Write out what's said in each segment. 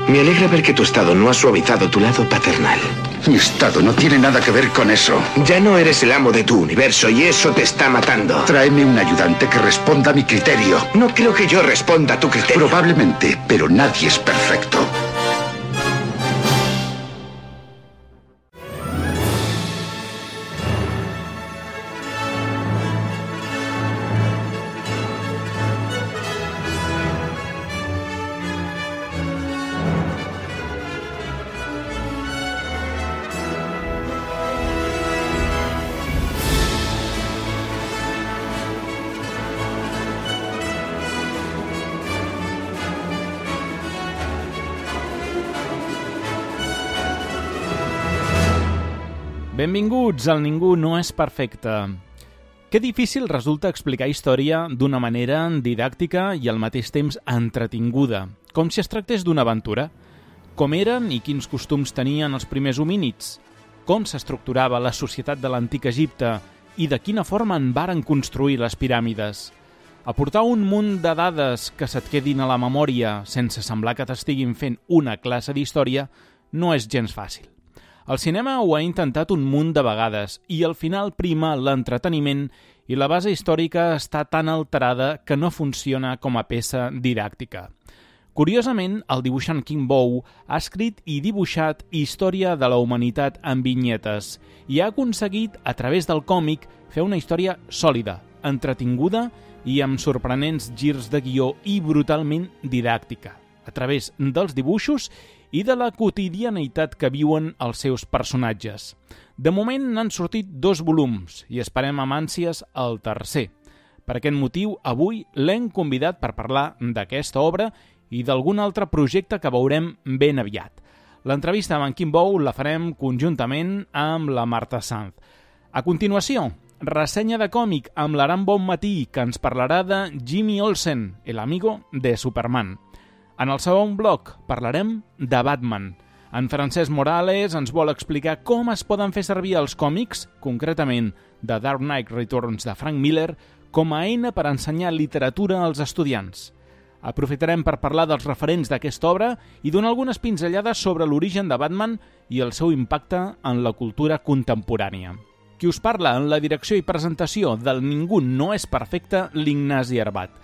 Me alegra ver que tu estado no ha suavizado tu lado paternal. Mi estado no tiene nada que ver con eso. Ya no eres el amo de tu universo y eso te está matando. Tráeme un ayudante que responda a mi criterio. No creo que yo responda a tu criterio. Probablemente, pero nadie es perfecto. Benvinguts al Ningú no és perfecte. Que difícil resulta explicar història d'una manera didàctica i al mateix temps entretinguda, com si es tractés d'una aventura. Com eren i quins costums tenien els primers homínids? Com s'estructurava la societat de l'antic Egipte i de quina forma en varen construir les piràmides? Aportar un munt de dades que se't quedin a la memòria sense semblar que t'estiguin fent una classe d'història no és gens fàcil. El cinema ho ha intentat un munt de vegades i al final prima l'entreteniment i la base històrica està tan alterada que no funciona com a peça didàctica. Curiosament, el dibuixant King Bow ha escrit i dibuixat història de la humanitat en vinyetes i ha aconseguit, a través del còmic, fer una història sòlida, entretinguda i amb sorprenents girs de guió i brutalment didàctica, a través dels dibuixos i de la quotidianitat que viuen els seus personatges. De moment n'han sortit 2 volums i esperem amb ànsies el tercer. Per aquest motiu, avui l'hem convidat per parlar d'aquesta obra i d'algun altre projecte que veurem ben aviat. L'entrevista amb en King Bow la farem conjuntament amb la Marta Sanz. A continuació, ressenya de còmic amb l'Aram Bonmatí, que ens parlarà de Jimmy Olsen, el amigo de Superman. En el segon bloc parlarem de Batman. En Francesc Morales ens vol explicar com es poden fer servir els còmics, concretament The Dark Knight Returns de Frank Miller, com a eina per ensenyar literatura als estudiants. Aprofitarem per parlar dels referents d'aquesta obra i donar algunes pinzellades sobre l'origen de Batman i el seu impacte en la cultura contemporània. Qui us parla en la direcció i presentació del Ningú no és perfecte, l'Ignasi Arbat.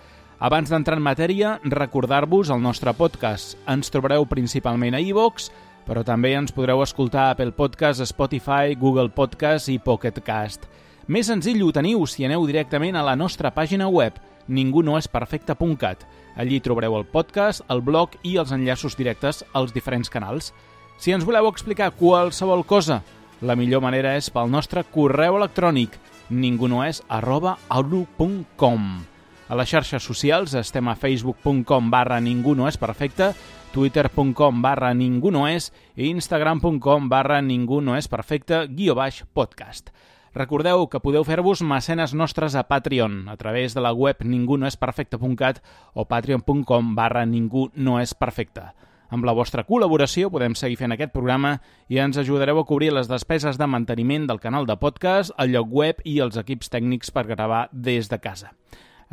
Abans d'entrar en matèria, recordar-vos el nostre podcast. Ens trobareu principalment a iVoox, però també ens podreu escoltar a Apple Podcast, Spotify, Google Podcast i Pocket Cast. Més senzill ho teniu si aneu directament a la nostra pàgina web, ningunoesperfecte.cat. Allí trobareu el podcast, el blog i els enllaços directes als diferents canals. Si ens voleu explicar qualsevol cosa, la millor manera és pel nostre correu electrònic ningunoes@outlook.com. A les xarxes socials estem a facebook.com/ningunoesperfecte, twitter.com/ningunoes i instagram.com/ningunoesperfecte_podcast. Recordeu que podeu fer-vos mecenes nostres a Patreon a través de la web ningunoesperfecte.cat o patreon.com/ningunoesperfecte. Amb la vostra col·laboració podem seguir fent aquest programa i ens ajudareu a cobrir les despeses de manteniment del canal de podcast, el lloc web i els equips tècnics per gravar des de casa.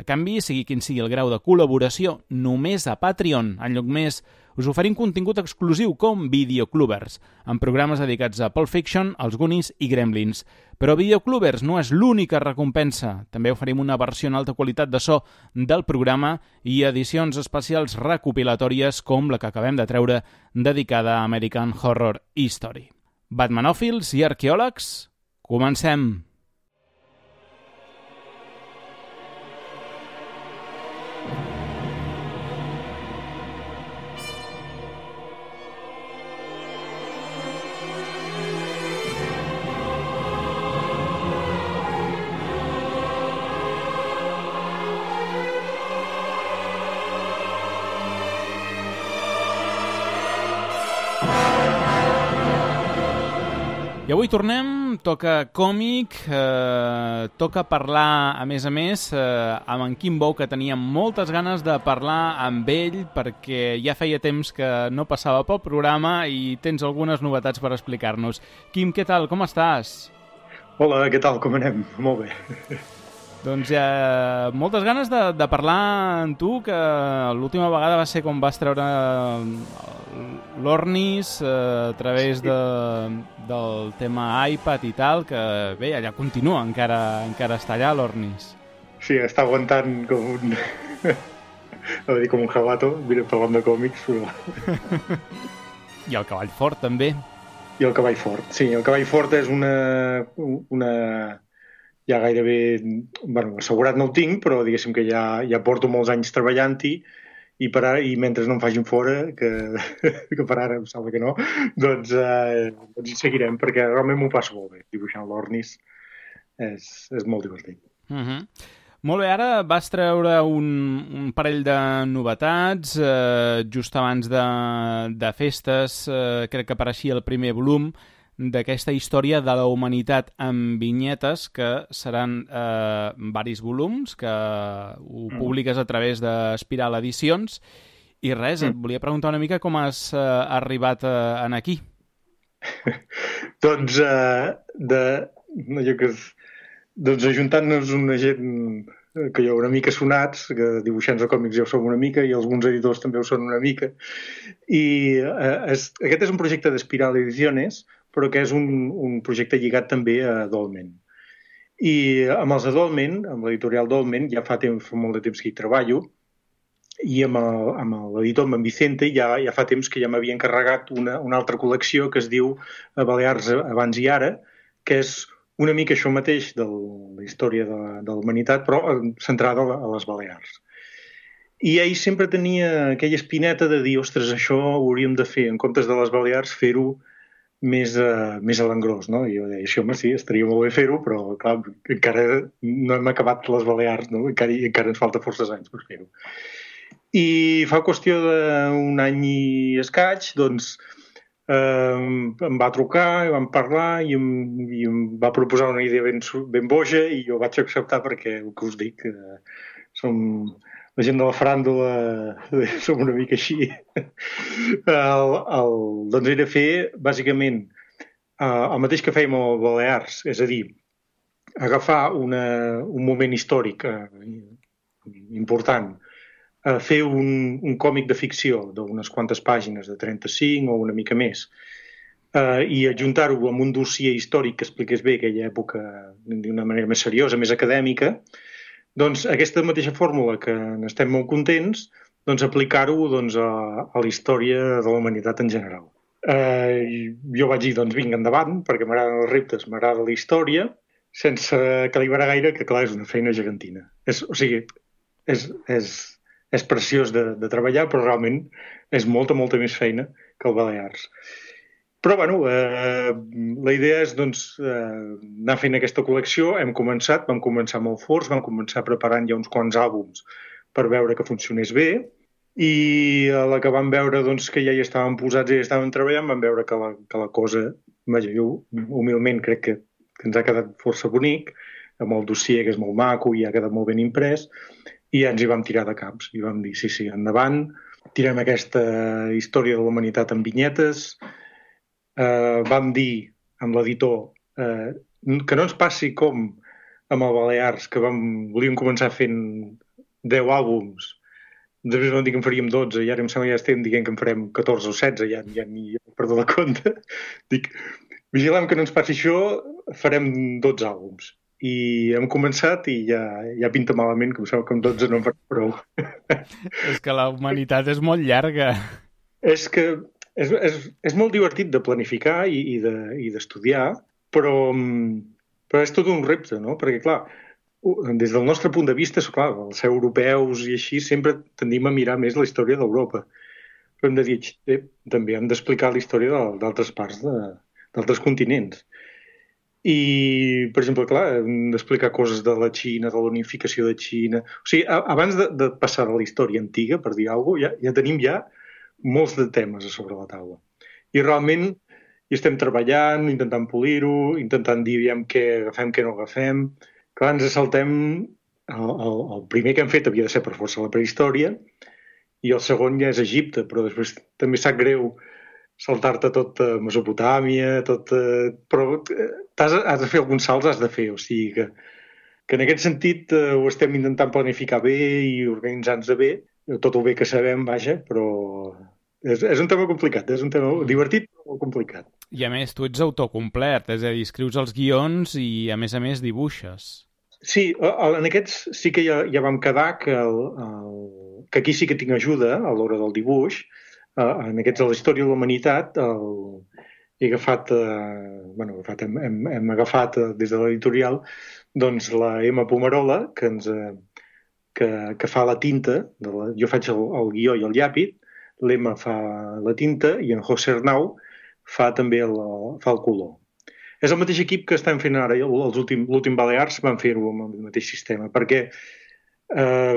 A canvi, sigui quin sigui el grau de col·laboració, només a Patreon, en lloc més, us oferim contingut exclusiu com Videoclubers, amb programes dedicats a Pulp Fiction, els Goonies i Gremlins. Però Videoclubers no és l'única recompensa. També oferim una versió en alta qualitat de so del programa i edicions especials recopilatòries com la que acabem de treure dedicada a American Horror History. Batmanòfils i arqueòlegs, comencem! I avui tornem, toca còmic, toca parlar, a més, amb en King Bow, que tenia moltes ganes de parlar amb ell perquè ja feia temps que no passava pel programa i tens algunes novetats per explicar-nos. Quim, què tal? Com estàs? Hola, què tal? Com anem? Molt bé. Doncs hi ha moltes ganes de parlar amb tu, que l'última vegada va ser com vas treure l'Ornis a través del tema iPad i tal, que bé, allà continua, encara està allà l'Ornis. Sí, està aguantant com un... no dir com un jabato, parlant de còmics, però... I el cavall fort, també. I el cavall fort, sí. El cavall fort és una ja gairebé... Bueno, assegurat no ho tinc, però diguéssim que ja porto molts anys treballant-hi i mentre no em facin fora, que per ara em sembla que no, doncs hi seguirem, perquè realment m'ho passo molt bé. Dibuixant l'Ornis és molt divertit. Molt bé, ara vas treure un parell de novetats, just abans de festes, crec que apareixia el primer volum d'aquesta història de la humanitat amb vinyetes, que seran varis volums, que ho publiques a través d'Espiral Edicions, i res, et volia preguntar una mica com has arribat en aquí. Doncs ajuntant-nos una gent que jo una mica sonats, que dibuixants de còmics ja ho som una mica i alguns editors també ho són una mica, i aquest és un projecte d'Espiral Ediciones, però que és un projecte lligat també a Dolmen. I amb els de Dolmen, amb l'editorial Dolmen, ja fa molt de temps que hi treballo, i amb l'editor, amb en Vicente, ja fa temps que ja m'havia encarregat una altra col·lecció que es diu Balears abans i ara, que és una mica això mateix de la història de la humanitat, però centrada a les Balears. I ell sempre tenia aquella espineta de dir, ostres, això ho hauríem de fer, en comptes de les Balears, fer-ho més a l'engròs, no? I jo deia, això, home, sí, estaria molt bé fer-ho, però, clar, encara no hem acabat les Balears, no? Encara ens falta forces anys per fer-ho. I fa qüestió d'un any i escaig, doncs, em va trucar, vam parlar i em va proposar una idea ben boja i jo vaig acceptar perquè, el que us dic, som la gent de la faràndula, som una mica així. Doncs era fer, bàsicament, el mateix que fèiem a Balears, és a dir, agafar un moment històric important, fer un còmic de ficció d'unes quantes pàgines, de 35 o una mica més, i adjuntar-ho amb un dossier històric que expliqués bé aquella època d'una manera més seriosa, més acadèmica, doncs aquesta mateixa fórmula que n'estem molt contents, doncs aplicar-ho a la història de la humanitat en general. Jo vaig dir, doncs vinga, endavant, perquè m'agraden els reptes, m'agrada la història, sense calibrar gaire, que clar, és una feina gegantina. O sigui, és preciós de treballar, però realment és molta més feina que el Balears. Però, bueno, la idea és, doncs, anar fent aquesta col·lecció. Vam començar molt forts, vam començar preparant ja uns quants àlbums per veure que funcionés bé, i a la que vam veure doncs, que ja hi estàvem posats i ja estàvem treballant, vam veure que la cosa, vaja, jo humilment crec que ens ha quedat força bonic, amb el dossier que és molt maco i ha quedat molt ben imprès, i ja ens hi vam tirar de caps i vam dir, sí, endavant, tirem aquesta història de la humanitat amb vinyetes. Vam dir amb l'editor que no ens passi com amb el Balears, que volíem començar fent 10 àlbums, després vam dir que en faríem 12 i ara em sembla que ja estem dient que en farem 14 o 16, ja ni perdó la compte. Dic, vigilem que no ens passi això, farem 12 àlbums. I hem començat i ja pinta malament, que em sembla que amb 12 no en farem prou. És que la humanitat és molt llarga. És que és molt divertit de planificar i d'estudiar, però és tot un repte, no? Perquè, clar, des del nostre punt de vista, clar, els europeus i així, sempre tendim a mirar més la història d'Europa. Però hem de dir, també hem d'explicar la història d'altres parts, d'altres continents. I, per exemple, clar, hem d'explicar coses de la Xina, de la unificació de Xina. O sigui, abans de passar a la història antiga, per dir alguna cosa, ja tenim molts de temes a sobre la taula. I realment hi estem treballant, intentant polir-ho, intentant dir què agafem, què no agafem. Clar, ens saltem... El primer que hem fet havia de ser per força la prehistòria i el segon ja és Egipte, però després també sap greu saltar-te tot Mesopotàmia, però has de fer alguns salts, has de fer, o sigui que que en aquest sentit ho estem intentant planificar bé i organitzar-nos bé, tot el bé que sabem, vaja, però és un tema complicat, és un tema divertit però molt complicat. I a més, tu ets autocomplet, és a dir, escrius els guions i a més dibuixes. Sí, en aquests sí que ja vam quedar que aquí sí que tinc ajuda a l'hora del dibuix. En aquests de la història de la humanitat hem agafat des de l'editorial doncs la Emma Pomerola que fa la tinta, jo faig el guió i el llapis, l'Emma fa la tinta i en José Arnau fa també el color. És el mateix equip que estan fent ara l'últim Balears, van fer-ho amb el mateix sistema, perquè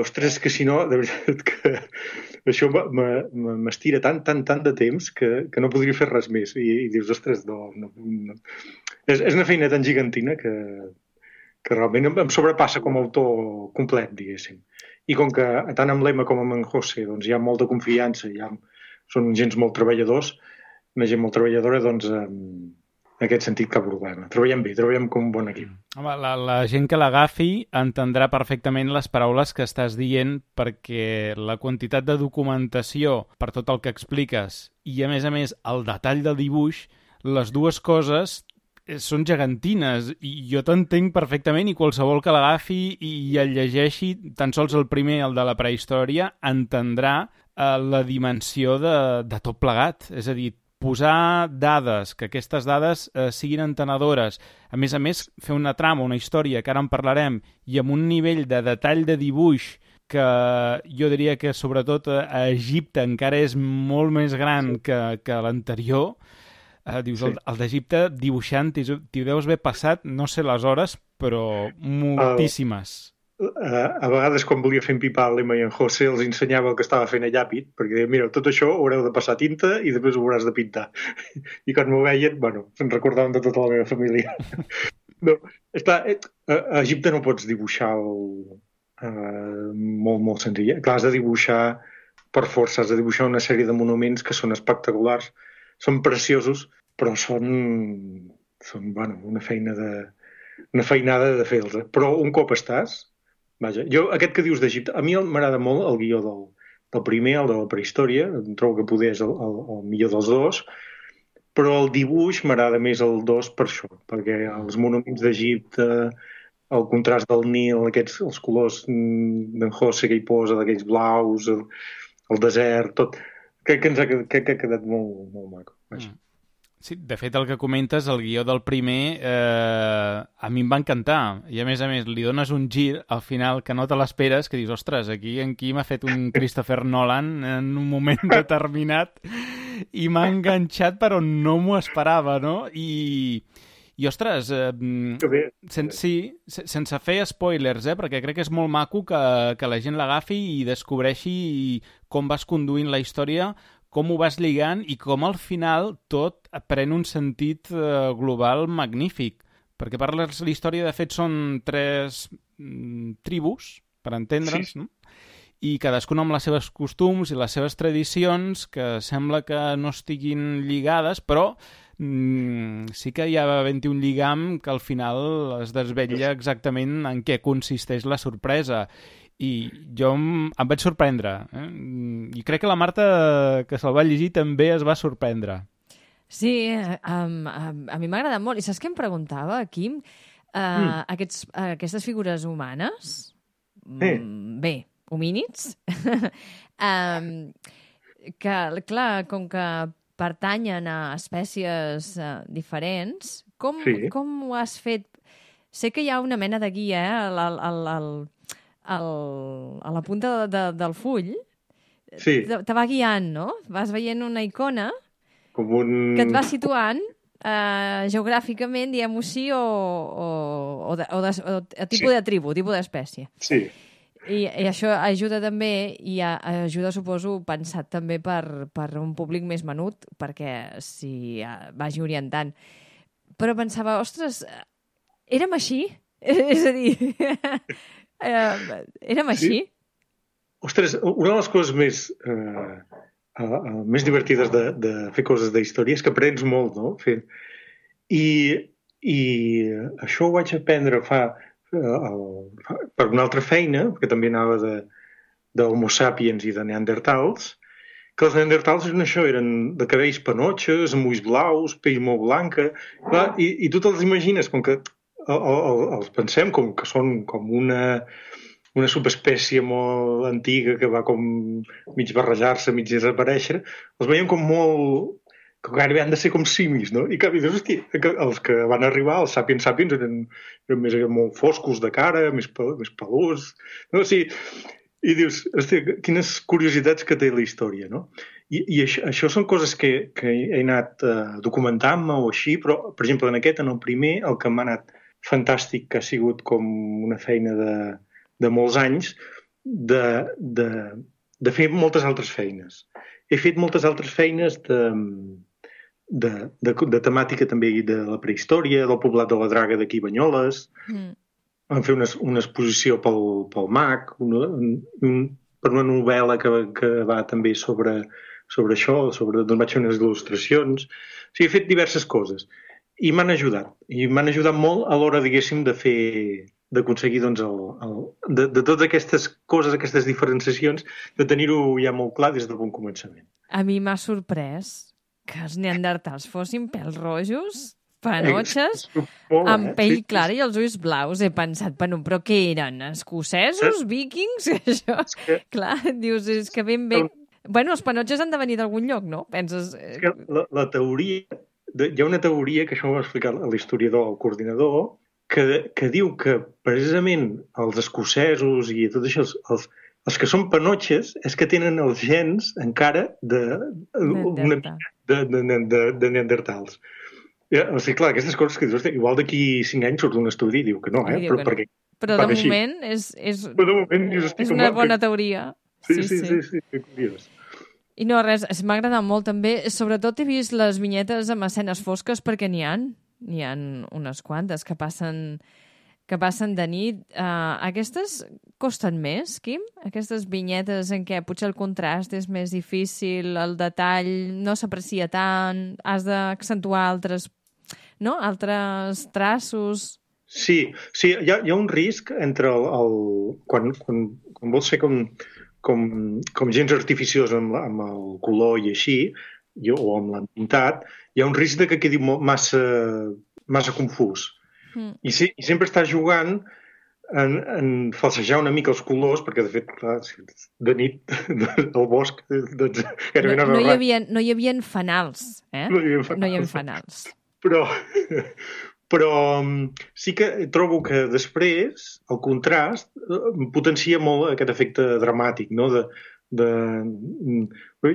ostres, que si no, de veritat que això m'estira tant de temps que no podria fer res més. I dius, ostres, no. És una feina tan gigantina que realment em sobrepassa com a autor complet, diguéssim. I com que tant amb l'Emma com amb en José doncs, hi ha molta confiança, són gens molt treballadors, una gent molt treballadora, doncs en aquest sentit cap problema. Treballem bé, treballem com un bon equip. Home, la gent que l'agafi entendrà perfectament les paraules que estàs dient, perquè la quantitat de documentació per tot el que expliques i, a més, el detall del dibuix, les dues coses són gegantines i jo t'entenc perfectament, i qualsevol que l'agafi i el llegeixi, tan sols el primer, el de la prehistòria, entendrà la dimensió de tot plegat. És a dir, posar dades, que aquestes dades siguin entenedores, a més, fer una trama, una història, que ara en parlarem, i amb un nivell de detall de dibuix que jo diria que sobretot a Egipte encara és molt més gran que l'anterior. Dius, sí. El d'Egipte dibuixant t'hi deus haver passat, no sé les hores, però moltíssimes. A vegades quan volia fer empipar l'Emma i en José els ensenyava el que estava fent a llapis, perquè deia, mira, tot això ho haureu de passar tinta i després ho hauràs de pintar. I quan m'ho veien, se'n recordaven de tota la meva família. No, a Egipte no pots dibuixar molt, molt senzill. Clar, has de dibuixar per força, has de dibuixar una sèrie de monuments que són espectaculars, són preciosos, però són una feinada de fer-los. Però un cop estàs, vaja, aquest que dius d'Egipte, a mi m'agrada molt el guió del primer, el de la prehistòria, em trobo que poder és el millor dels dos, però el dibuix m'agrada més el 2 per això, perquè els monuments d'Egipte, el contrast del Nil, els colors d'en José que hi posa, d'aquells blaus, el desert, tot, crec que ha quedat molt, molt maco. Sí, de fet, el que comentes, el guió del primer, a mi em va encantar. I, a més, li dones un gir al final que no te l'esperes, que dius, ostres, aquí m'ha fet un Christopher Nolan en un moment determinat i m'ha enganxat, però no m'ho esperava, no? I ostres, sense fer spoilers, perquè crec que és molt maco que la gent l'agafi i descobreixi com vas conduint la història, com ho vas lligant i com al final tot pren un sentit global magnífic. Perquè parles la història, de fet, són 3 tribus, per entendre'ns, sí. No? I cadascuna amb les seves costums i les seves tradicions, que sembla que no estiguin lligades, però sí que hi ha havent-hi un lligam que al final es desvetlla exactament en què consisteix la sorpresa. I jo em vaig sorprendre. I crec que la Marta, que se'l va llegir, també es va sorprendre. Sí, a mi m'ha agradat molt. I saps què em preguntava, Quim? Aquestes figures humanes, bé, homínids, que, clar, com que pertanyen a espècies diferents, com ho has fet? Sé que hi ha una mena de guia a la punta del full. Sí. Te va guiant, no? Vas veient una icona que et va situant geogràficament, diguem-ho així, o tipus de tribu, tipus d'espècie. Sí. I això ajuda també, i ajuda, suposo, pensat també per un públic més menut, perquè s'hi vagi orientant. Però pensava, ostres, érem així? És a dir, érem així? Ostres, una de les coses més divertides de fer coses d'història és que aprens molt, no? I això ho vaig aprendre per una altra feina, perquè també anava d'Homo sapiens i de Neandertals, que els Neandertals eren de cabells panotxes, amb ulls blaus, pell molt blanca, clar, i tu te'ls imagines com que els pensem com que són com una subespècie molt antiga que va com mig barrejar-se, mig desaparèixer, els veiem com molt... que gairebé han de ser com simis, no? I dius, hosti, els que van arribar, els sapiens eren molt foscos de cara, més pelús, no? O sigui, i dius, hosti, quines curiositats que té la història, no? I això són coses que he anat documentant-me o així, però, per exemple, en el primer, el que m'ha anat fantàstic, que ha sigut com una feina de molts anys, de fer moltes altres feines. He fet moltes altres feines de temàtica també de la prehistòria, del poblat de la Draga d'aquí Banyoles. Vam fer una exposició pel MAC, per una novel·la que va també sobre això, doncs vaig fer unes il·lustracions. O sigui, he fet diverses coses. I m'han ajudat. I m'han ajudat molt a l'hora, diguéssim, d'aconseguir doncs, de totes aquestes coses, aquestes diferenciacions, de tenir-ho ja molt clar des del bon començament. A mi m'ha sorprès que els neandertals fossin pèls rojos, panotxes, amb pell clara i els ulls blaus. He pensat, però què eren? Escocesos? Víkings? Això, clar, dius, és que ben bé... Bueno, els panotxes han de venir d'algun lloc, no? Penses... És que la teoria... Hi ha una teoria, que això ho va explicar l'historiador, el coordinador, que diu que precisament els escocesos i tot això, els que són panotxes és que tenen els gens encara de neandertals. O sigui, clar, aquestes coses que dius, igual d'aquí 5 anys surt un estudi i diu que no, però de moment és una bona teoria. Sí, curiós. I no, res, m'ha agradat molt també. Sobretot he vist les vinyetes amb escenes fosques perquè n'hi ha unes quantes que passen de nit. Aquestes costen més, Quim? Aquestes vinyetes en què potser el contrast és més difícil, el detall no s'aprecia tant, has d'accentuar altres traços... Sí, hi ha un risc entre quan vols fer com gens artificiós amb el color i així, o amb l'entintat, hi ha un risc que quedi massa confús. I sempre estàs jugant en falsejar una mica els colors, perquè de fet, clar, de nit al bosc doncs, no hi havia fanals, No hi havia fanals. Però sí que trobo que després el contrast potencia molt aquest efecte dramàtic, no?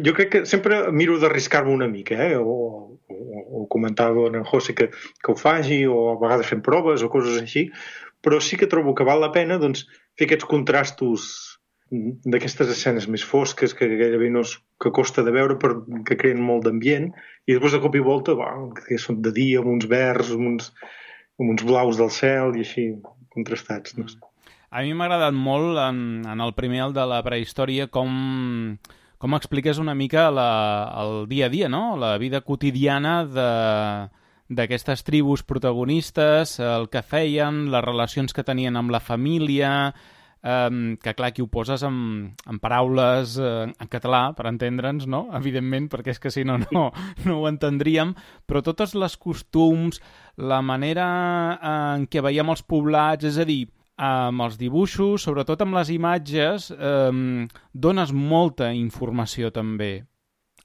Jo crec que sempre miro d'arriscar-me una mica, o comentava en José que ho faci, o a vegades fem proves o coses així, però sí que trobo que val la pena doncs, fer aquests contrastos d'aquestes escenes més fosques que gairebé que costa de veure que creen molt d'ambient, i després de cop i volta que són de dia amb uns verds, amb uns blaus del cel i així contrastats, no sé. A mi m'ha agradat molt en el primer, el de la prehistòria, com expliques una mica el dia a dia, no? La vida quotidiana d'aquestes tribus protagonistes, el que feien, les relacions que tenien amb la família, que clar, aquí ho poses en paraules en català, per entendre'ns, no? Evidentment, perquè és que si no ho entendríem, però totes les costums, la manera en què veiem els poblats, és a dir, amb els dibuixos, sobretot amb les imatges, dones molta informació també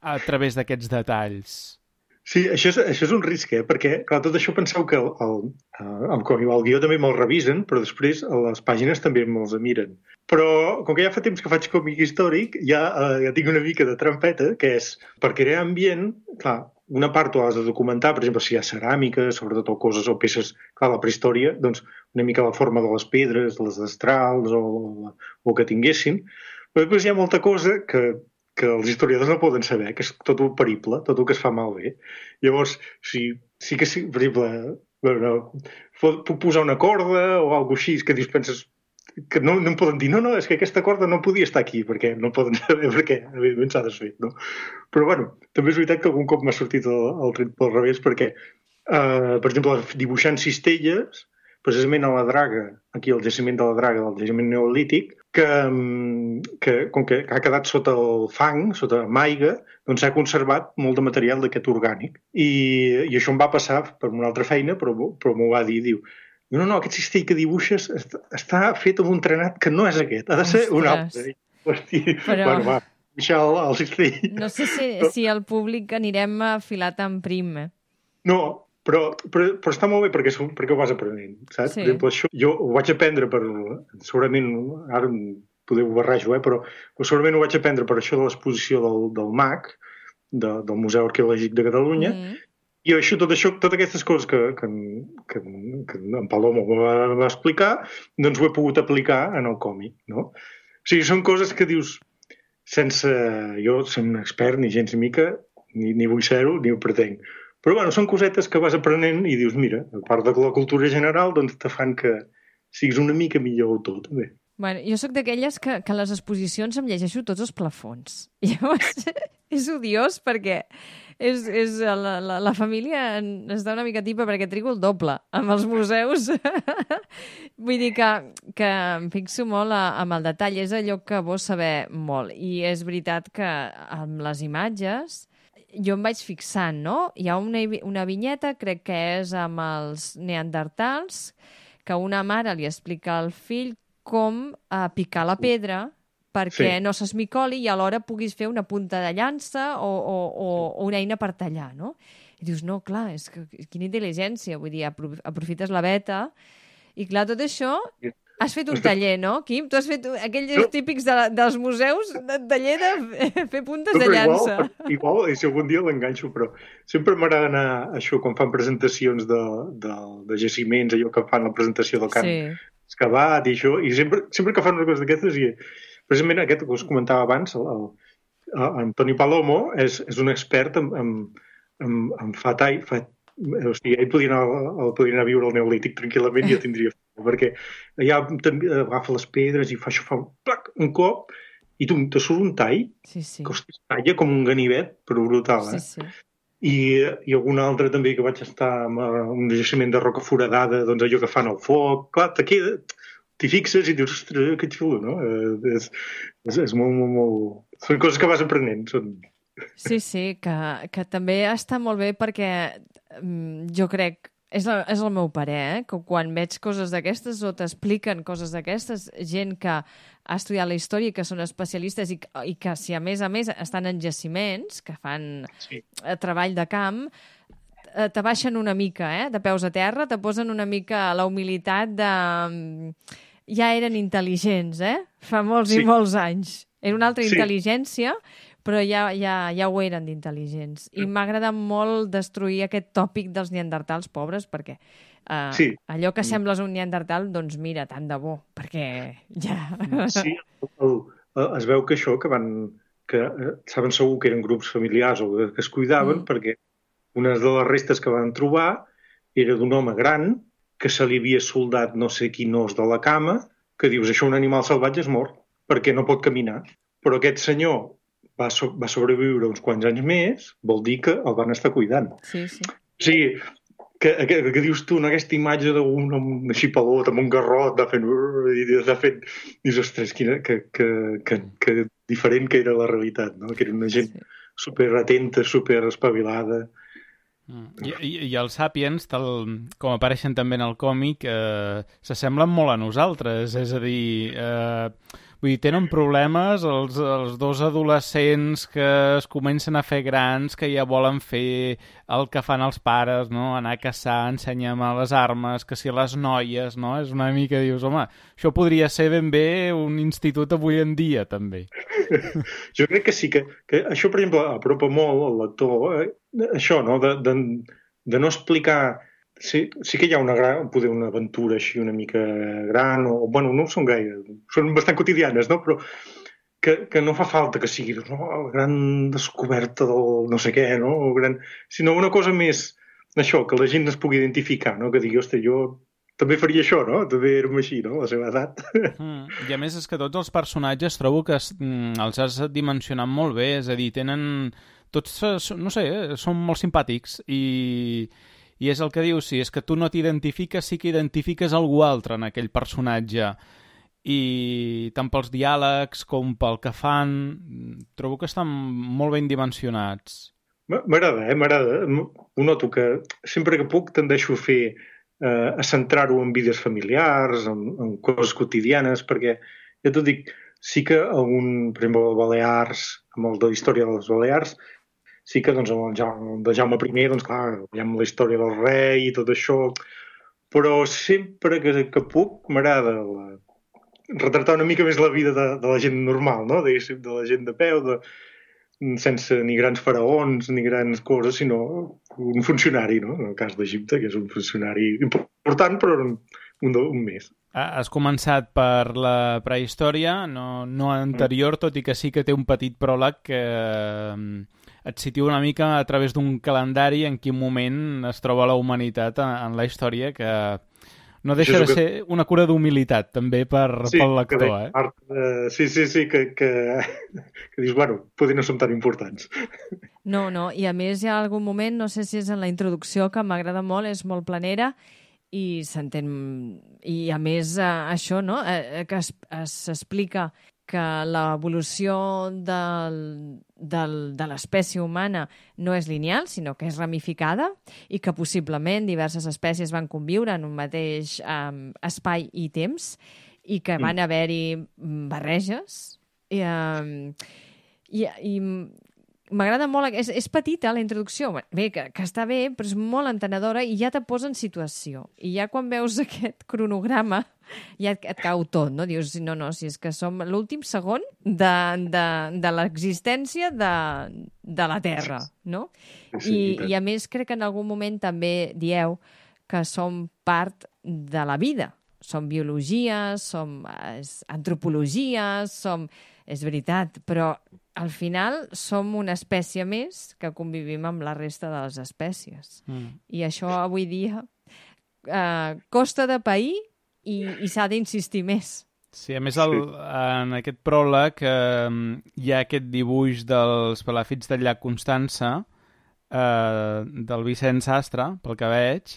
a través d'aquests detalls. Sí, això és un risc, perquè clar, tot això penseu que el guió també me'l revisen, però després a les pàgines també me'ls miren. Però com que ja fa temps que faig còmic històric, ja tinc una mica de trampeta, que és, per crear ambient, clar, una part ho has de documentar, per exemple, si hi ha ceràmica, sobretot o coses o peces, clar, la prehistòria, doncs una mica la forma de les pedres, les destrals o que tinguessin, però després hi ha molta cosa que els historiadors no poden saber, que és tot el periple, tot el que es fa malbé. Llavors, sí que, per exemple, puc posar una corda o alguna així, que dius, penses que no em poden dir, no, és que aquesta corda no podia estar aquí, perquè no poden saber perquè, evidentment, s'ha desfet, no? Però, bueno, també és veritat que algun cop m'ha sortit el tret pel revés, perquè, per exemple, dibuixant cistelles, precisament a la Draga, aquí al jaciment de la Draga, del jaciment neolític, que com que ha quedat sota el fang, sota maiga, doncs s'ha conservat molt de material d'aquest orgànic. I això em va passar per una altra feina, però m'ho va dir, diu, no, aquest cistell que dibuixes està fet amb un trenat que no és aquest, ha de ser un altre. Hosti, però... Bueno, va, deixar el cistell. No sé si el públic anirem afilat en prim, No, però està molt bé perquè ho vas aprenent, saps? Sí. Per exemple, això jo ho vaig aprendre segurament, ara podeu barrejo, però segurament ho vaig aprendre per això de l'exposició del MAC, del Museu Arqueològic de Catalunya, i totes aquestes coses que en Palomo va explicar, doncs ho he pogut aplicar en el còmic, no? O sigui, són coses que dius, sense jo ser un expert ni gens ni mica, ni vull ser-ho, ni ho pretenc. Però bueno, són cosetes que vas aprenent i dius, mira, a part de la cultura general, doncs te fan que siguis una mica millor autor, també. Bueno, jo sóc d'aquelles que a les exposicions em llegeixo tots els plafons. Llavors, és odiós perquè la família està una mica tipa perquè trigo el doble amb els museus. Vull dir que em fixo molt amb el detall. És allò que vols saber molt. I és veritat que amb les imatges jo em vaig fixant, no? Hi ha una vinyeta, crec que és amb els neandertals, que una mare li explica al fill com picar la pedra perquè no s'esmicoli i alhora puguis fer una punta de llança o una eina per tallar, no? I dius, no, clar, és que quina intel·ligència, vull dir, aprofites la veta i clar, tot això... Has fet un taller, no, Quim? Tu has fet aquells típics dels museus de taller de fer puntes de llança. Igual, i si algun dia l'enganxo, però sempre m'agrada anar a això, quan fan presentacions de jaciments, allò que fan la presentació del camp excavat i això, i sempre que fan una cosa d'aquestes, i precisament aquest que us comentava abans, Antoni Palomo és un expert en fa tall, o sigui, ell podria anar a viure al Neolític tranquil·lament i ja tindria perquè allà agafa les pedres i fa això, fa un cop i te surt un tall que es talla com un ganivet, però brutal, I algun altre també que vaig estar amb un jaciment de roca foradada, doncs allò que fan al foc, clar, t'hi fixes i dius, ostres, que xulo, no? És molt... Són coses que vas aprenent, Sí, que també està molt bé perquè jo crec, és el meu parer, que quan veig coses d'aquestes o t'expliquen coses d'aquestes, gent que ha estudiat la història i que són especialistes i que si a més estan en jaciments, que fan treball de camp, t'abaixen una mica, de peus a terra, te posen una mica la humilitat de... Ja eren intel·ligents, fa molts i molts anys. Era una altra intel·ligència, però ja ho eren d'intel·ligents. I m'ha agradat molt destruir aquest tòpic dels neandertals pobres, perquè allò que sembles un neandertal, doncs mira, tant de bo, perquè ja... Sí, es veu que això, que saben segur que eren grups familiars o que es cuidaven, perquè una de les restes que van trobar era d'un home gran que se li havia soldat no sé quin os de la cama, que dius, això un animal salvatge és mort, perquè no pot caminar. Però aquest senyor va sobreviure uns quants anys més, vol dir que el van estar cuidant. Sí. O sigui, que dius tu, aquesta imatge d'un xipalot amb un garrot de fent... Dius, ostres, que diferent que era la realitat, no? Que era una gent superatenta, superespavilada. I els Sapiens, tal com apareixen també en el còmic, s'assemblen molt a nosaltres, és a dir... Vull dir, tenen problemes els dos adolescents que es comencen a fer grans, que ja volen fer el que fan els pares, no? Anar a caçar, ensenya'm les armes, que si les noies, no? És una mica, dius, home, això podria ser ben bé un institut avui en dia, també. Jo crec que sí, que això, per exemple, apropa molt al lector, això, no? De no explicar... Sí que hi ha una aventura així una mica gran, o bueno, no ho són gaire, són bastant quotidianes, no? Però que no fa falta que sigui la gran descoberta del no sé què, no? Sinó una cosa més, això, que la gent es pugui identificar, no? Que digui, ostres, jo també faria això, no? També érem així, no? A la seva edat. I a més és que tots els personatges trobo que els has dimensionat molt bé, és a dir, tenen... Tots, no sé, són molt simpàtics I és el que dius, si és que tu no t'identifiques, sí que identifiques algú altre en aquell personatge. I tant pels diàlegs com pel que fan, trobo que estan molt ben dimensionats. M'agrada, m'agrada. Ho noto que sempre que puc tendeixo a fer a centrar-ho en vides familiars, en coses quotidianes, perquè, ja t'ho dic, sí que per exemple, el Balears, amb el de la història dels Balears, sí que doncs, el de Jaume I, doncs clar, veiem la història del rei i tot això, però sempre que puc m'agrada retratar una mica més la vida de la gent normal, no? De la gent de peu, sense ni grans faraons ni grans coses, sinó un funcionari, no? En el cas d'Egipte, que és un funcionari important, però un més. Has començat per la prehistòria, no anterior, tot i que sí que té un petit pròleg que et situa una mica a través d'un calendari en quin moment es troba la humanitat en la història, que no deixa de ser una cura d'humilitat, també, pel lector. Sí, que dius, bueno, potser no som tan importants. No, i a més hi ha algun moment, no sé si és en la introducció, que m'agrada molt, és molt planera, i s'entén... I a més, això, no?, que s'explica que l'evolució de l'espècie humana no és lineal, sinó que és ramificada i que possiblement diverses espècies van conviure en un mateix espai i temps i que van haver-hi barreges. I m'agrada molt... És petita, la introducció. Bé, que està bé, però és molt entenedora i ja te posa en situació. I ja quan veus aquest cronograma ja et cau tot, no? Dius, no, si és que som l'últim segon de l'existència de la Terra, no? I a més crec que en algun moment també dieu que som part de la vida. Som biologia, som antropologia, és veritat, però al final som una espècie més que convivim amb la resta de les espècies. I això avui dia costa de pair i s'ha d'insistir més. Sí, a més en aquest pròleg hi ha aquest dibuix dels palafits del llac Constança, del Vicent Sastre, pel que veig,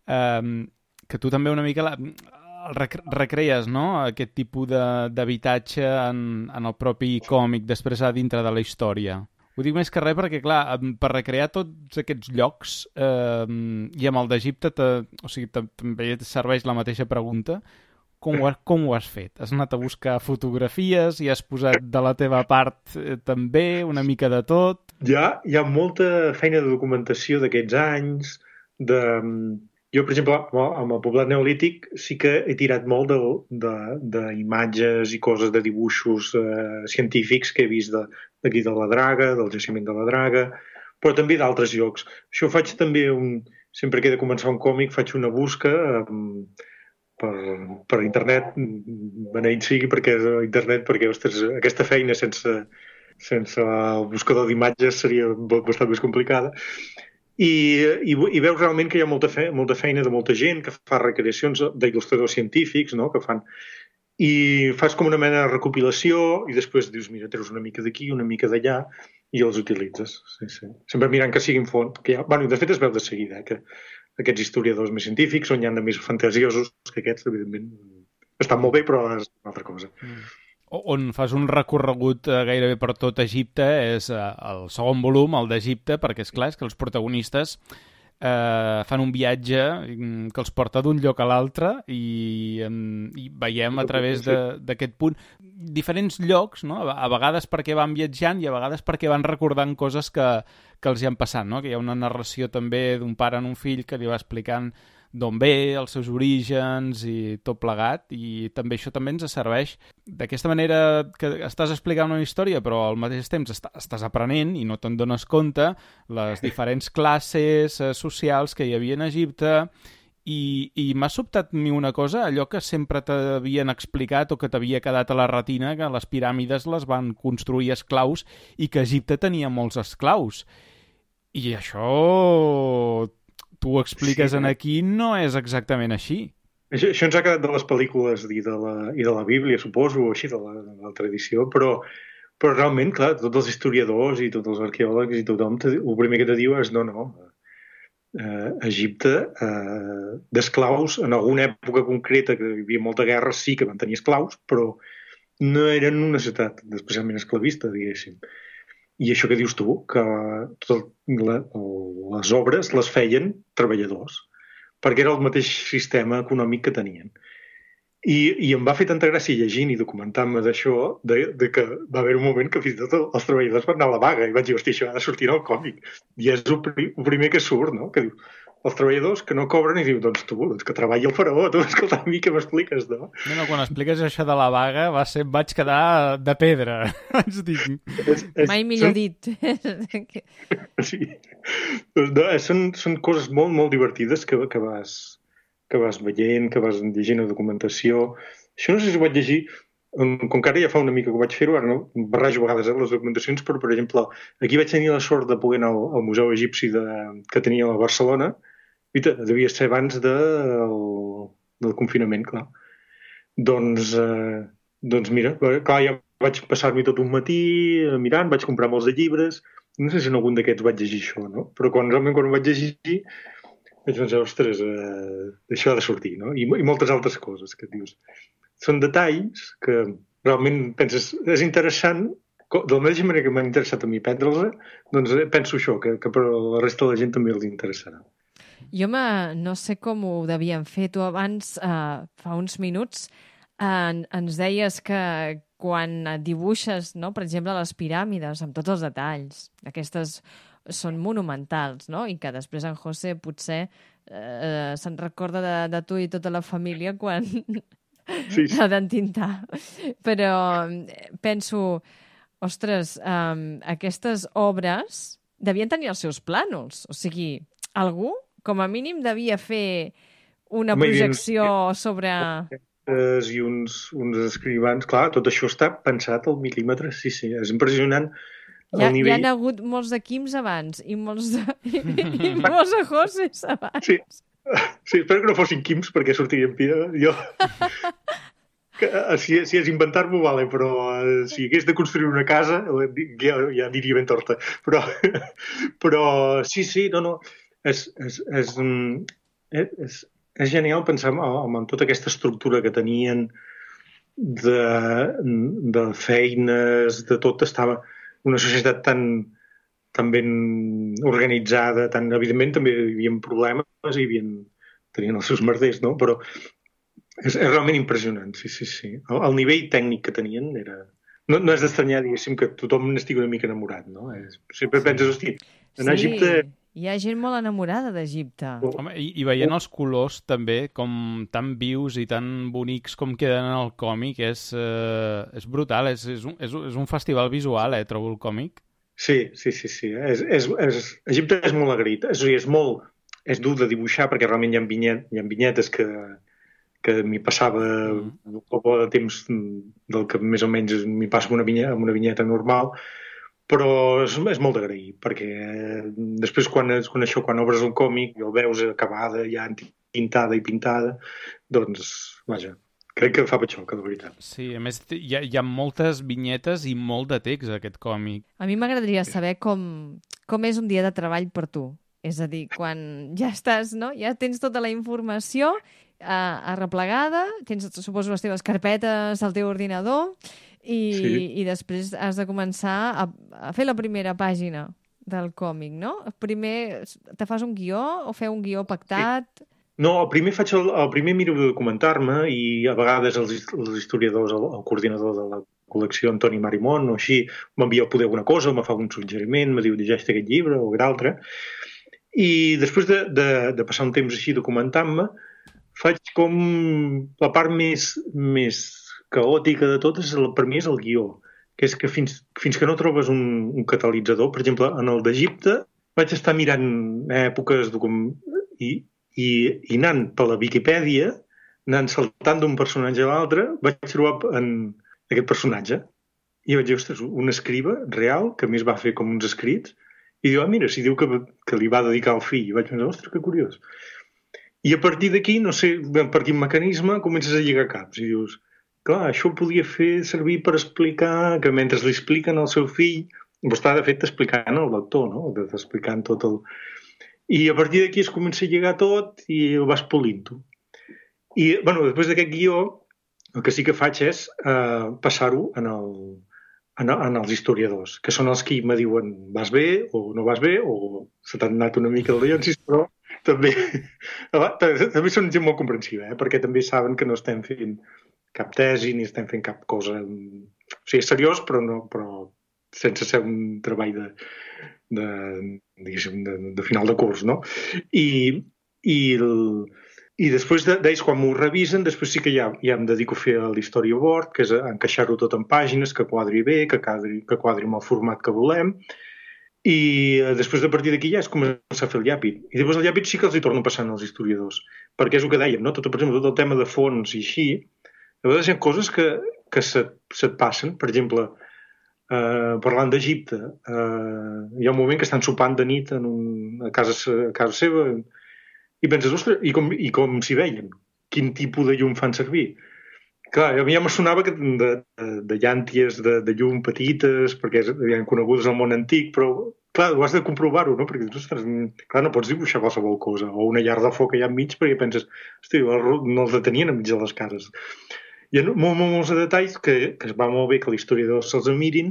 que tu també una mica recrees, no?, aquest tipus d'habitatge en el propi còmic, després a dintre de la història. Ho dic més que res perquè, clar, per recrear tots aquests llocs i amb el d'Egipte, també serveix la mateixa pregunta. Com ho has fet? Has anat a buscar fotografies i has posat de la teva part també, una mica de tot? Hi ha molta feina de documentació d'aquests anys. Jo, per exemple, amb el poblat neolític sí que he tirat molt d'imatges i coses de dibuixos científics que he vist d'aquí de la Draga, del jaciment de la Draga, però també d'altres llocs. Això faig també, sempre que he de començar un còmic, faig una busca per internet, beneït sigui perquè internet, perquè, ostres, aquesta feina sense el buscador d'imatges seria bastant més complicada. I veus realment que hi ha molta feina de molta gent que fa recreacions d'il·lustradors científics, no?, que fan... I fas com una mena de recopilació i després dius, mira, treus una mica d'aquí, una mica d'allà i els utilitzes. Sí. Sempre mirant que siguin font. Bueno, de fet es veu de seguida, que aquests historiadors més científics, on hi ha de més fantasiosos que aquests, evidentment, estan molt bé, però és una altra cosa. On fas un recorregut gairebé per tot Egipte és el segon volum, el d'Egipte, perquè és clar, és que els protagonistes fan un viatge que els porta d'un lloc a l'altre i veiem a través d'aquest punt diferents llocs, no? A vegades perquè van viatjant i a vegades perquè van recordant coses que els hi han passat, no? Que hi ha una narració també d'un pare en un fill que li va explicant d'on ve, els seus orígens i tot plegat, i també això també ens serveix d'aquesta manera que estàs explicant una història però al mateix temps estàs aprenent i no te'n dones compte les diferents classes socials que hi havia en Egipte i m'ha sobtat ni una cosa, allò que sempre t'havien explicat o que t'havia quedat a la retina, que les piràmides les van construir esclaus i que Egipte tenia molts esclaus. I això... tu ho expliques aquí, no és exactament així. Això ens ha quedat de les pel·lícules i de la Bíblia, suposo, o així, de la tradició, però realment, clar, tots els historiadors i tots els arqueòlegs i tothom, el primer que te diu és no, Egipte, d'esclaus, en alguna època concreta que hi havia molta guerra, sí que van tenir esclaus, però no eren una societat especialment esclavista, diguéssim. I això que dius tu, que les obres les feien treballadors, perquè era el mateix sistema econòmic que tenien. I em va fer tanta gràcia llegint i documentant-me d'això, de que va haver un moment que fins i tot els treballadors van anar a la vaga i vaig dir, hòstia, això ha de sortir en el còmic. I és el primer que surt, no? Que diu, els treballadors que no cobren i diu, doncs tu, que treballi el faraó, tu, escolta, a mi què m'expliques, no? No, quan expliques això de la vaga vaig quedar de pedra, vaig dir. Mai millor dit. Sí. No, són coses molt, molt divertides que vas veient, que vas llegint la documentació. Això no sé si ho vaig llegir, com que ara ja fa una mica que ho vaig fer-ho, ara no barrejo a vegades les documentacions, però, per exemple, aquí vaig tenir la sort de poder anar al Museu Egipci que tenia a Barcelona, i devia ser abans del confinament, clar. Doncs mira, clar, ja vaig passar-m'hi tot un matí mirant, vaig comprar molts de llibres, no sé si en algun d'aquests vaig llegir això, no? Però realment quan ho vaig llegir vaig pensar, ostres, això ha de sortir, no? I moltes altres coses que dius. Són detalls que realment penses, és interessant, de la mateixa manera que m'ha interessat a mi prendre'ls, doncs penso això, que per la resta de la gent també els interessarà. Jo no sé com ho devien fer. Tu abans, fa uns minuts, ens deies que quan dibuixes, no, per exemple, les piràmides, amb tots els detalls, aquestes són monumentals, no? I que després en José potser se'n recorda de tu i tota la família quan l'ha d'entintar. Però penso, ostres, aquestes obres devien tenir els seus plànols. O sigui, algú, com a mínim, devia fer una projecció sobre... I uns escrivans, clar, tot això està pensat al mil·límetre, sí, és impressionant. Hi ha hagut molts de Quims abans i molts de Joses abans. Sí, espero que no fossin Quims perquè sortirien pira. Jo... Si és inventar-m'ho, vale, però si hagués de construir una casa, ja diria ben torta. Però sí, no. És genial pensar en tota aquesta estructura que tenien de feines, de tot. Estava una societat tan ben organitzada, evidentment també hi havia problemes i tenien els seus merders, no? Però és realment impressionant, sí. El nivell tècnic que tenien era... No és d'estranyar, diguéssim, que tothom n'estigui una mica enamorat, no? Sempre penses, hosti, en Egipte... Hi ha gent molt enamorada d'Egipte. Home, i veient els colors també, com tan vius i tan bonics com queden en el còmic, és brutal, és un festival visual, trobo el còmic. Sí. Egipte és molt agraït, és dur de dibuixar perquè realment hi ha vinyetes que m'hi passava un poc de temps del que més o menys m'hi passo amb una vinyeta normal, però és molt d'agrair, perquè després quan obres un còmic i el veus acabada, ja tintada i pintada, doncs, vaja, crec que fa patxoca, de veritat. Sí, a més hi ha moltes vinyetes i molt de text, aquest còmic. A mi m'agradaria saber com és un dia de treball per tu. És a dir, quan ja estàs, no? Ja tens tota la informació arreplegada, tens, suposo, les teves carpetes al teu ordinador i després has de començar a fer la primera pàgina del còmic, no? Primer te fas un guió o fer un guió pactat? Sí. No, el primer miro de documentar-me i a vegades els historiadors, el coordinador de la col·lecció, Antoni Marimón, o així, m'envia poder alguna cosa o me fa un suggeriment, me diu llegeix aquest llibre o aquest altre. I després de passar un temps així documentant-me, faig com la part més caòtica de tot, per mi és el guió, que és que fins que no trobes un catalitzador, per exemple, en el d'Egipte vaig estar mirant èpoques i anant per la Viquipèdia, anant saltant d'un personatge a l'altre, vaig trobar en aquest personatge i vaig dir, ostres, un escriba real, que a més va fer com uns escrits, i diu, mira, si diu que li va dedicar al fill, i vaig pensar, ostres, que curiós. I a partir d'aquí, no sé per quin mecanisme, comences a lligar caps i dius, clar, això ho podia fer servir per explicar que mentre li expliquen al seu fill, ho està de fet explicant al lector, no? Explicant tot el... I a partir d'aquí es comença a lligar tot i ho vas polint-ho. I, bueno, després d'aquest guió, el que sí que faig és passar-ho en els historiadors, que són els que me diuen vas bé o no vas bé, o se t'ha anat una mica el Leonsis, però també són gent molt comprensiva, perquè també saben que no estem fent cap tesi ni estem fent cap cosa... O sigui, és seriós, però sense ser un treball de final de curs, no? I després d'ells, quan m'ho revisen, després sí que ja em dedico a fer l'storyboard, que és encaixar-ho tot en pàgines, que quadri bé, que quadri amb el format que volem, i després de partir d'aquí ja es comença a fer el llàpid. I després el llàpid sí que els hi torno passant als historiadors, perquè és el que dèiem, no? Per exemple, tot el tema de fons i així, a vegades hi ha coses que se't passen. Per exemple, parlant d'Egipte, hi ha un moment que estan sopant de nit a casa seva i penses, ostres, i com s'hi veien? Quin tipus de llum fan servir? Clar, a mi ja me sonava de llànties de llum petites, perquè eren conegudes al món antic, però clar, ho has de comprovar-ho, no? Perquè ostres, clar, no pots dibuixar qualsevol cosa, o una llar de foc allà enmig, perquè penses, hosti, no els detenien enmig de les cares. Hi ha molts de detalls que es va molt bé que l'historiador se'ls mirin,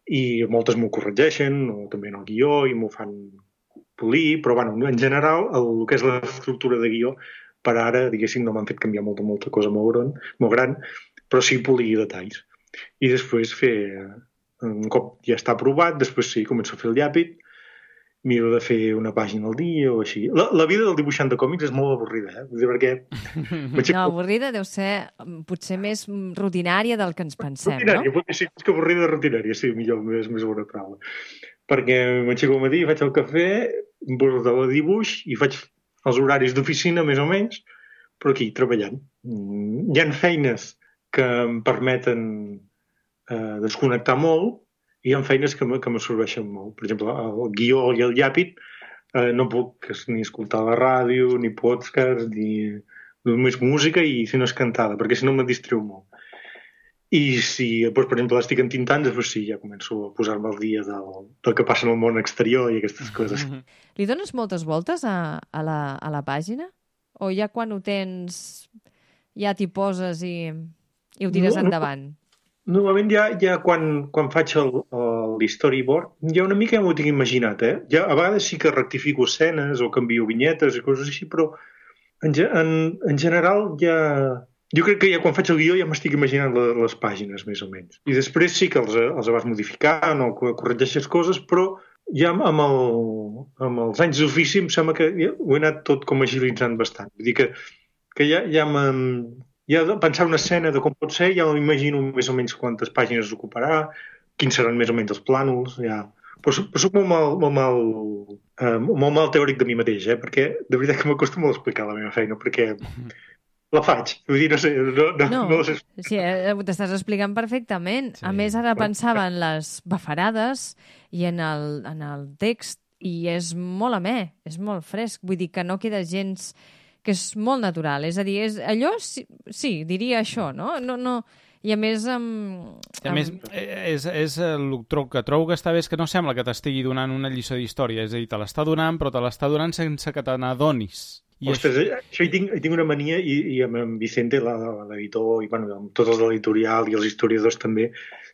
i moltes m'ho corregeixen, o també en el guió, i m'ho fan polir, però bueno, en general el que és l'estructura de guió per ara, diguéssim, no m'han fet canviar molta cosa molt gran, però sí polir detalls. I després un cop ja està aprovat, després sí, començo a fer el llàpid, miro de fer una pàgina al dia o així. La vida del dibuixant de còmics és molt avorrida, perquè... No, avorrida deu ser potser més rutinària del que ens pensem, rutinària, no? Sí, és que avorrida rutinària, sí, millor, més bona paraula. Perquè m'aixeco al matí, faig el cafè, em poso de dibuix i faig els horaris d'oficina, més o menys, però aquí, treballant. Hi ha feines que em permeten desconnectar molt i hi ha feines que m'absorbeixen molt. Per exemple, el guió i el llàpid no puc ni escoltar la ràdio, ni podcast, ni només música i si no és cantada, perquè si no me distreu molt. I si, doncs, per exemple, estic entintant, després sí, ja començo a posar-me al dia del que passa en el món exterior i aquestes coses. Li dones moltes voltes a la pàgina? O ja quan ho tens, ja t'hi poses i ho tires endavant? Normalment ja quan faig l'storyboard, ja una mica ja m'ho tinc imaginat, Ja, a vegades sí que rectifico escenes o canvio vinyetes i coses així, però en general ja... Jo crec que ja quan faig el guió ja m'estic imaginant les pàgines, més o menys. I després sí que els vas modificant o corregeixes coses, però ja amb els anys d'ofici em sembla que ho he anat tot com agilitzant bastant. Vull dir que ja pensar una escena de com pot ser, ja m'imagino més o menys quantes pàgines ocuparà, quins seran més o menys els plànols, ja... Però soc molt mal teòric de mi mateix, perquè de veritat que m'acosta molt a explicar la meva feina, perquè... La faig, vull dir, no sé... No sé. Sí, t'estàs explicant perfectament. Sí. A més, ara pensava en les bafarades i en el text, i és molt amè, és molt fresc. Vull dir que no queda gens... que és molt natural. És a dir, allò, sí, diria això, no? I a més... A més, és el que trobo que està bé és que no sembla que t'estigui donant una lliçó d'història. És a dir, te l'està donant, però te l'està donant sense que te n'adonis. Ostres, això hi tinc una mania, i amb en Vicente, l'editor, i bueno, amb tots els de l'editorial i els historiadors també,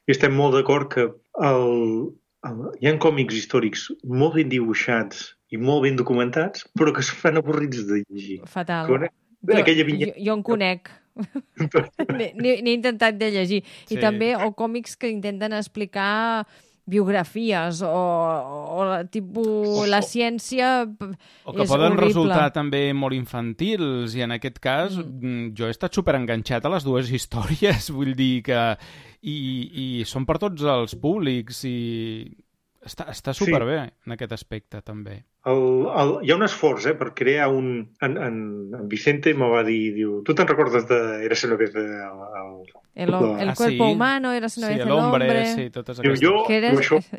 i estem molt d'acord que hi ha còmics històrics molt ben dibuixats i molt ben documentats, però que es fan avorrits de llegir. Fatal. Jo en conec. N'he intentat de llegir. Sí. I també còmics que intenten explicar biografies o tipus la ciència o que poden resultar també molt infantils, i en aquest cas jo he estat superenganxat a les dues històries, vull dir que i són per tots els públics i està superbé en aquest aspecte també. Hi ha un esforç per crear en Vicente me va dir, diu, tu te'n recordes de Érase una vez el cuerpo humano, Érase una vez el hombre, sí, totes aquestes. Que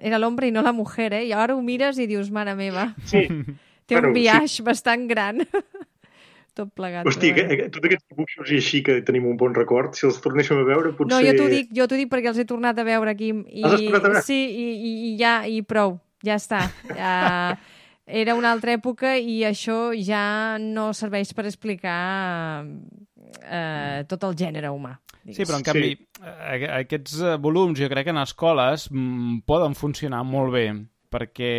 era l'hombre i no la mujer, i ara ho mires i dius, mare meva, sí. Té un viatge bastant gran. Tot plegat. Hosti, tots aquests dibuixos i així que tenim un bon record, si els tornéssim a veure potser... No, jo t'ho dic perquè els he tornat a veure aquí. Els has tornat a veure? Sí, i prou, ja està. era una altra època i això ja no serveix per explicar tot el gènere humà. Sí, però en canvi, aquests volums jo crec que en escoles poden funcionar molt bé, perquè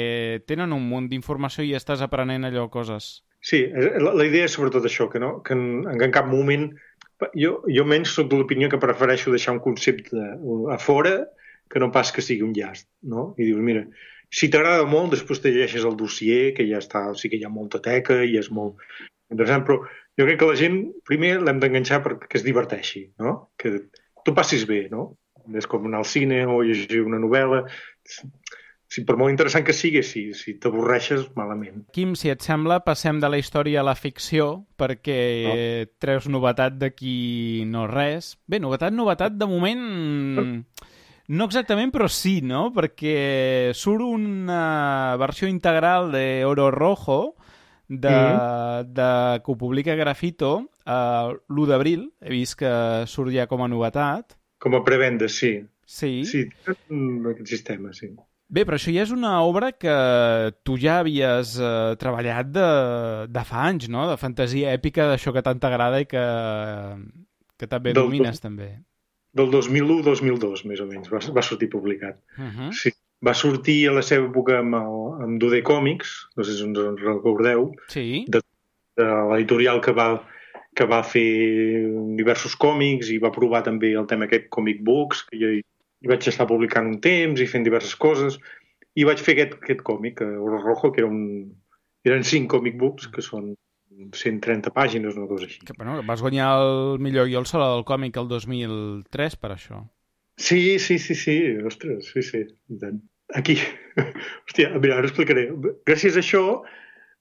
tenen un munt d'informació i estàs aprenent allò coses. Sí, la idea és sobretot això, que en cap moment... Jo menys soc de l'opinió que prefereixo deixar un concepte a fora que no pas que sigui un llast, no? I dius, mira, si t'agrada molt, després te llegeixes el dossier, que ja està, sí que hi ha molta teca i és molt interessant, però jo crec que la gent primer l'hem d'enganxar perquè es diverteixi, no? Que tu passis bé, no? És com anar al cine o llegir una novel·la... Sí, per molt interessant que sigui, si t'avorreixes, malament. Quim, si et sembla, passem de la història a la ficció, perquè treus novetat d'aquí no res. Bé, novetat, de moment... No exactament, però sí, no? Perquè surt una versió integral de Oro Rojo, que ho publica Grafito l'1 d'abril. He vist que surt ja com a novetat. Com a prevenda, sí. Sí. Sí, aquest sistema, sí. Bé, però això ja és una obra que tu ja havies treballat de fa anys, no? De fantasia èpica, d'això que tant t'agrada i que també domines, també. Del 2001-2002, més o menys, va sortir publicat. Sí, va sortir a la seva època amb Dude Comics, no sé si ens recordeu, de l'editorial que va fer diversos còmics i va provar també el tema aquest Comic Books, que jo i vaig estar publicant un temps i fent diverses coses, i vaig fer aquest còmic, Oro Rojo, que eren 5 comic books, que són 130 pàgines, una cosa així. Que, bueno, vas guanyar el millor guió al Saló del Còmic el 2003 per això. Sí, ostres, sí. Aquí, hòstia, mira, ara explicaré. Gràcies a això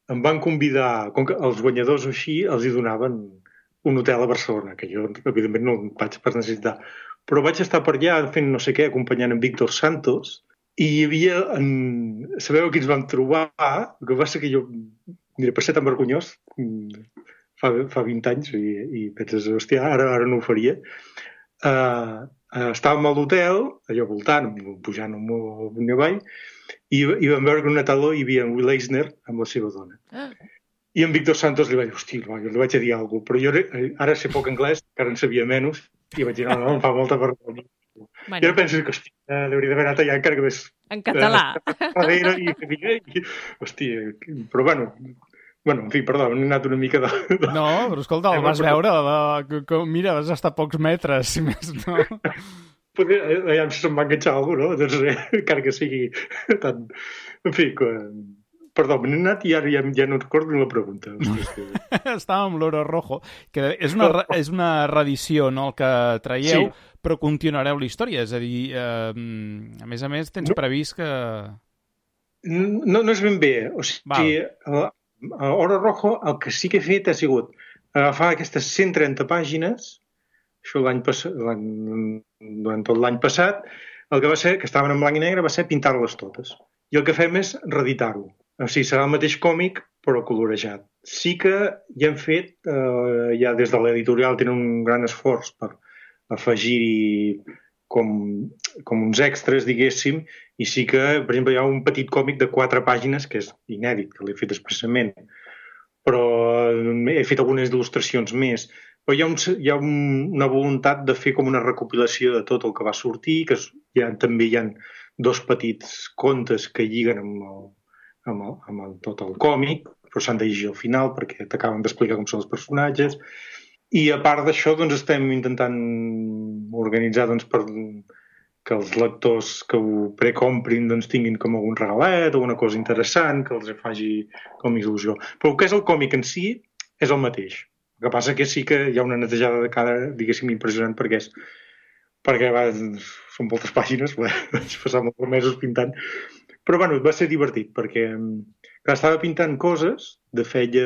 em van convidar, com que els guanyadors així els hi donaven un hotel a Barcelona, que jo, evidentment, no vaig per necessitar. Però vaig estar per allà fent no sé què, acompanyant en Víctor Santos, i hi havia... Sabeu qui ens vam trobar? El que va ser que jo, mira, per ser tan vergonyós, fa 20 anys, i penses, hòstia, ara no ho faria. Estàvem a l'hotel, allò voltant, pujant un avall, i vam veure que en una taló hi havia en Will Eisner amb la seva dona. I en Víctor Santos li va dir, hòstia, jo li vaig dir alguna cosa, però jo ara sé poc anglès, encara en sabia menys, i vaig dir, no, em fa molta vergonya. I ara penso que, hòstia, hauria d'haver anat allà encara que més... En català. Hòstia, però bueno, en fi, perdó, hem anat una mica de... No, però escolta, el vas veure, mira, vas estar a pocs metres, si més no. Allà se'm va enganxar alguna cosa, no? Doncs encara que sigui tant... En fi, perdó, m'he anat i ara ja no recordo ni la pregunta. Estàvem amb l'Oro Rojo, que és una reedició, no?, el que traieu, però continuareu la història. És a dir, a més, tens previst que... No és ben bé. O sigui, a Oro Rojo el que sí que he fet ha sigut agafar aquestes 130 pàgines, això durant tot l'any passat, el que va ser, que estaven en blanc i negre, va ser pintar-les totes. I el que fem és reeditar-ho. O sigui, serà el mateix còmic, però colorejat. Sí que ja hem fet, ja des de l'editorial tenen un gran esforç per afegir-hi com uns extras, diguéssim, i sí que, per exemple, hi ha un petit còmic de 4 pàgines, que és inèdit, que l'he fet expressament, però he fet algunes il·lustracions més. Però hi ha una voluntat de fer com una recopilació de tot el que va sortir, que també hi ha 2 petits contes que lliguen amb tot el còmic, però s'han de llegir al final perquè t'acaben d'explicar com són els personatges. I a part d'això, doncs, estem intentant organitzar per que els lectors que ho precomprin doncs, tinguin com algun regalet o una cosa interessant que els faci com il·lusió. Però el que és el còmic en si és el mateix. El que passa que sí que hi ha una netejada de cara, diguéssim, impressionant perquè són moltes pàgines, vaig passar molts mesos pintant. Però bueno, va ser divertit perquè estava pintant coses de feia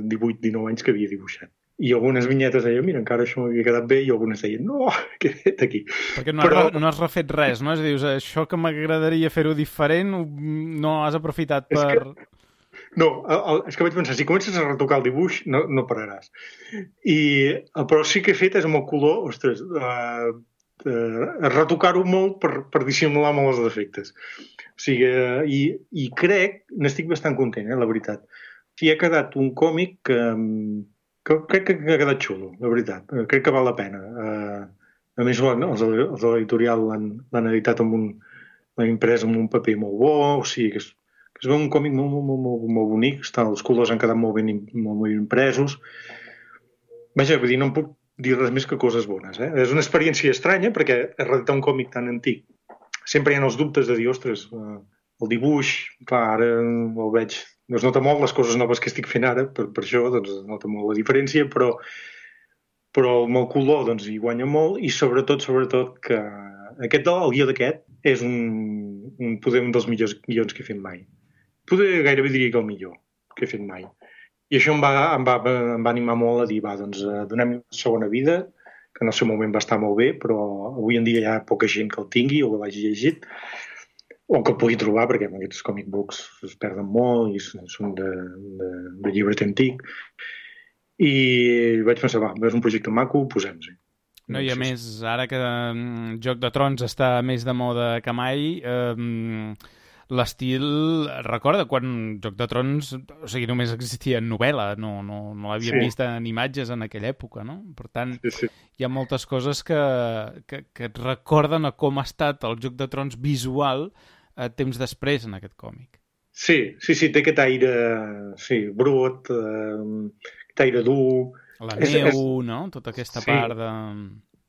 18-19 anys que havia dibuixat. I algunes vinyetes deien, mira, encara això m'havia quedat bé, i algunes deien, no, què he fet aquí? Perquè no has refet res, no? És a dir, això que m'agradaria fer-ho diferent, no has aprofitat per... És que vaig pensar, si comences a retocar el dibuix, no pararàs. Però sí que he fet és amb el color, ostres, retocar-ho molt per dissimular molt els defectes. O sigui, i n'estic bastant content, la veritat. I ha quedat un còmic que crec que ha quedat xulo, la veritat. Crec que val la pena. A més, els de l'editorial l'han editat l'han imprès amb un paper molt bo, o sigui que es veu un còmic molt bonic, els colors han quedat molt ben impresos. Vaja, vull dir, no em puc dir res més que coses bones. És una experiència estranya, perquè redactar un còmic tan antic sempre hi ha els dubtes de dir, ostres, el dibuix, clar, ara el veig, no es nota molt les coses noves que estic fent ara, per això doncs, es nota molt la diferència, però amb el color doncs, hi guanya molt, i sobretot que el guió d'aquest és poder un dels millors guions que he fet mai. Poder gairebé diria que el millor que he fet mai. I això em va animar molt a dir, doncs donem-li una segona vida, que en el seu moment va estar molt bé, però avui en dia hi ha poca gent que el tingui o que l'hagi llegit, o que el pugui trobar, perquè aquests comic books es perden molt i són de llibret antic. I vaig pensar, és un projecte maco, posem-hi. No, i a més, ara que Joc de Trons està més de moda que mai, l'estil... Recorda quan Joc de Trons, o sigui, només existia en novel·la, no l'havíem vist en imatges en aquella època, no? Per tant, hi ha moltes coses que et recorden a com ha estat el Joc de Trons visual temps després en aquest còmic. Sí, té aquest aire brut, aquest aire dur... La neu, no? Tota aquesta part de...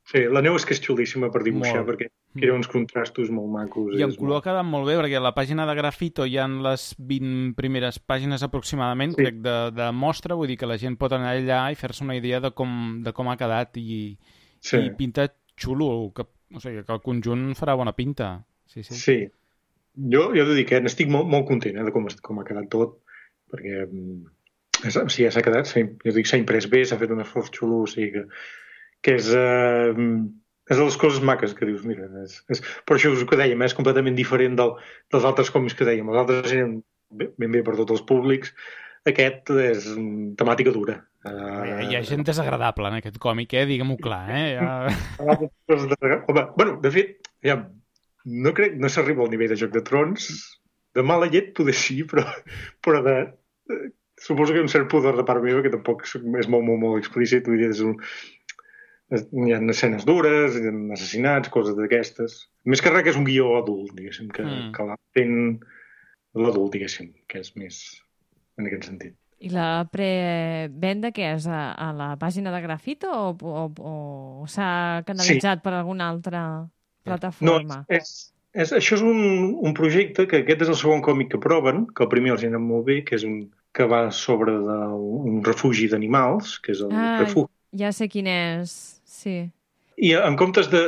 Sí, la neu és que és xulíssima per dibuixar, perquè era uns contrastos molt macos. I en color ha quedat molt bé, perquè a la pàgina de Grafito hi ha les 20 primeres pàgines aproximadament, crec, de mostra, vull dir que la gent pot anar allà i fer-se una idea de com ha quedat i pinta xulo, o sigui que el conjunt farà bona pinta. Sí. Jo he de dir que n'estic molt content de com ha quedat tot, perquè ja s'ha quedat, s'ha imprès bé, s'ha fet un esforç xulo, o sigui que és de les coses maques que dius, mira, per això us que dèiem, és completament diferent dels altres còmics que dèiem. Els altres eren ben bé per tots els públics, aquest és temàtica dura. Hi ha gent desagradable en aquest còmic, diguem-ho clar. Bueno, de fet, no s'arriba al nivell de Joc de Trons, de mala llet poder sí, però suposo que hi ha un cert pudor de part meva, que tampoc és molt explícit, vull dir, hi ha escenes dures, hi ha assassinats, coses d'aquestes. Més que res que és un guió adult, diguéssim, que l'entén l'adult, diguéssim, que és més en aquest sentit. I la prevenda què és? A la pàgina de Grafito o s'ha canalitzat per alguna altra plataforma? No, això és un projecte que aquest és el segon còmic que proven, que el primer els ha anat molt bé, que és que va sobre un refugi d'animals, que és el refugi. Ja sé quin és, sí. I en comptes de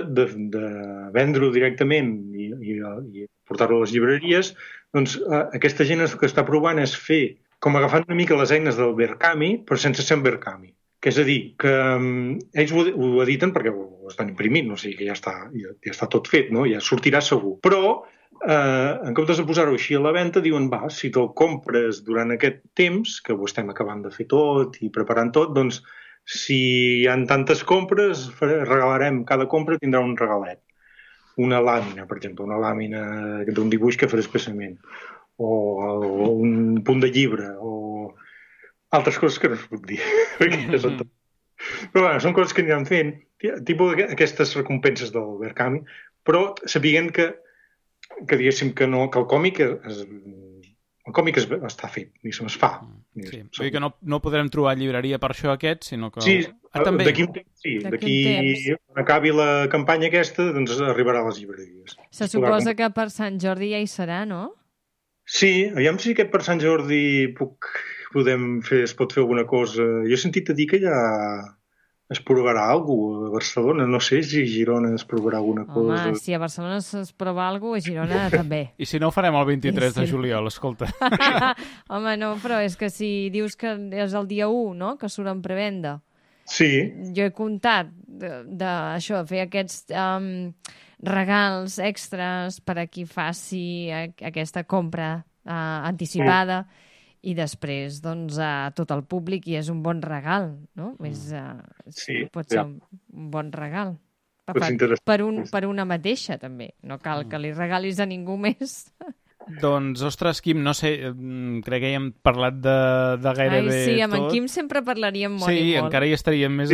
vendre-ho directament i portar-ho a les llibreries, doncs aquesta gent que està provant és fer, com agafant una mica les eines del Berkami, però sense ser un Berkami. Que és a dir, que ells ho editen perquè ho estan imprimint, o sigui que ja està tot fet, no? Ja sortirà segur. Però en comptes de posar-ho així a la venda, diuen, si te'l compres durant aquest temps, que ho estem acabant de fer tot i preparant tot, doncs si hi ha tantes compres, regalarem, cada compra tindrà un regalet. Una làmina, per exemple, una làmina d'un dibuix que faré expressament, o un punt de llibre, o altres coses que no es puc dir. Però bueno, són coses que aniran fent, tipus aquestes recompenses del Berkami, però sapiguent que diguéssim que el còmic està fet, es fa. Sí, vull dir que no podrem trobar llibreria per això aquest, sinó que... Sí, d'aquí un temps, sí. D'aquí acabi la campanya aquesta, doncs arribarà a les llibreries. Se suposa que per Sant Jordi ja hi serà, no? Sí, aviam si aquest per Sant Jordi es pot fer alguna cosa. Jo he sentit a dir que ja es provarà alguna cosa a Barcelona. No sé si a Girona es provarà alguna cosa. Home, si a Barcelona es prova alguna cosa, a Girona també. I si no ho farem el 23 de juliol, escolta. Home, no, però és que si dius que és el dia 1, no?, que surt en prevenda. Sí. Jo he comptat d'això, fer aquests regals extras per a qui faci aquesta compra anticipada. I després, doncs, a tot el públic, i és un bon regal, no? Pot ser un bon regal per una mateixa, també. No cal que li regalis a ningú més. Doncs, ostres, Quim, no sé, crec que ja hem parlat de gairebé tot. Sí, amb tot. en Quim sempre parlaríem molt i molt. Sí, encara hi estaríem més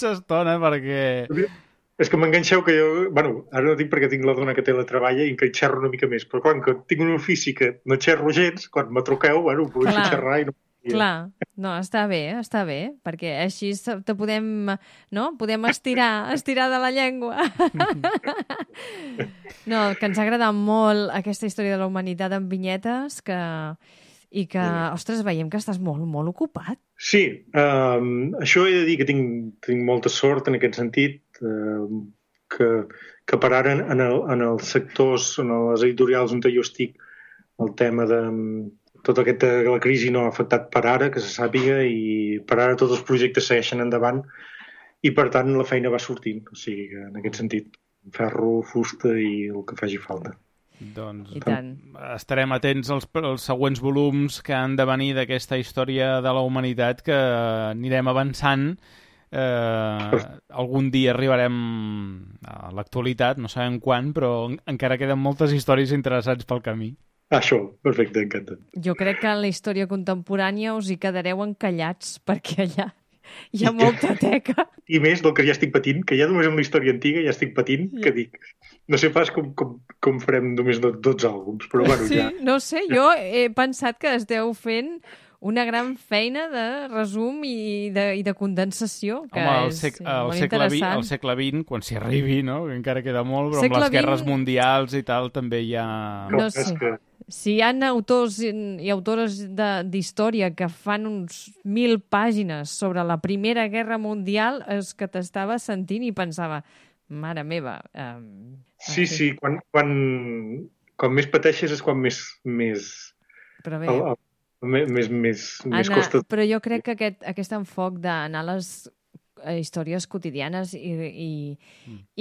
estona, perquè... És que m'enganxeu que jo... Bueno, ara no dic perquè tinc la dona que té la treballa i que hi xerro una mica més, però quan que tinc un ofici que no xerro gens, quan me truqueu, bueno, puc xerrar i no... Clar, no, està bé, perquè així te podem, no? Podem estirar de la llengua. No, que ens ha agradat molt aquesta història de la humanitat en vinyetes, i que, ostres, veiem que estàs molt, molt ocupat. Sí, això he de dir que tinc molta sort en aquest sentit, que per ara en els sectors, en les editorials on jo estic, el tema de... Tot la crisi no ha afectat per ara, que se sàpiga, i per ara tots els projectes segueixen endavant i, per tant, la feina va sortint. O sigui que, en aquest sentit, ferro, fusta i el que faci falta. Doncs estarem atents als següents volums que han de venir d'aquesta història de la humanitat, que anirem avançant. Algun dia arribarem a l'actualitat, no sabem quan, però encara queden moltes històries interessants pel camí. Això, perfecte, encanta. Jo crec que en la història contemporània us hi quedareu encallats, perquè allà hi ha molta teca. I més del que ja estic patint, que ja només amb la història antiga ja estic patint, que dic, no sé pas com farem només 12 àlbums, però bueno, sí, ja... No sé, jo he pensat que esteu fent una gran feina de resum i de condensació, que home, és molt interessant. Al segle XX, quan s'hi arribi, no? Que encara queda molt, però amb les guerres mundials i tal també hi ha... No sé. Si hi ha autors i autores d'història que fan uns 1.000 pàgines sobre la Primera Guerra Mundial, és que t'estava sentint i pensava, mare meva... Sí, quan més pateixes és quan més però bé, més costa... Però jo crec que aquest enfoc d'anar a les històries quotidianes i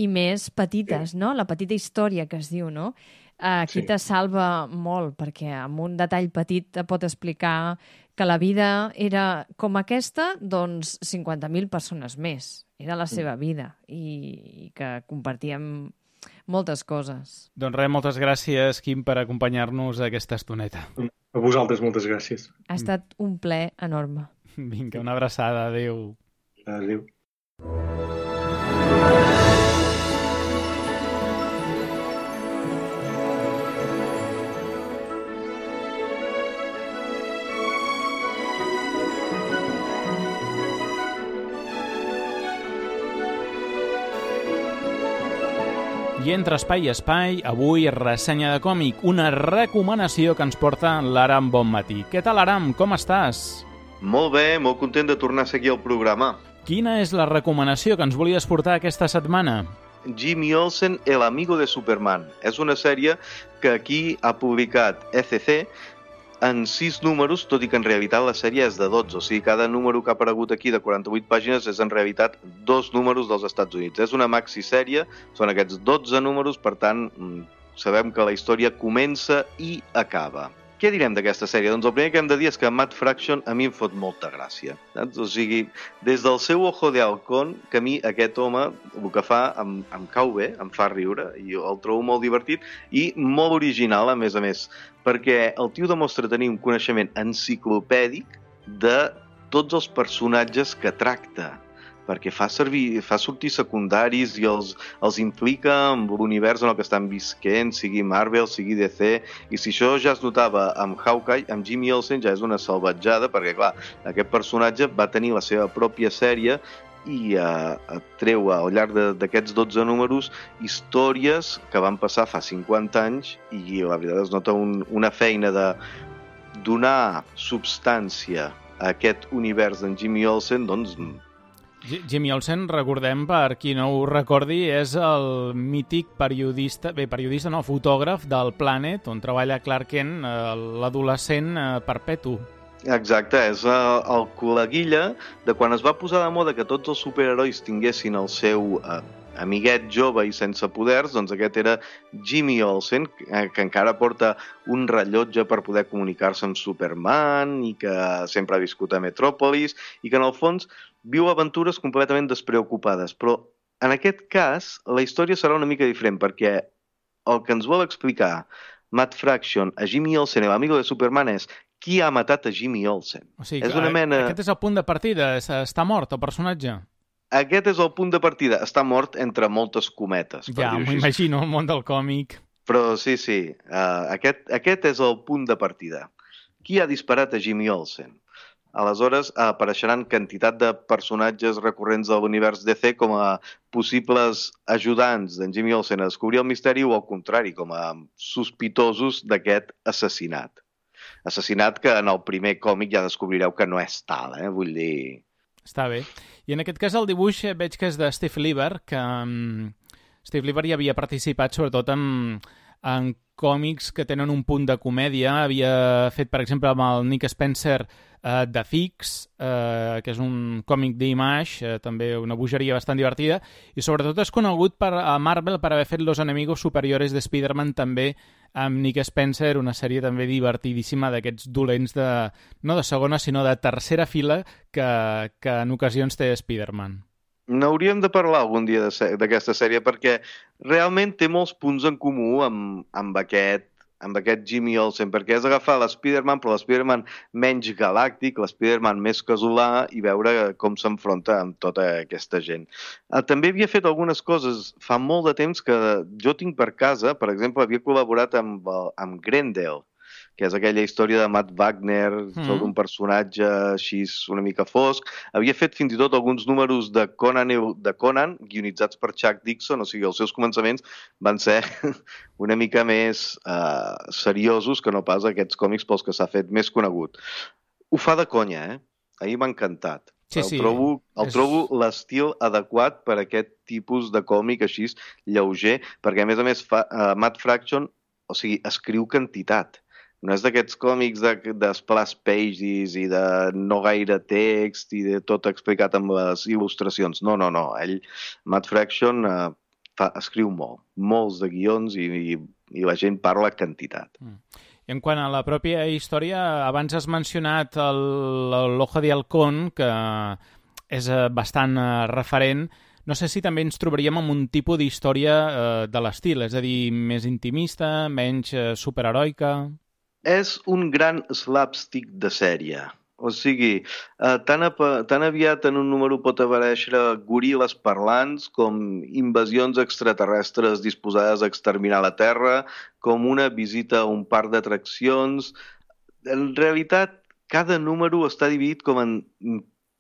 més petites, no? La petita història que es diu, no? Aquí te salva molt, perquè amb un detall petit te pot explicar que la vida era com aquesta, doncs 50.000 persones més. Era la seva vida i que compartíem moltes coses. Doncs res, moltes gràcies, Quim, per acompanyar-nos aquesta estoneta. A vosaltres, moltes gràcies. Ha estat un plaer enorme. Vinga, una abraçada. Adéu. Adéu. I entre espai i espai, avui ressenya de còmic, una recomanació que ens porta l'Aram Bonmatí. Què tal, Aram? Com estàs? Molt bé, molt content de tornar a seguir el programa. Quina és la recomanació que ens volies portar aquesta setmana? Jimmy Olsen, El amigo de Superman. És una sèrie que aquí ha publicat ECC en 6 números, tot i que en realitat la sèrie és de 12. O sigui, cada número que ha aparegut aquí de 48 pàgines és en realitat 2 números dels Estats Units. És una maxi-sèrie, són aquests 12 números, per tant, sabem que la història comença i acaba. Què direm d'aquesta sèrie? Doncs el primer que hem de dir és que Matt Fraction a mi em fot molta gràcia. O sigui, des del seu Ojo de Halcón, que a mi aquest home el que fa em cau bé, em fa riure, i el trobo molt divertit i molt original, a més, perquè el tio demostra tenir un coneixement enciclopèdic de tots els personatges que tracta, perquè fa sortir secundaris i els implica amb l'univers en el que estan visquent, sigui Marvel, sigui DC, i si això ja es notava amb Hawkeye, amb Jimmy Olsen ja és una salvatjada, perquè clar, aquest personatge va tenir la seva pròpia sèrie i treu al llarg d'aquests 12 números històries que van passar fa 50 anys i la veritat es nota una feina de donar substància a aquest univers d'en Jimmy Olsen, doncs... Jimmy Olsen, recordem, per qui no ho recordi, és el mític fotògraf del Planet, on treballa Clark Kent, l'adolescent perpetu. Exacte, és el col·leguilla de quan es va posar de moda que tots els superherois tinguessin el seu amiguet jove i sense poders, doncs aquest era Jimmy Olsen, que encara porta un rellotge per poder comunicar-se amb Superman i que sempre ha viscut a Metròpolis i que en el fons viu aventures completament despreocupades, però en aquest cas, la història serà una mica diferent, perquè el que ens vol explicar Matt Fraction a Jimmy Olsen, l'amigo de Superman, és qui ha matat a Jimmy Olsen. O sigui, és una mena... Aquest és el punt de partida, està mort el personatge? Aquest és el punt de partida, està mort entre moltes cometes. Ja, m'ho imagino, el món del còmic. Però sí, aquest és el punt de partida. Qui ha disparat a Jimmy Olsen? Aleshores, apareixeran quantitat de personatges recurrents de l'univers DC com a possibles ajudants d'en Jimmy Olsen a descobrir el misteri o, al contrari, com a sospitosos d'aquest assassinat. Assassinat que en el primer còmic ja descobrireu que no és tal, vull dir... Està bé. I en aquest cas el dibuix veig que és de Steve Lieber, que Steve Lieber ja havia participat sobretot en còmics que tenen un punt de comèdia. Havia fet, per exemple, amb el Nick Spencer The Fix, que és un còmic d'Image, també una bogeria bastant divertida, i sobretot és conegut a Marvel per haver fet Los Enemigos Superiores de Spider-Man, també amb Nick Spencer, una sèrie també divertidíssima d'aquests dolents no de segona, sinó de tercera fila que en ocasions té Spider-Man. N'hauríem de parlar algun dia d'aquesta sèrie perquè realment té molts punts en comú amb aquest Jimmy Olsen, perquè és agafar l'Spider-Man, però l'Spider-Man menys galàctic, l'Spider-Man més casolà, i veure com s'enfronta amb tota aquesta gent. També havia fet algunes coses fa molt de temps que jo tinc per casa. Per exemple, havia col·laborat amb Grendel, que és aquella història de Matt Wagner sobre un personatge així una mica fosc. Havia fet fins i tot alguns números de Conan, guionitzats per Chuck Dixon, o sigui, els seus començaments van ser una mica més seriosos que no pas aquests còmics pels que s'ha fet més conegut. Ho fa de conya, Ahir m'ha encantat. Sí. Trobo l'estil adequat per aquest tipus de còmic així lleuger, perquè a més Matt Fraction, o sigui, escriu quantitat. No és d'aquests còmics de splash pages i de no gaire text i de tot explicat amb les il·lustracions. No. Matt Fraction escriu molts de guions i la gent parla quantitat. I en quant a la pròpia història, abans has mencionat l'Ojo de Halcón, que és bastant referent. No sé si també ens trobaríem amb un tipus d'història de l'estil, és a dir, més intimista, menys superheroica... És un gran slapstick de sèrie. O sigui, tan aviat en un número pot aparèixer goril·les parlants com invasions extraterrestres disposades a exterminar la Terra, com una visita a un parc d'atraccions. En realitat, cada número està dividit com en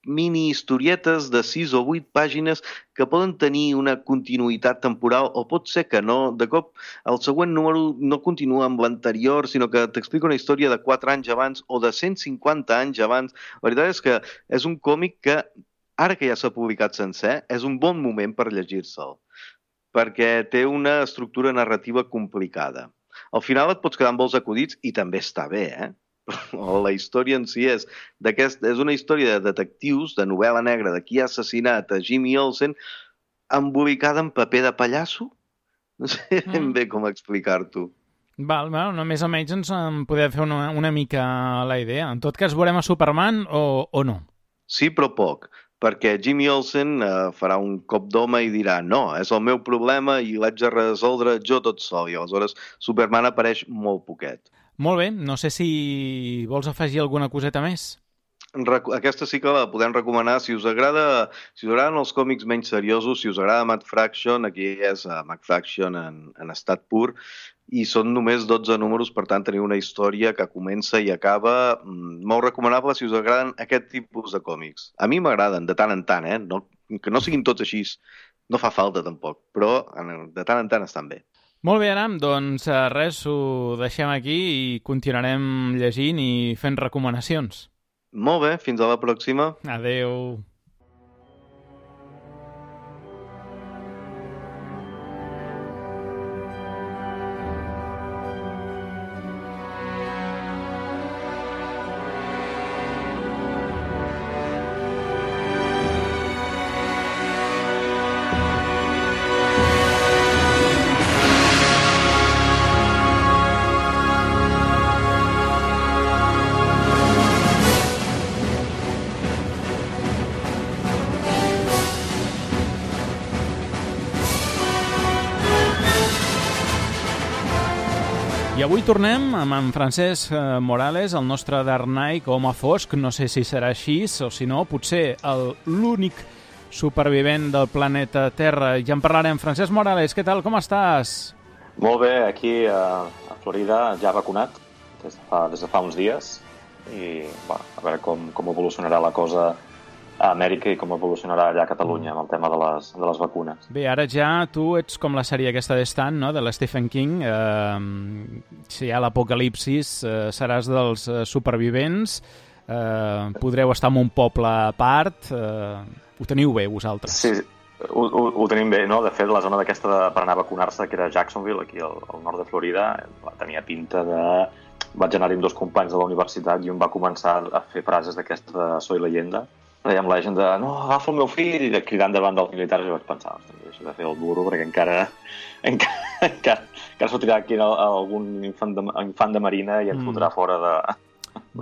mini-historietes de 6 o 8 pàgines que poden tenir una continuïtat temporal o pot ser que no. De cop, el següent número no continua amb l'anterior, sinó que t'explica una història de 4 anys abans o de 150 anys abans. La veritat és que és un còmic que, ara que ja s'ha publicat sencer, és un bon moment per llegir-se'l, perquè té una estructura narrativa complicada. Al final et pots quedar amb molts acudits i també està bé, La història en si és una història de detectius, de novel·la negra, de qui ha assassinat a Jimmy Olsen, embolicada en paper de pallasso. No sé ben bé com explicar-t'ho. Bueno, més o menys ens en podem fer una mica la idea. En tot cas, veurem a Superman o no? Sí, però poc, perquè Jimmy Olsen farà un cop d'home i dirà no, és el meu problema i l'haig de resoldre jo tot sol, i aleshores Superman apareix molt poquet. Molt bé, no sé si vols afegir alguna coseta més. Aquesta sí que la podem recomanar. Si us agraden els còmics menys seriosos, si us agrada Matt Fraction, aquí és Matt Fraction en estat pur, i són només 12 números, per tant teniu una història que comença i acaba molt recomanable si us agraden aquest tipus de còmics. A mi m'agraden de tant en tant, que no siguin tots així, no fa falta tampoc, però de tant en tant estan bé. Molt bé, Aram, doncs res, ho deixem aquí i continuarem llegint i fent recomanacions. Molt bé, fins a la pròxima. Adeu. I avui tornem amb en Francesc Morales, el nostre Dark Knight, home fosc. No sé si serà així o si no, potser l'únic supervivent del planeta Terra. Ja en parlarem. Francesc Morales, què tal? Com estàs? Molt bé, aquí a Florida ja vacunat des de fa uns dies i a veure com evolucionarà la cosa a Amèrica i com evolucionarà allà a Catalunya amb el tema de les vacunes. Bé, ara ja tu ets com la sèrie aquesta de Stan, no?, de l'Stephen King. Si hi ha l'apocalipsis, seràs dels supervivents, podreu estar en un poble a part. Ho teniu bé, vosaltres? Sí, ho tenim bé, no? De fet, la zona d'aquesta per anar a vacunar-se, que era Jacksonville, aquí al nord de Florida, tenia pinta de... Vaig anar-hi amb 2 companys de la universitat i un va començar a fer frases d'aquesta de Soy leyenda. Dèiem la gent de, no, agafa el meu fill, i cridant davant dels militars, i vaig pensar, deixa de fer el duro, perquè encara sortirà aquí algun infant de marina i ens fotrà fora de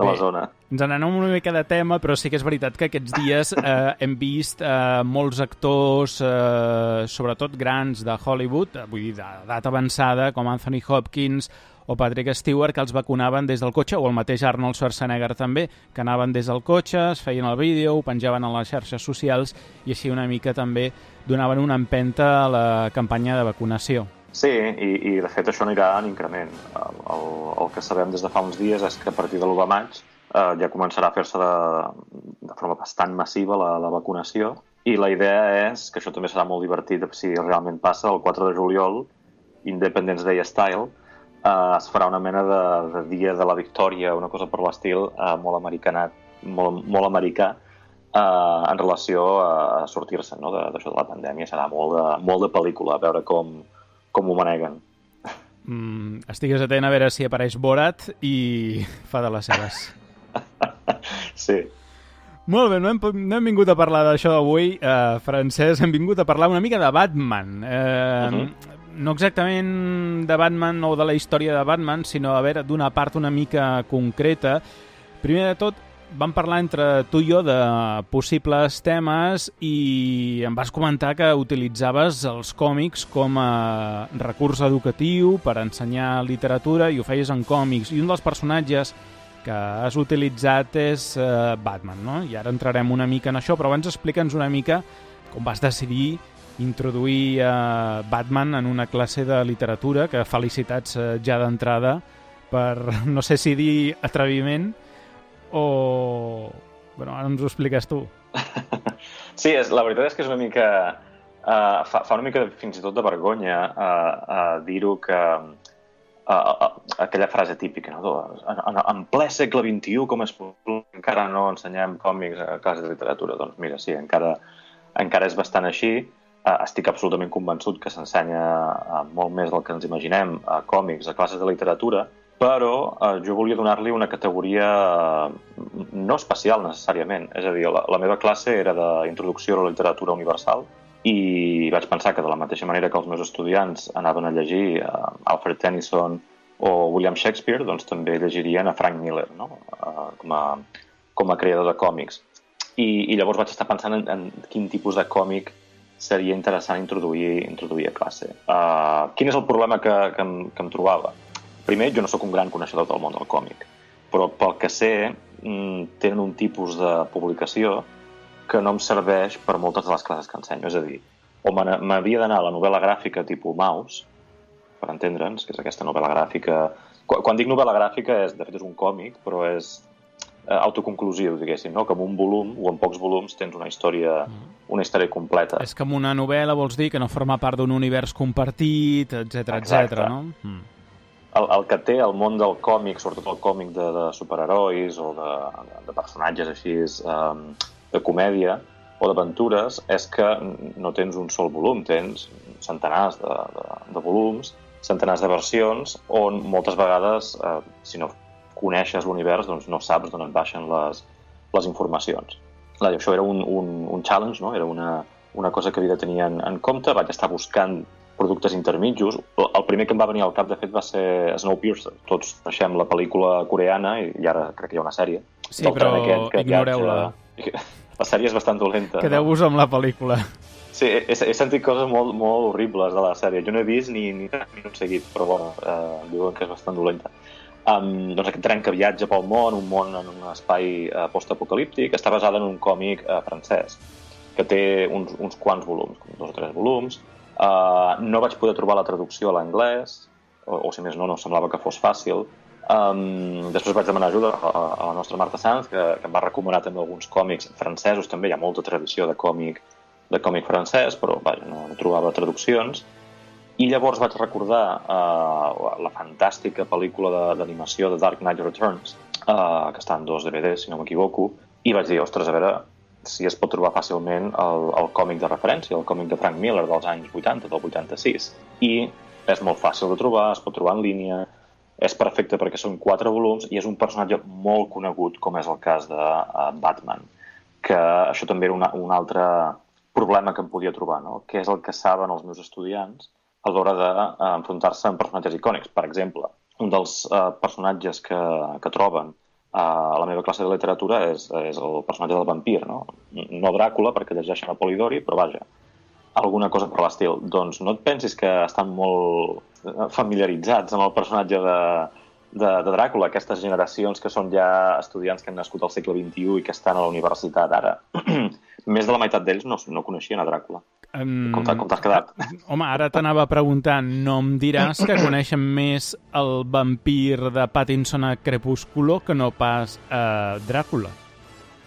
la zona. Ens n'anem una mica de tema, però sí que és veritat que aquests dies hem vist molts actors, sobretot grans de Hollywood, vull dir, d'edat avançada, com Anthony Hopkins o Patrick Stewart, que els vacunaven des del cotxe, o el mateix Arnold Schwarzenegger també, que anaven des del cotxe, es feien el vídeo, ho penjaven a les xarxes socials i així una mica també donaven una empenta a la campanya de vacunació. Sí, i de fet això anirà en increment. El que sabem des de fa uns dies és que a partir de l'1 de maig ja començarà a fer-se de forma bastant massiva la vacunació i la idea és, que això també serà molt divertit si realment passa, el 4 de juliol, Independence Day style, es farà una mena de dia de la victòria, una cosa per l'estil molt americanat, molt americà en relació a sortir-se, no, d'això de la pandèmia. Serà molt de pel·lícula, a veure com ho maneguen. Estigues atent a veure si apareix Borat i fa de les seves. Sí. Molt bé, no hem vingut a parlar d'això avui, Francesc, hem vingut a parlar una mica de Batman. No exactament de Batman o de la història de Batman, sinó a veure d'una part una mica concreta. Primer de tot, vam parlar entre tu i jo de possibles temes i em vas comentar que utilitzaves els còmics com a recurs educatiu per ensenyar literatura i ho feies en còmics. I un dels personatges que has utilitzat és Batman, no? I ara entrarem una mica en això, però abans explica'ns una mica com vas decidir introduir Batman en una classe de literatura, que felicitats ja d'entrada per, no sé si dir atreviment o... Bueno, ara ens ho expliques tu. Sí, la veritat és que és una mica... fa una mica fins i tot de vergonya dir-ho que... aquella frase típica, no? En ple segle XXI, com és possible, encara no ensenyem còmics a classe de literatura. Doncs mira, sí, encara és bastant així. Estic absolutament convençut que s'ensenya molt més del que ens imaginem a còmics, a classes de literatura, però jo volia donar-li una categoria no especial necessàriament. És a dir, la meva classe era d'introducció a la literatura universal i vaig pensar que de la mateixa manera que els meus estudiants anaven a llegir Alfred Tennyson o William Shakespeare, doncs també llegirien a Frank Miller, no? com a creador de còmics. I llavors vaig estar pensant en quin tipus de còmic seria interessant introduir a classe. Quin és el problema que em trobava? Primer, jo no sóc un gran coneixedor del món del còmic, però pel que sé, tenen un tipus de publicació que no em serveix per moltes de les classes que ensenyo. És a dir, o m'havia d'anar a la novel·la gràfica tipus Maus, per entendre'ns, que és aquesta novel·la gràfica... Quan dic novel·la gràfica, de fet és un còmic, però és autoconclusiu, diguéssim, no? Que en un volum o en pocs volums tens una història completa. És que en una novel·la vols dir que no forma part d'un univers compartit, etc, no? El que té el món del còmic, sobretot el còmic de superherois o de personatges així de comèdia o d'aventures, és que no tens un sol volum, tens centenars de volums, centenars de versions, on moltes vegades, si no coneixes l'univers, doncs no saps d'on et baixen les informacions. Això era un challenge, no? Era una cosa que havia de tenir en compte. Vaig estar buscant productes intermitjos. El primer que em va venir al cap, de fet, va ser Snowpiercer. Tots coneixem la pel·lícula coreana i ara crec que hi ha una sèrie. Sí, però ignoreu-la. La sèrie és bastant dolenta. Quedeu-vos amb la pel·lícula. Sí, he sentit coses molt, molt horribles de la sèrie. Jo no he vist ni un seguit, però bueno, diuen que és bastant dolenta. Doncs aquest tren que viatja pel món, un món en un espai postapocalíptic, està basada en un còmic francès, que té uns quants volums, 2 o 3 volums. No vaig poder trobar la traducció a l'anglès, o si més no semblava que fos fàcil. Després vaig demanar ajuda a la nostra Marta Sanz, que em va recomanar també alguns còmics francesos, també hi ha molta tradició de còmic francès, però vaja, no trobava traduccions. I llavors vaig recordar la fantàstica pel·lícula d'animació de Dark Knight Returns, que està en 2 DVDs, si no m'equivoco, i vaig dir, ostres, a veure si es pot trobar fàcilment el còmic de referència, el còmic de Frank Miller dels anys 80, del 86. I és molt fàcil de trobar, es pot trobar en línia, és perfecte perquè són 4 volums i és un personatge molt conegut, com és el cas de Batman, que això també era un altre problema que em podia trobar, no? Que és el que saben els meus estudiants a l'hora d'enfrontar-se amb personatges icònics. Per exemple, un dels personatges que troben a la meva classe de literatura és el personatge del vampir, no? No Dràcula, perquè llegeixen a Polidori, però vaja, alguna cosa per l'estil. Doncs no et pensis que estan molt familiaritzats amb el personatge de Dràcula, aquestes generacions que són ja estudiants que han nascut al segle XXI i que estan a la universitat ara. Més de la meitat d'ells no coneixien a Dràcula. Com t'has quedat? Home, ara t'anava preguntant, no em diràs que coneixen més el vampir de Pattinson a Crepúsculo que no pas a Dràcula?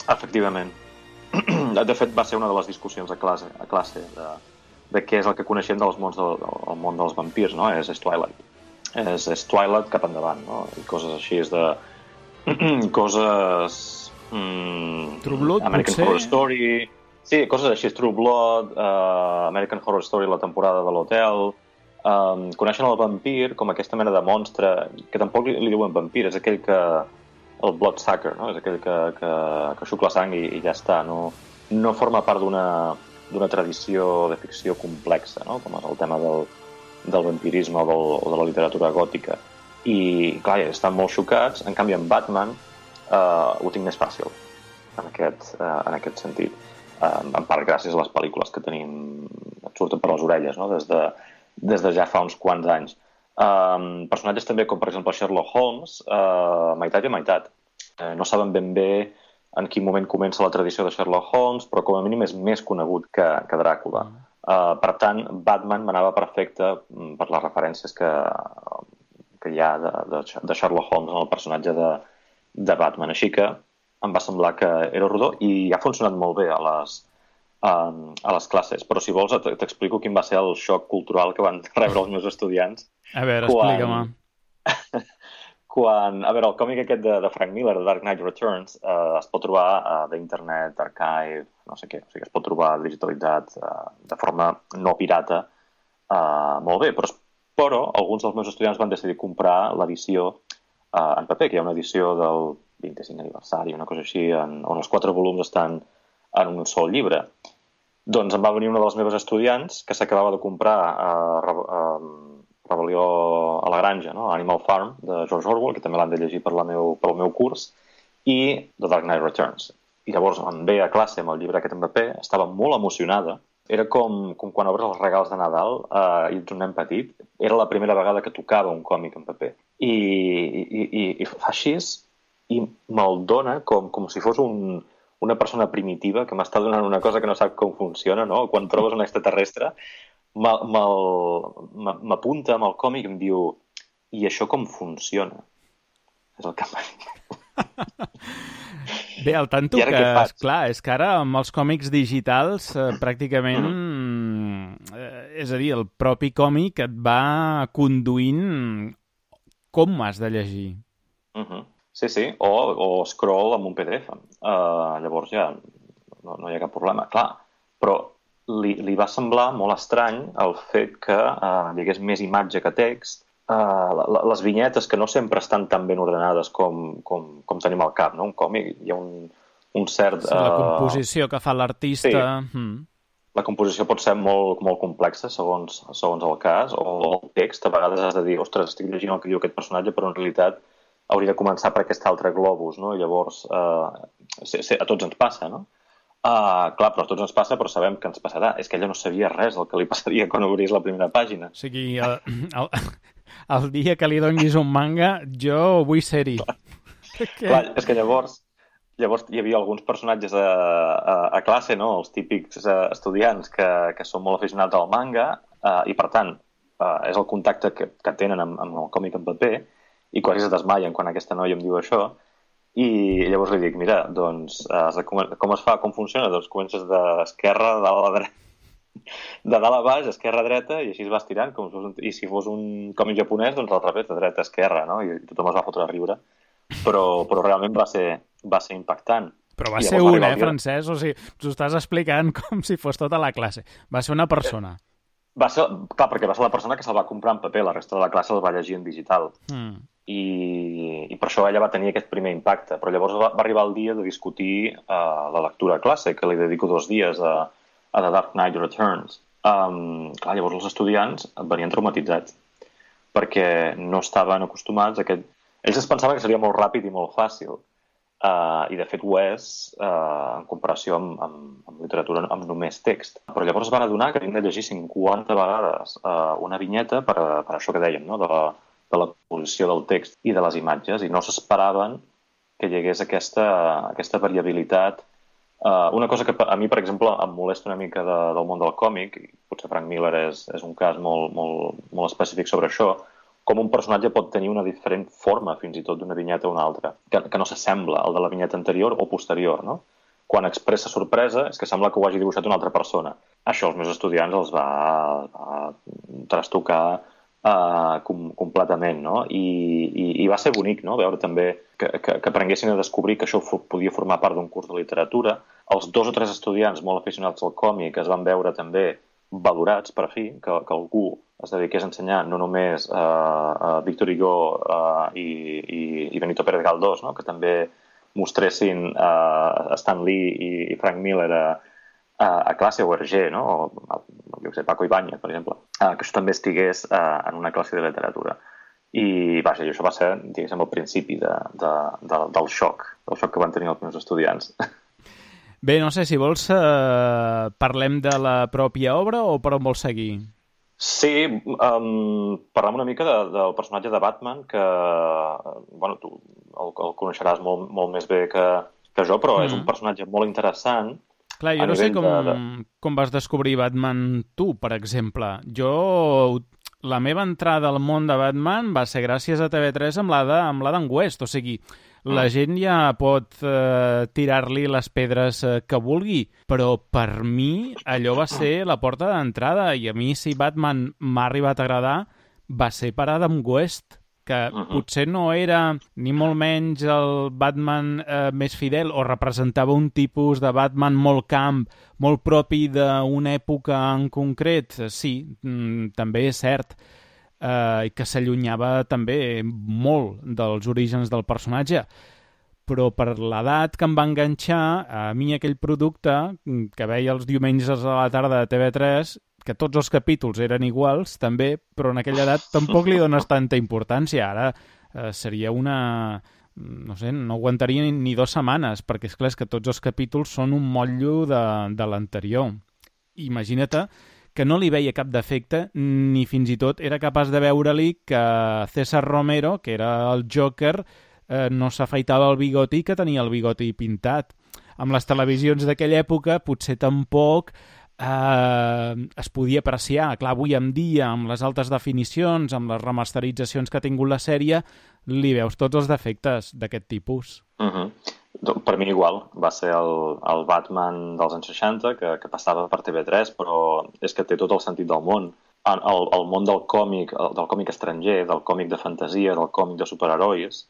Efectivament. De fet, va ser una de les discussions a classe de què és el que coneixem del món dels vampirs, no? És Twilight. És Twilight cap endavant, no? I coses així coses... True Blood, American potser? Horror Story... Sí, coses així, True Blood, American Horror Story, la temporada de l'hotel... Coneixen el vampir com aquesta mena de monstre, que tampoc li diuen vampir, és aquell que... el bloodsucker, no? És aquell que xucla sang i ja està. No forma part d'una tradició de ficció complexa, no? Com és el tema del vampirisme o de la literatura gòtica. I, clar, estan molt xocats. En canvi, en Batman ho tinc més fàcil, en aquest sentit. En part gràcies a les pel·lícules que tenim, et surten per les orelles, no? Des de ja fa uns quants anys. Personatges també com, per exemple, Sherlock Holmes, meitat i meitat. No saben ben bé en quin moment comença la tradició de Sherlock Holmes, però com a mínim és més conegut que Dràcula. Per tant, Batman m'anava perfecte per les referències que hi ha de Sherlock Holmes en el personatge de Batman. Així que em va semblar que era rodó i ha funcionat molt bé a les classes. Però si vols t'explico quin va ser el xoc cultural que van rebre els meus estudiants. A veure, explica-me. A veure, el còmic aquest de Frank Miller, de Dark Knight Returns, es pot trobar d'internet, archive, no sé què. O sigui, es pot trobar digitalitzat de forma no pirata molt bé. Però alguns dels meus estudiants van decidir comprar l'edició en paper, que hi ha una edició del 25 aniversari, una cosa així, on els 4 volums estan en un sol llibre. Doncs em va venir una de les meves estudiants que s'acabava de comprar Rebel·lió a la granja, no? Animal Farm, de George Orwell, que també l'han de llegir pel meu curs, i The Dark Knight Returns. I llavors em ve a classe amb el llibre aquest en paper, estava molt emocionada. Era com quan obres els regals de Nadal i ets un nen petit. Era la primera vegada que tocava un còmic en paper. I fa així i me'l dona com si fos una persona primitiva que m'està donant una cosa que no sap com funciona, no? Quan trobes un extraterrestre, m'apunta amb el còmic i em diu i això com funciona? És el que em va dir. Bé, al tanto que, esclar, és que ara amb els còmics digitals pràcticament, és a dir, el propi còmic et va conduint com has de llegir. Sí, o scroll amb un PDF. Llavors ja no hi ha cap problema. Clar, però li va semblar molt estrany el fet que hi hagués més imatge que text. Les vinyetes, que no sempre estan tan ben ordenades com tenim al cap, no? Un còmic, hi ha un cert... La composició que fa l'artista... Sí. La composició pot ser molt complexa, segons el cas, o el text, a vegades has de dir, ostres, estic llegint el que diu aquest personatge, però en realitat hauria de començar per aquest altre globus, no? I llavors, a tots ens passa, no? Clar, però a tots ens passa, però sabem que ens passarà. És que ella no sabia res del que li passaria quan obrís la primera pàgina. O sigui, el dia que li donis un manga, jo vull ser-hi. Clar, és que llavors hi havia alguns personatges a classe, no? Els típics estudiants que són molt aficionats al manga i, per tant, és el contacte que tenen amb el còmic en paper i quasi es desmaien quan aquesta noia em diu això. I llavors li dic, mira, doncs, com es fa, com funciona? Doncs comences d'esquerra, de dalt a baix, esquerra a dreta, i així es vas tirant, i si fos un còmic japonès, doncs al revés, de dreta a esquerra, no? I tothom es va fotre a riure. Però realment va ser impactant. Però va ser un, Francesc? O sigui, t'ho estàs explicant com si fos tota la classe. Va ser una persona. Clar, perquè va ser la persona que se'l va comprar en paper, la resta de la classe el va llegir en digital. I per això ella va tenir aquest primer impacte. Però llavors va arribar el dia de discutir la lectura a classe, que li dedico 2 dies a The Dark Knight Returns. Clar, llavors els estudiants venien traumatitzats perquè no estaven acostumats a aquest... Ells es pensaven que seria molt ràpid i molt fàcil, i de fet ho és en comparació amb literatura amb només text. Però llavors es van adonar que havien de llegir 50 vegades una vinyeta per això que dèiem, no? de la posició del text i de les imatges, i no s'esperaven que hi hagués aquesta variabilitat. Una cosa que a mi, per exemple, em molesta una mica del món del còmic, i potser Frank Miller és un cas molt específic sobre això, com un personatge pot tenir una diferent forma, fins i tot, d'una vinyeta a una altra, que no s'assembla al de la vinyeta anterior o posterior, no? Quan expressa sorpresa és que sembla que ho hagi dibuixat una altra persona. Això als meus estudiants els va trastocar completament, no? I va ser bonic, no?, veure també que aprenguessin a descobrir que això podia formar part d'un curs de literatura. Els 2 o 3 estudiants molt aficionats al còmic es van veure també valorats, per fi, que algú es dediqués a ensenyar no només Victor Hugo i Benito Pérez Galdós, no?, que també mostressin Stan Lee i Frank Miller a classe, o Hergé, no?, o jo sé, Paco Ibáñez, per exemple, que això també estigués en una classe de literatura. I vaja, això va ser, diguéssim, el principi del xoc que van tenir els meus estudiants. Bé, no sé, si vols parlem de la pròpia obra o per on vols seguir? Sí, parlem una mica del personatge de Batman, que bueno, tu el coneixeràs molt més bé que jo, però és un personatge molt interessant. Clar, jo no sé com vas descobrir Batman tu, per exemple. La meva entrada al món de Batman va ser gràcies a TV3 amb l'Adam West, o sigui, la gent ja pot tirar-li les pedres que vulgui, però per mi allò va ser la porta d'entrada, i a mi si Batman m'ha arribat a agradar va ser per Adam West, que potser no era ni molt menys el Batman més fidel, o representava un tipus de Batman molt camp, molt propi d'una època en concret. Sí, també és cert, i que s'allunyava també molt dels orígens del personatge, però per l'edat que em va enganxar, a mi aquell producte que veia els diumenges a la tarda de TV3, que tots els capítols eren iguals, també, però en aquella edat tampoc li dones tanta importància. Ara seria una... no sé, no aguantaria ni 2 setmanes, perquè és clar que tots els capítols són un motllo de l'anterior. Imagina't que no li veia cap defecte, ni fins i tot era capaç de veure-li que César Romero, que era el Joker, no s'afaitava el bigoti, que tenia el bigoti pintat. Amb les televisions d'aquella època potser tampoc es podia apreciar. Clar, avui en dia, amb les altes definicions, amb les remasteritzacions que ha tingut la sèrie, li veus tots els defectes d'aquest tipus. Per mi igual, va ser el Batman dels anys 60 que passava per TV3, però és que té tot el sentit del món. El món del còmic estranger, del còmic de fantasia, del còmic de superherois,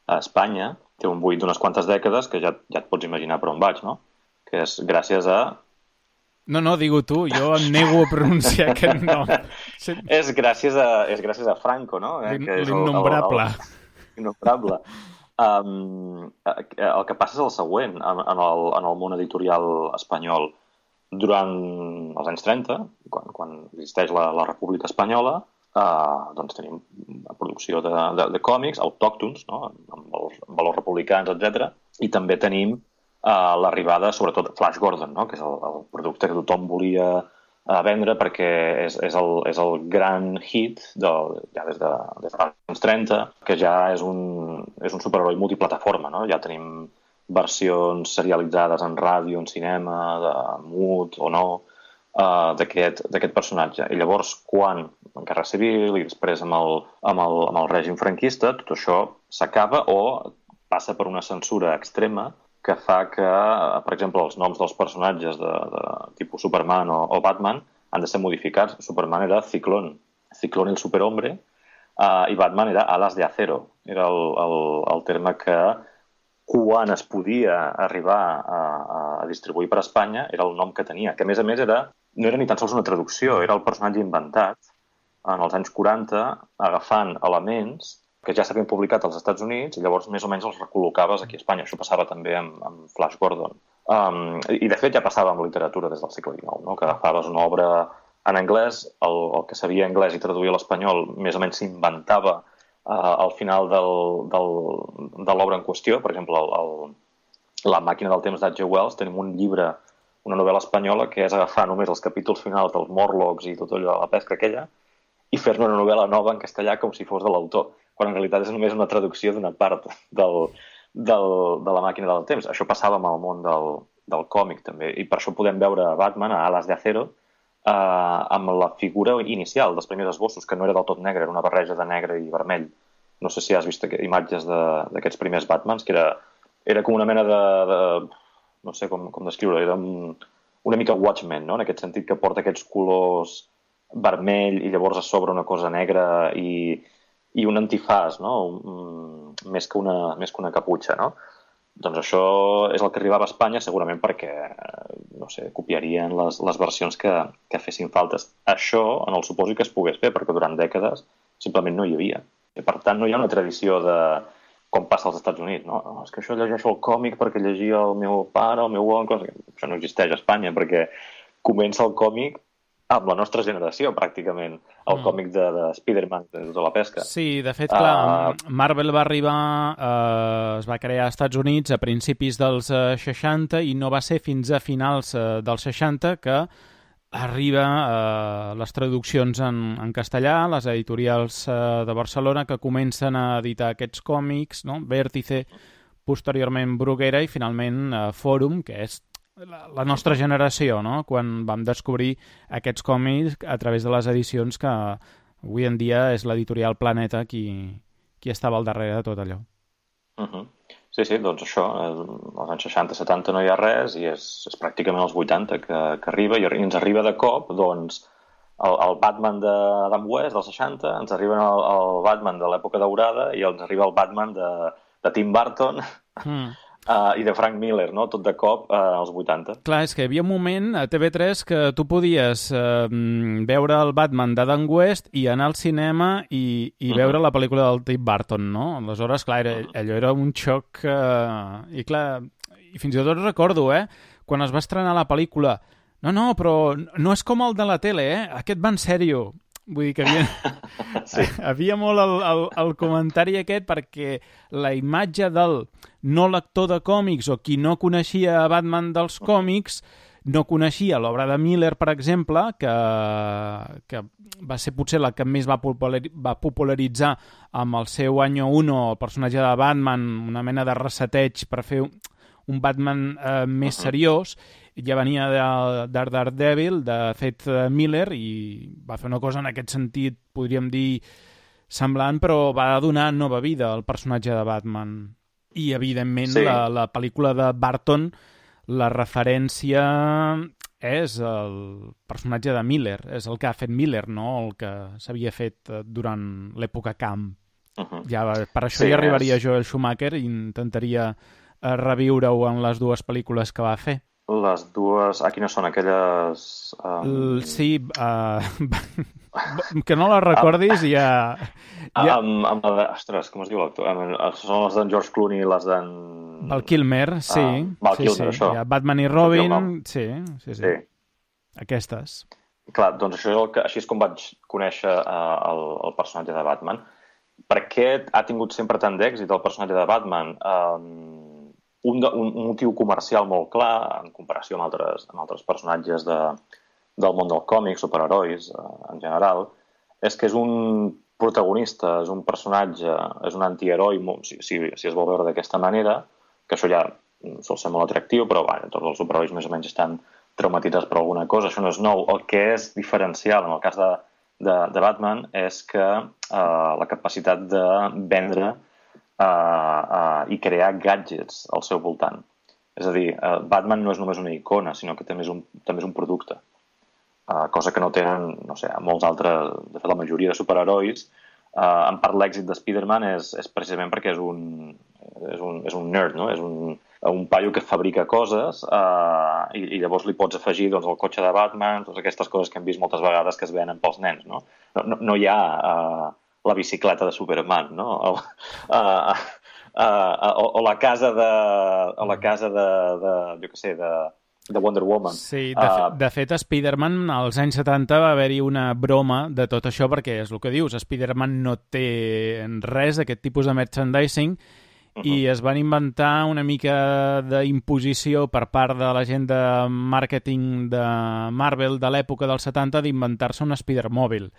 a Espanya té un buit d'unes quantes dècades que ja et pots imaginar per on vaig, no? Que és gràcies a... No, digue-ho tu, jo em nego a pronunciar aquest nom. És gràcies a Franco, no? L'innombrable. L'innombrable. El que passa és el següent en el món editorial espanyol. Durant els anys 30, quan existeix la República Espanyola, doncs tenim una producció de còmics autòctons, no? amb valors republicans, etc. I també tenim l'arribada, sobretot, Flash Gordon, no? Que és el producte que tothom volia vendre perquè és el gran hit ja des dels anys 30, que ja és un superheroi multiplataforma, no? Ja tenim versions serialitzades en ràdio, en cinema, de mut o no, d'aquest personatge. I llavors, quan en Guerra Civil i després amb el règim franquista, tot això s'acaba o passa per una censura extrema que fa que, per exemple, els noms dels personatges de tipus Superman o Batman han de ser modificats. Superman era Ciclón el superhombre, i Batman era Alas de Acero. Era el terme que, quan es podia arribar a distribuir per Espanya, era el nom que tenia, que a més no era ni tan sols una traducció, era el personatge inventat en els anys 40, agafant elements que ja s'havien publicat als Estats Units i llavors més o menys els recol·locaves aquí a Espanya. Això passava també amb Flash Gordon. I de fet ja passava amb literatura des del segle XIX, no? Que agafaves una obra en anglès, el que sabia anglès i traduïa a l'espanyol més o menys s'inventava al final de l'obra en qüestió. Per exemple, La màquina del temps d'H.G. Wells, tenim un llibre, una novel·la espanyola, que és agafar només els capítols finals dels Morlocks i tot allò de la pesca aquella i fer-ne una novel·la nova en castellà com si fos de l'autor, quan en realitat és només una traducció d'una part de la màquina del temps. Això passava amb el món del còmic també, i per això podem veure Batman a Alas de Acero amb la figura inicial dels primers esbossos, que no era del tot negre, era una barreja de negre i vermell. No sé si has vist imatges d'aquests primers Batmans, que era com una mena de no sé com descriure, era una mica Watchmen, no? En aquest sentit que porta aquests colors vermell i llavors a sobre una cosa negra i un antifàs, no? Més que una caputxa, no? Doncs això és el que arribava a Espanya segurament perquè, no sé, copiarien les versions que fessin faltes. Això, en el supòsit que es pogués fer, perquè durant dècades simplement no hi havia. I, per tant, no hi ha una tradició de com passa als Estats Units, no? És que això llegeixo el còmic perquè llegia el meu pare, el meu oncle... Això no existeix a Espanya, perquè comença el còmic amb la nostra generació, pràcticament, el còmic de Spider-Man, de la pesca. Sí, de fet, clar, Marvel va arribar, es va crear als Estats Units a principis dels 60 i no va ser fins a finals dels 60 que arriba les traduccions en castellà, les editorials de Barcelona que comencen a editar aquests còmics, no? Vértice, posteriorment Bruguera i finalment Fòrum, que és la nostra generació, no? Quan vam descobrir aquests còmics a través de les edicions que avui en dia és l'editorial Planeta qui estava al darrere de tot allò. Sí, doncs això, als anys 60-70 no hi ha res i és pràcticament als 80 que arriba i ens arriba de cop, doncs, el Batman d'Adam West dels 60, ens arriba el Batman de l'època daurada i ens arriba el Batman de Tim Burton i de Frank Miller, no? Tot de cop als 80. Clar, és que hi havia un moment a TV3 que tu podies veure el Batman d'Adam West i anar al cinema i veure la pel·lícula del Tim Burton, no? Aleshores, clar, allò era un xoc... I clar, i fins i tot recordo, quan es va estrenar la pel·lícula, no, però no és com el de la tele, aquest va en sèrio. Vull dir que havia molt el comentari aquest perquè la imatge del no lector de còmics o qui no coneixia Batman dels còmics no coneixia l'obra de Miller, per exemple, que va ser potser la que més va popularitzar amb el seu Año 1, el personatge de Batman, una mena de reseteig per fer un Batman més seriós. Ja venia de Daredevil, de fet Miller, i va fer una cosa en aquest sentit, podríem dir, semblant, però va donar nova vida al personatge de Batman. I, evidentment, la pel·lícula de Burton, la referència és el personatge de Miller, és el que ha fet Miller, no el que s'havia fet durant l'època camp. Ja, per això hi arribaria Joel Schumacher i intentaria reviure-ho en les dues pel·lícules que va fer. Les dues... quines són aquelles... Sí, que no les recordis ja... Ostres, com es diu l'actor? Són les d'en George Clooney i les d'en... Val Kilmer, sí. Val Kilmer, això. Batman i Robin, sí. Aquestes. Clar, doncs així és com vaig conèixer el personatge de Batman. Per què ha tingut sempre tant d'èxit el personatge de Batman? un motiu comercial molt clar, en comparació amb altres personatges del món del còmic, superherois en general, és que és un protagonista, és un personatge, és un antiheroi, si es vol veure d'aquesta manera, que això ja sol ser molt atractiu, però tots els superherois més o menys estan traumatitzats per alguna cosa, això no és nou. El que és diferencial en el cas de Batman és que la capacitat de vendre i crear gadgets al seu voltant. És a dir, Batman no és només una icona, sinó que també és un producte. Cosa que no tenen, no sé, molts altres, de fet la majoria de superherois. En part l'èxit de Spider-Man és precisament perquè és un nerd, no? És un paio que fabrica coses i llavors li pots afegir doncs, el cotxe de Batman, totes aquestes coses que hem vist moltes vegades que es venen pels nens, no? No hi ha la bicicleta de Superman, no? O la casa jo què sé, de Wonder Woman. Sí, de fet, a Spider-Man als anys 70 va haver-hi una broma de tot això, perquè és el que dius, Spider-Man no té res d'aquest tipus de merchandising i es van inventar una mica d'imposició per part de la gent de màrqueting de Marvel de l'època dels 70 d'inventar-se un Spider-Mòbil.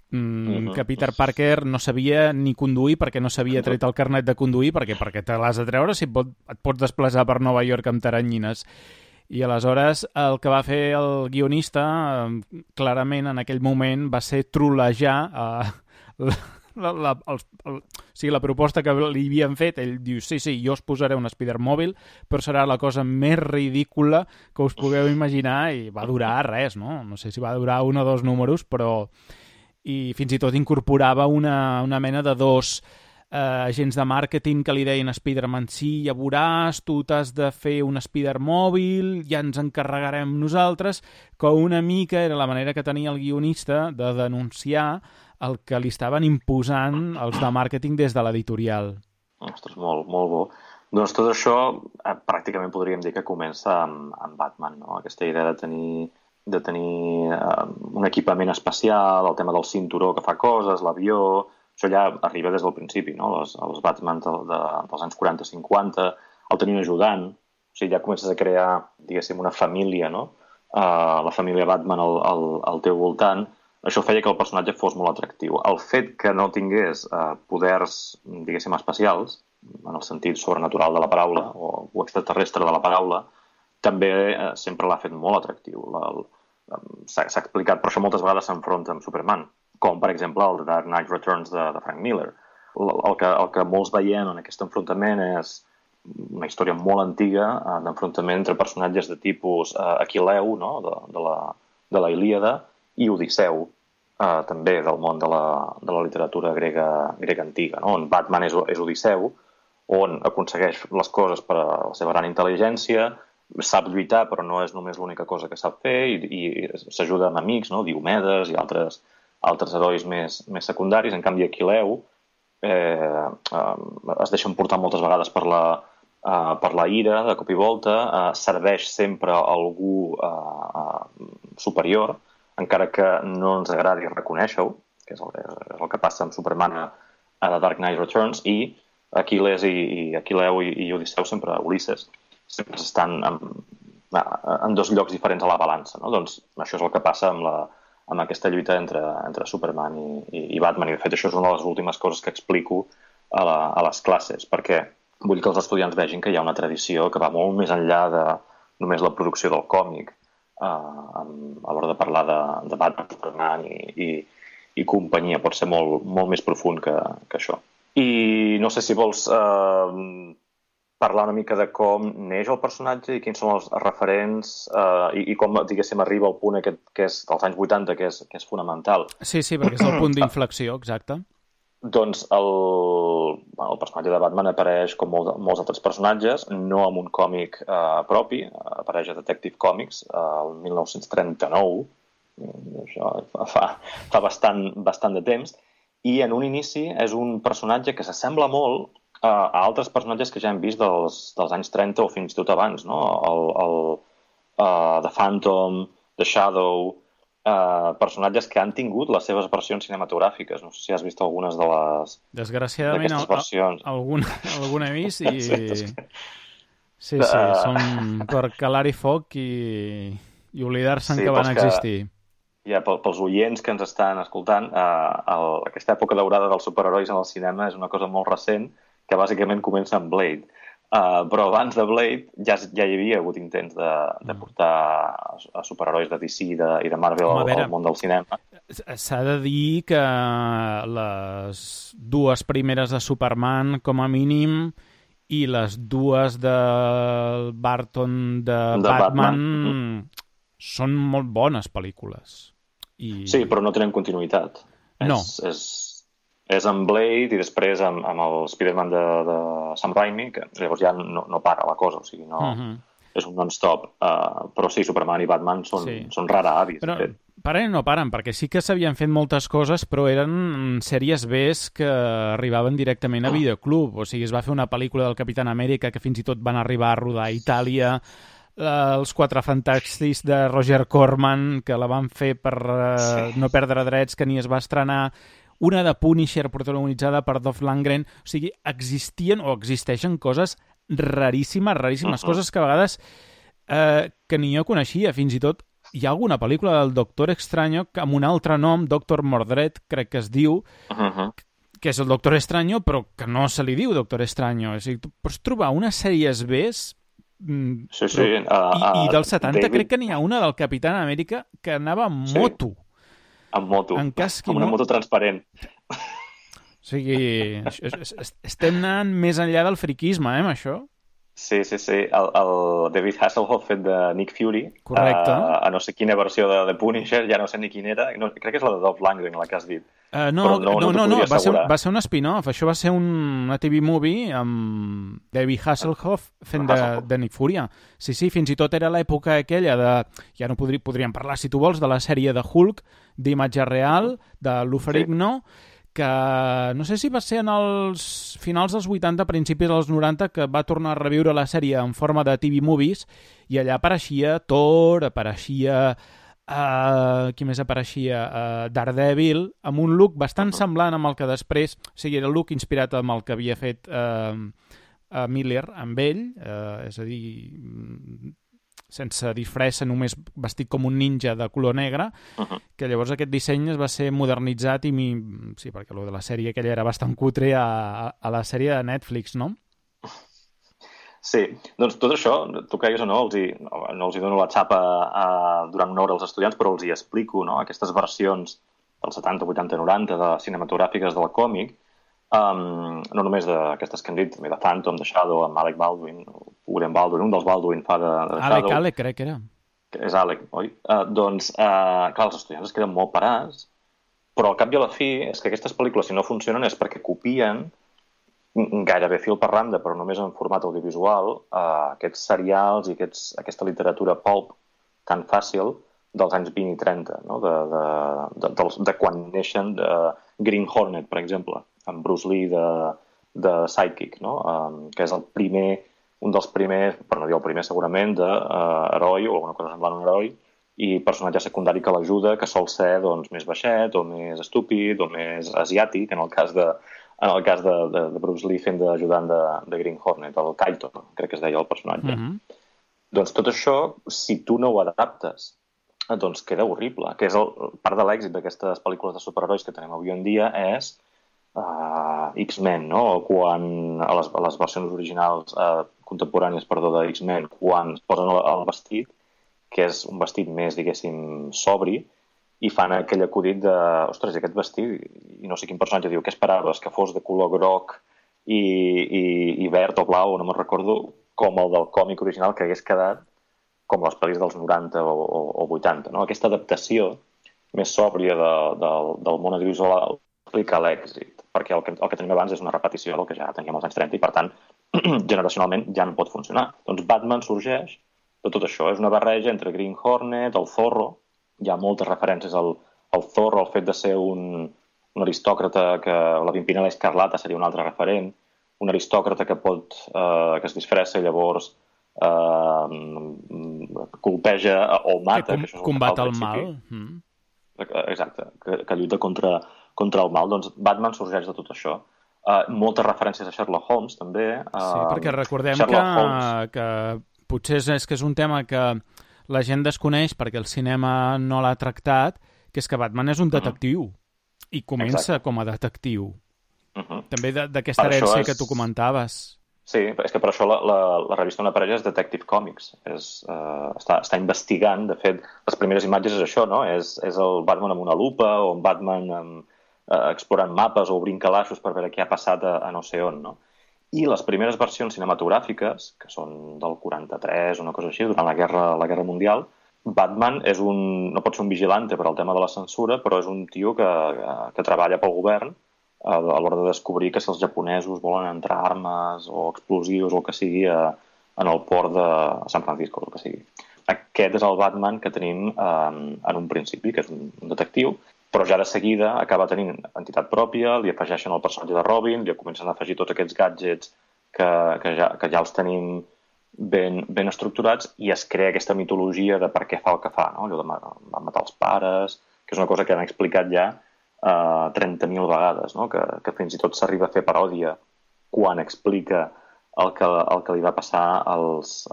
Que Peter Parker no sabia ni conduir perquè no s'havia tret el carnet de conduir perquè te l'has de treure si et pots desplaçar per Nova York amb taranyines. I aleshores el que va fer el guionista clarament en aquell moment va ser trolejar la proposta que li havien fet. Ell diu, sí, jo us posaré un Spider-Mòbil, però serà la cosa més ridícula que us pugueu imaginar, i va durar res, no? No sé si va durar 1 o 2 números, però... I fins i tot incorporava una mena de 2 agents de màrqueting que li deien a Spider-Man, sí, ja veuràs, tu t'has de fer un Spider-Mòbil, ja ens encarregarem nosaltres, que una mica era la manera que tenia el guionista de denunciar el que li estaven imposant els de màrqueting des de l'editorial. Ostres, molt bo. Doncs tot això pràcticament podríem dir que comença amb Batman, no? Aquesta idea de tenir un equipament especial, el tema del cinturó que fa coses, l'avió, això ja arriba des del principi, no? Els Batman dels anys 40-50, el tenir un ajudant, o sigui, ja comences a crear, diguéssim, una família, no? La família Batman al teu voltant, això feia que el personatge fos molt atractiu. El fet que no tingués poders, diguéssim, especials, en el sentit sobrenatural de la paraula, o extraterrestre de la paraula, també sempre l'ha fet molt atractiu. S'ha explicat, però això moltes vegades s'enfronta amb Superman, com per exemple el Dark Knight Returns de Frank Miller. El que molts veiem en aquest enfrontament és una història molt antiga d'enfrontament entre personatges de tipus Aquileu, no? de la Ilíada, i Odisseu, també del món de la literatura grega antiga, no? On Batman és Odisseu, on aconsegueix les coses per la seva gran intel·ligència, sap lluitar, però no és només l'única cosa que sap fer, i s'ajuda amb amics, no? Diomedes i altres herois més secundaris. En canvi, Aquileu es deixa portar moltes vegades per la ira, de cop i volta, serveix sempre a algú superior, encara que no ens agradi reconèixer-ho, que és el que passa amb Superman a The Dark Knight Returns, i Aquil·les i Aquileu i Odisseu sempre, Ulisses, sempre estan en 2 llocs diferents a la balança, no? Doncs això és el que passa amb aquesta lluita entre Superman i Batman, i de fet això és una de les últimes coses que explico a les classes, perquè vull que els estudiants vegin que hi ha una tradició que va molt més enllà de només la producció del còmic a l'hora de parlar de Batman, Superman i companyia. Pot ser molt més profund que això. I no sé si vols parlar una mica de com neix el personatge i quins són els referents i com, diguéssim, arriba al punt aquest que és dels anys 80, que és fonamental. Sí, perquè és el punt d'inflexió, exacte. Doncs el personatge de Batman apareix com molts altres personatges, no amb un còmic propi, apareix a Detective Comics el 1939, això fa bastant de temps, i en un inici és un personatge que s'assembla molt a altres personatges que ja hem vist dels anys 30 o fins i tot abans, no? The Phantom, The Shadow, personatges que han tingut les seves versions cinematogràfiques. No sé si has vist algunes d'aquestes versions. Desgraciadament, alguna he vist i... Sí, són per calar-hi foc i oblidar-se'n que van existir. Ja, pels oients que ens estan escoltant, aquesta època daurada dels superherois en el cinema és una cosa molt recent, que bàsicament comença amb Blade. Però abans de Blade ja hi havia hagut intents de portar a superherois de DC i de Marvel al món del cinema. S'ha de dir que les dues primeres de Superman, com a mínim, i les dues de Barton de Batman són molt bones pel·lícules. Sí, però no tenen continuïtat. No. És amb Blade i després amb el Spider-Man de Sam Raimi, que llavors ja no para la cosa, o sigui, és un non-stop. Però sí, Superman i Batman són rara avis. Però paren o no paren, perquè sí que s'havien fet moltes coses, però eren sèries Bs que arribaven directament a videoclub. O sigui, es va fer una pel·lícula del Capitán Amèrica que fins i tot van arribar a rodar a Itàlia, els Quatre Fantàstics de Roger Corman, que la van fer per no perdre drets, que ni es va estrenar, una de Punisher protagonitzada per Dolph Lundgren. O sigui, existeixen coses raríssimes, coses que a vegades que ni jo coneixia. Fins i tot hi ha alguna pel·lícula del Doctor Extraño amb un altre nom, Doctor Mordred, crec que es diu, que és el Doctor Extraño, però que no se li diu Doctor Extraño. O sigui, tu pots trobar unes sèries Bs i dels 70 crec que n'hi ha una del Capitán Amèrica que anava amb moto. Amb moto, amb una moto transparent. O sigui, estem anant més enllà del friquisme, amb això? Sí. El David Hasselhoff fet de Nick Fury. Correcte. A no sé quina versió de Punisher, ja no sé ni quina era. No, crec que és la de Dolph Lundgren, la que has dit. No, va ser un spin-off. Això va ser una TV movie amb David Hasselhoff fent de Nick Fury. Sí, fins i tot era l'època aquella de... Ja no podríem parlar, si tu vols, de la sèrie de Hulk, d'imatge real, de Lou Ferrigno, que no sé si va ser en els finals dels 80, principis dels 90, que va tornar a reviure la sèrie en forma de TV movies, i allà apareixia Thor, apareixia... qui més apareixia? Daredevil, amb un look bastant semblant amb el que després... O sigui, era el look inspirat amb el que havia fet Miller amb ell, és a dir, sense disfressa, només vestit com un ninja de color negre, que llavors aquest disseny es va ser modernitzat i sí, perquè lo de la sèrie aquella era bastant cutre a la sèrie de Netflix, no? Sí, doncs tot això, tu cregues o no, no els hi dono la xapa durant una hora als estudiants, però els hi explico, no? Aquestes versions dels 70, 80, 90 de cinematogràfiques del còmic, no només d'aquestes que hem dit, també de Phantom, de Shadow, amb Alec Baldwin, William Baldwin, un dels Baldwin fa de Shadow. Alec, crec que era. És Alec, oi? Doncs, clar, els estudiants es queden molt parats, però al cap i a la fi és que aquestes pel·lícules, si no funcionen, és perquè copien gairebé fil per randa, però només en format audiovisual, aquests serials i aquesta literatura pulp tan fàcil dels anys 20 i 30, no? de quan neixen Green Hornet, per exemple, amb Bruce Lee de Sidekick, no? Que és un dels primers, per no dir el primer segurament, d'heroi o alguna cosa semblant a un heroi, i personatge secundari que l'ajuda, que sol ser doncs, més baixet o més estúpid o més asiàtic, en el cas de Bruce Lee fent d'ajudant de Green Hornet, el Kaito, crec que es deia el personatge. Doncs tot això, si tu no ho adaptes, doncs queda horrible, que és part de l'èxit d'aquestes pel·lícules de superherois que tenim avui en dia és X-Men, no? Quan a les versions originals contemporànies, de X-Men, quan es posen el vestit, que és un vestit més, diguéssim, sobri, i fan aquell acudit de, ostres, aquest vestit, i no sé quin personatge diu, què esperaves, que fos de color groc i verd o blau, no me'n recordo, com el del còmic original, que hagués quedat com les pel·lis dels 90 o 80. No? Aquesta adaptació més sòbria del món audiovisual explica l'èxit, perquè el que tenim abans és una repetició del que ja teníem als anys 30 i, per tant, generacionalment ja no pot funcionar. Doncs Batman sorgeix de tot això. És una barreja entre Green Hornet, el Zorro, hi ha moltes referències al Zorro, el fet de ser un aristòcrata, que la Pimpinela Escarlata seria un altre referent, un aristòcrata que es disfressa i llavors colpeja o mata. Que combat el mal. Exacte, que lluita contra el mal. Doncs Batman sorgeix de tot això. moltes referències a Sherlock Holmes, també. Sí, perquè recordem que potser és que és un tema que la gent desconeix perquè el cinema no l'ha tractat, que és que Batman és un detectiu i comença com a detectiu. També d'aquesta herència que tu comentaves. Sí, és que per això la revista Una parella és Detective Comics. Està investigant, de fet, les primeres imatges és això, no? És el Batman amb una lupa o un Batman explorant mapes o obrint calaixos per veure què ha passat a no sé on, no? I les primeres versions cinematogràfiques, que són del 43, una cosa així, durant la Guerra Mundial, Batman no pot ser un vigilante per al tema de la censura, però és un tio que treballa pel govern a l'hora de descobrir que si els japonesos volen entrar armes o explosius o el que sigui en el port de San Francisco, el que sigui. Aquest és el Batman que tenim en un principi, que és un detectiu, però ja de seguida acaba tenint entitat pròpia, li afegeixen el personatge de Robin, li comencen a afegir tots aquests gadgets que ja els tenim ben estructurats i es crea aquesta mitologia de per què fa el que fa, no? Allò de matar els pares, que és una cosa que han explicat ja 30.000 vegades, no? Que fins i tot s'arriba a fer paròdia quan explica el que li va passar als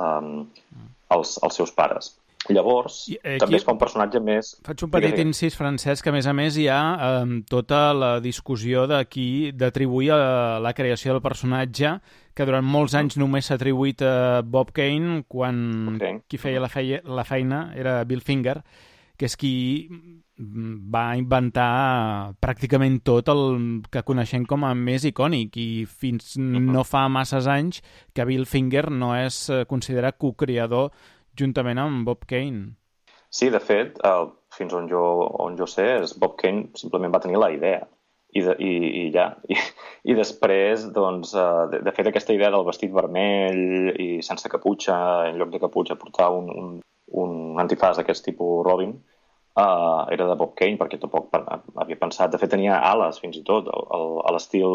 seus pares. Llavors, també es fa un personatge més... Faig un petit incís, Francesc, que a més hi ha tota la discussió d'atribuir la creació del personatge, que durant molts anys només s'ha atribuït a Bob Kane, quan qui feia la feina era Bill Finger, que és qui va inventar pràcticament tot el que coneixem com a més icònic, i fins no fa masses anys que Bill Finger no és considerat co-creador juntament amb Bob Kane. Sí, de fet, fins on jo sé, Bob Kane simplement va tenir la idea i ja. I després, doncs, de fet, aquesta idea del vestit vermell i sense caputxa, en lloc de caputxa portar un antifàs d'aquest tipus Robin, era de Bob Kane, perquè tampoc havia pensat... De fet, tenia ales, fins i tot, a l'estil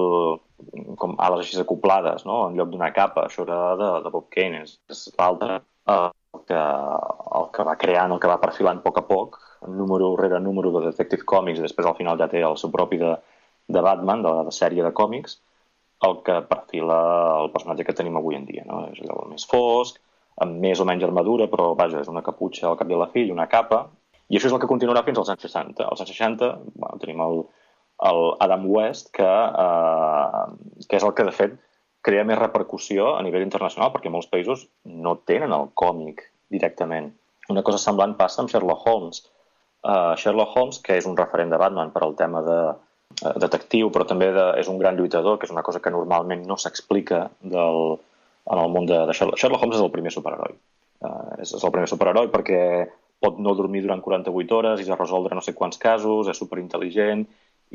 com ales així acoplades, no? En lloc d'una capa. Això era de Bob Kane. És l'altre el que va creant, el que va perfilant a poc, número rere número de Detective Comics, i després al final ja té el seu propi de Batman, de la sèrie de còmics, el que perfila el personatge que tenim avui en dia, no? És allò més fosc, amb més o menys armadura, però vaja, és una caputxa al cap i a la fi i una capa. I això és el que continuarà fins als anys 60. Als anys 60 tenim el Adam West, que és el que, de fet, crea més repercussió a nivell internacional, perquè molts països no tenen el còmic directament. Una cosa semblant passa amb Sherlock Holmes. Sherlock Holmes, que és un referent de Batman per al tema de detectiu, però també és un gran lluitador, que és una cosa que normalment no s'explica en el món de Sherlock. Sherlock Holmes és el primer superheroi. És el primer superheroi perquè pot no dormir durant 48 hores i ja resoldre no sé quants casos, és superintel·ligent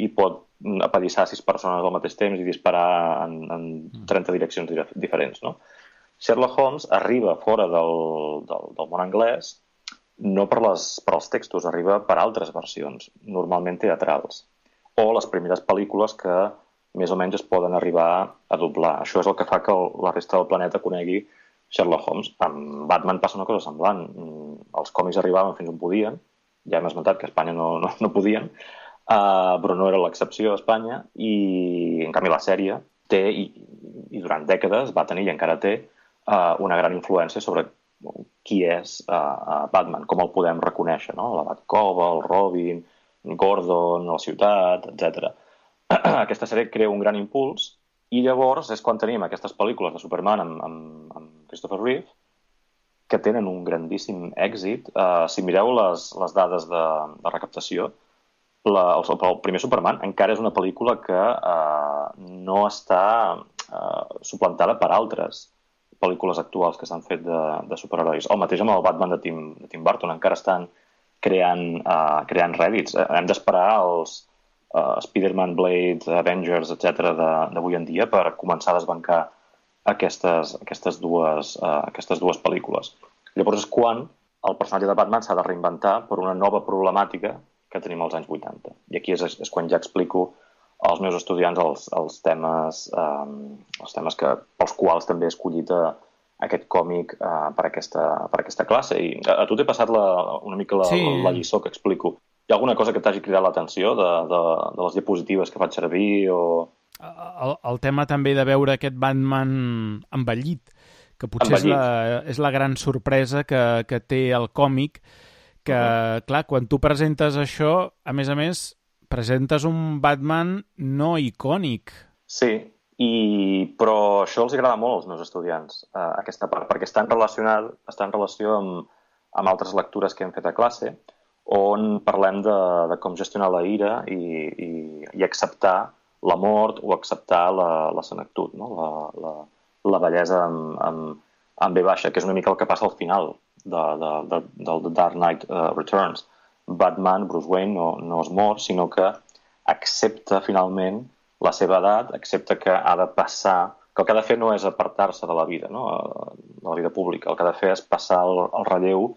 i pot apallissar 6 persones al mateix temps i disparar en 30 direccions diferents, no? Sherlock Holmes arriba fora del món anglès no per als textos, arriba per altres versions, normalment teatrals, o les primeres pel·lícules que més o menys es poden arribar a doblar. Això és el que fa que la resta del planeta conegui Sherlock Holmes. Amb Batman passa una cosa semblant. Els còmics arribaven fins on podien, ja hem esmentat que a Espanya no podien, però no era l'excepció a Espanya, i en canvi la sèrie té, i durant dècades va tenir i encara té, una gran influència sobre qui és Batman, com el podem reconèixer, no? La Batcova, el Robin, Gordon, la ciutat, etc. Aquesta sèrie crea un gran impuls, i llavors és quan tenim aquestes pel·lícules de Superman amb Christopher Reeve, que tenen un grandíssim èxit. Si mireu les dades de recaptació, el primer Superman encara és una pel·lícula que no està suplantada per altres pel·lícules actuals que s'han fet de superherois. El mateix amb el Batman de Tim Burton, encara estan creant rèdits. Hem d'esperar els Spider-Man, Blade, Avengers, etc. d'avui en dia per començar a desbancar aquestes dues pel·lícules. Llavors és quan el personatge de Batman s'ha de reinventar per una nova problemàtica que tenim als anys 80. I aquí és quan ja explico als meus estudiants els temes pels quals també he escollit aquest còmic per aquesta classe. I a tu t'he passat una mica la lliçó que explico. Hi ha alguna cosa que t'hagi cridat l'atenció de les diapositives que faig servir? el tema també de veure aquest Batman envellit, que potser és la gran sorpresa que té el còmic, que, clar, quan tu presentes això, a més, presentes un Batman no icònic. Sí, però això els agrada molt als meus estudiants, aquesta part, perquè està en relació amb altres lectures que hem fet a classe, on parlem de com gestionar la ira i acceptar la mort o acceptar la senectut, no? la bellesa amb B baixa, que és una mica el que passa al final del The Dark Knight Returns. Batman, Bruce Wayne, no es mor, sinó que accepta finalment la seva edat, accepta que ha de passar, que el que ha de fer no és apartar-se de la vida, no? De la vida pública, el que ha de fer és passar el relleu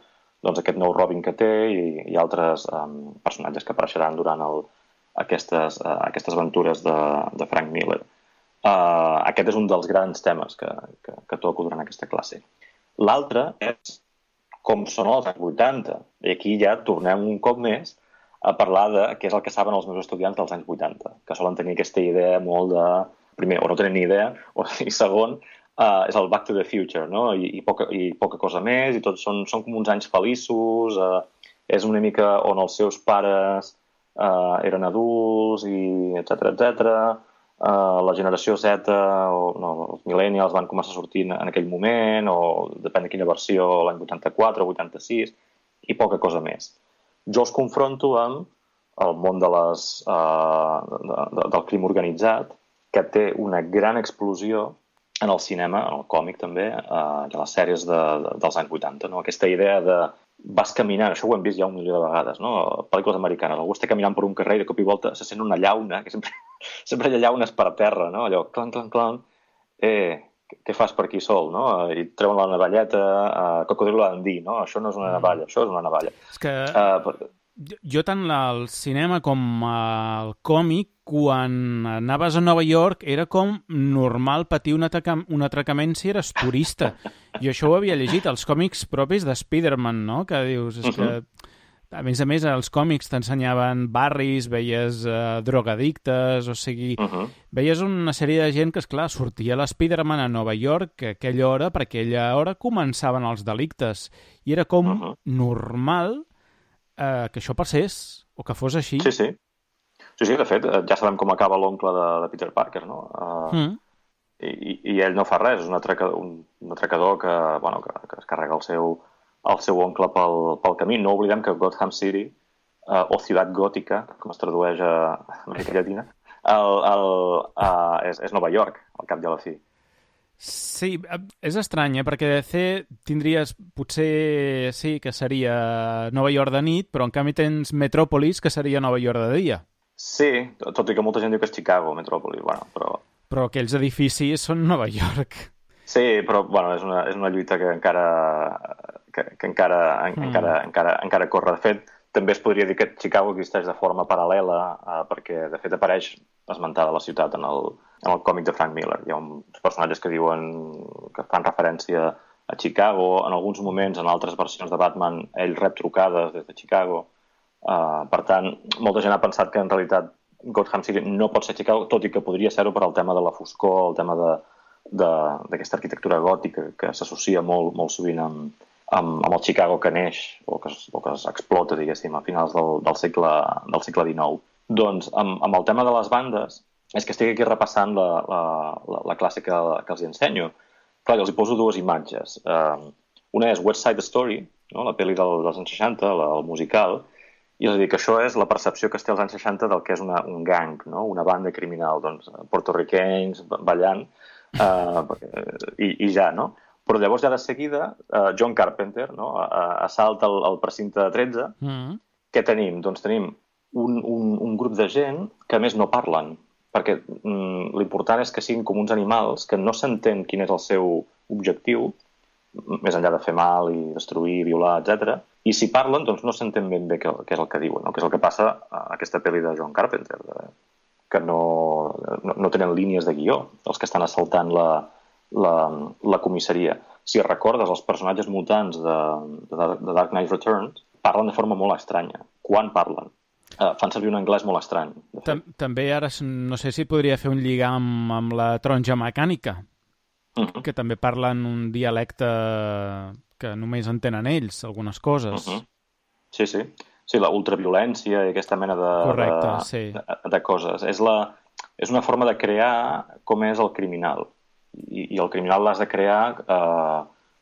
doncs, aquest nou Robin que té i altres personatges que apareixeran durant aquestes aventures de Frank Miller. Aquest és un dels grans temes que toco durant aquesta classe. L'altre és com són els anys 80. I aquí ja tornem un cop més a parlar de què és el que saben els meus estudiants dels anys 80, que solen tenir aquesta idea molt de... Primer, o no tenen ni idea, i segon, és el Back to the Future, no? I poca cosa més, i tots són com uns anys feliços, és una mica on els seus pares eren adults, i etc. La generació Z, els millennials van començar a sortir en aquell moment, o depèn de quina versió, l'any 84 o 86, i poca cosa més. Jo els confronto amb el món del crim organitzat, que té una gran explosió en el cinema, en el còmic també, i a les sèries dels anys 80. No? Aquesta idea de vas caminant, això ho hem vist ja 1.000.000 de vegades, no? Pel·lícules americanes, algú està caminant per un carrer i de cop i volta se sent una llauna, que sempre hi ha llaunes per terra, no? Allò, clan, clan, clan, què fas per aquí sol, no? I treuen la navalleta, cocodrilo Dundee, no? Això no és una navalla, això és una navalla. És que jo tant al cinema com al còmic, quan anaves a Nova York era com normal patir un atracament si eres turista. I això ho havia llegit als còmics propis de Spider-Man, no? Que dius, és que a més, els còmics t'ensenyaven barris, veies drogadictes, o sigui, veies una sèrie de gent que, esclar, sortia l'Spider-Man a Nova York, que per aquella hora començaven els delictes. I era com normal que això passés, o que fos així. Sí, de fet, ja sabem com acaba l'oncle de Peter Parker, no? I ell no fa res, és un atracador que es carrega el seu oncle pel camí. No oblidem que Gotham City, o Ciutat Gòtica, com es tradueix a Amèrica Llatina, és Nova York, al cap i a la fi. Sí, és estrany, perquè DC tindries, potser sí que seria Nova York de nit, però en canvi tens Metròpolis, que seria Nova York de dia. Sí, tot i que molta gent diu que és Chicago, Metròpolis, Però aquells edificis són Nova York. Sí, però és una lluita que encara corre. De fet, també es podria dir que Chicago existeix de forma paral·lela, perquè de fet apareix esmentada la ciutat en el còmic de Frank Miller. Hi ha uns personatges que fan referència a Chicago. En alguns moments, en altres versions de Batman, ell rep trucades des de Chicago. Per tant, molta gent ha pensat que en realitat Gotham City no pot ser Chicago, tot i que podria ser-ho per al tema de la foscor, el tema d'aquesta arquitectura gòtica que s'associa molt sovint amb el Chicago que neix o que explota, diguéssim, a finals del segle XIX. Doncs, amb el tema de les bandes, és que estic aquí repassant la classe que els ensenyo. Clar, els hi poso dues imatges. Una és West Side Story, no? La pel·li dels anys 60, el musical, i és a dir, que això és la percepció que es té als anys 60 del que és un gang, no? Una banda criminal, doncs, porto-riquenys ballant, i ja, no? Però llavors ja de seguida, John Carpenter, no? Assalta el precinte 13. Què tenim? Doncs tenim un grup de gent que a més no parlen, perquè l'important és que siguin com uns animals que no s'entén quin és el seu objectiu, més enllà de fer mal i destruir, violar, etc. I si parlen, doncs no s'entén ben bé què és el que diuen, no? Que és el que passa a aquesta pel·li de John Carpenter, que no tenen línies de guió, els que estan assaltant la comissaria. Si recordes, els personatges mutants de Dark Knight Returns parlen de forma molt estranya. Quan parlen? fan servir un anglès molt estrany. També ara no sé si podria fer un lligam amb la taronja mecànica, que també parlen un dialecte que només entenen ells, algunes coses. Sí. Sí, la ultraviolència i aquesta mena de coses. És una forma de crear com és el criminal. I el criminal l'has de crear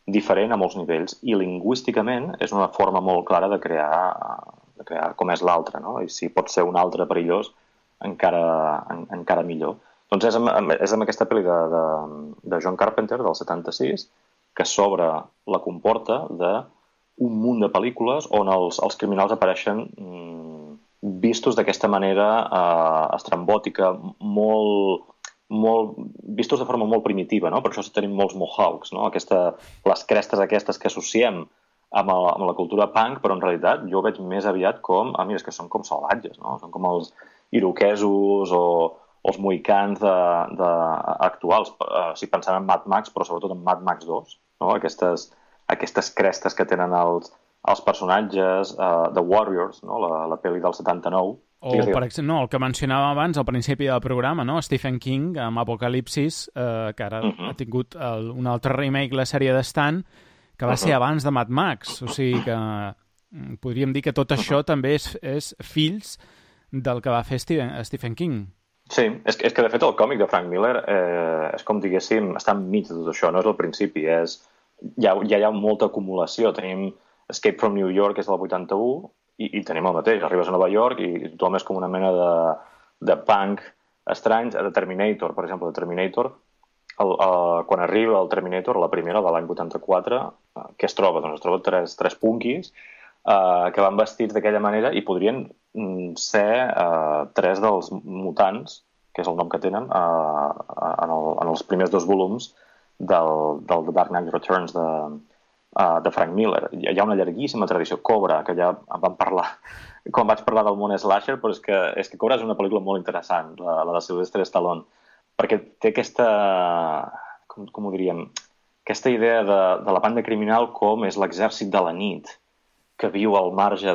diferent a molts nivells. I lingüísticament és una forma molt clara de crear com és l'altre, no? I si pot ser un altre perillós, encara millor. Doncs és amb aquesta pel·li de John Carpenter, del 76, que s'obre la comporta d'un munt de pel·lícules on els criminals apareixen vistos d'aquesta manera estrambòtica, vistos de forma molt primitiva, no? Per això tenim molts mohawks, no? Les crestes aquestes que associem amb la cultura punk, però en realitat jo ho veig més aviat com, mira, és que són com salvatges, no? Són com els iroquesos o els mohicans actuals, si pensant en Mad Max, però sobretot en Mad Max 2, no? Aquestes crestes que tenen els personatges, The Warriors, no? La pel·li del 79. O, per exemple, el que mencionava abans al principi del programa, no? Stephen King, amb Apocalipsis, que ara ha tingut un altre remake, la sèrie de Stan, que va ser abans de Mad Max. O sigui que podríem dir que tot això també és fills del que va fer Stephen King. Sí, és que de fet el còmic de Frank Miller és com diguéssim, està enmig de tot això, no és el principi, ja hi ha molta acumulació. Tenim Escape from New York, que és del 81, i tenim el mateix, arribes a Nova York i tothom és com una mena de punk estrany. The Terminator, per exemple, quan arriba el Terminator, la primera, de l'any 84, què es troba? Doncs es troba tres punquis que van vestits d'aquella manera i podrien ser tres dels mutants, que és el nom que tenen, en els primers 2 volums del The Dark Knight Returns de Frank Miller. Hi ha una llarguíssima tradició. Cobra, que ja en vam parlar quan vaig parlar del món slasher, però és que Cobra és una pel·lícula molt interessant, la de Sylvester Stallone, perquè té aquesta, com ho diríem, aquesta idea de la banda criminal com és l'exèrcit de la nit, que viu al marge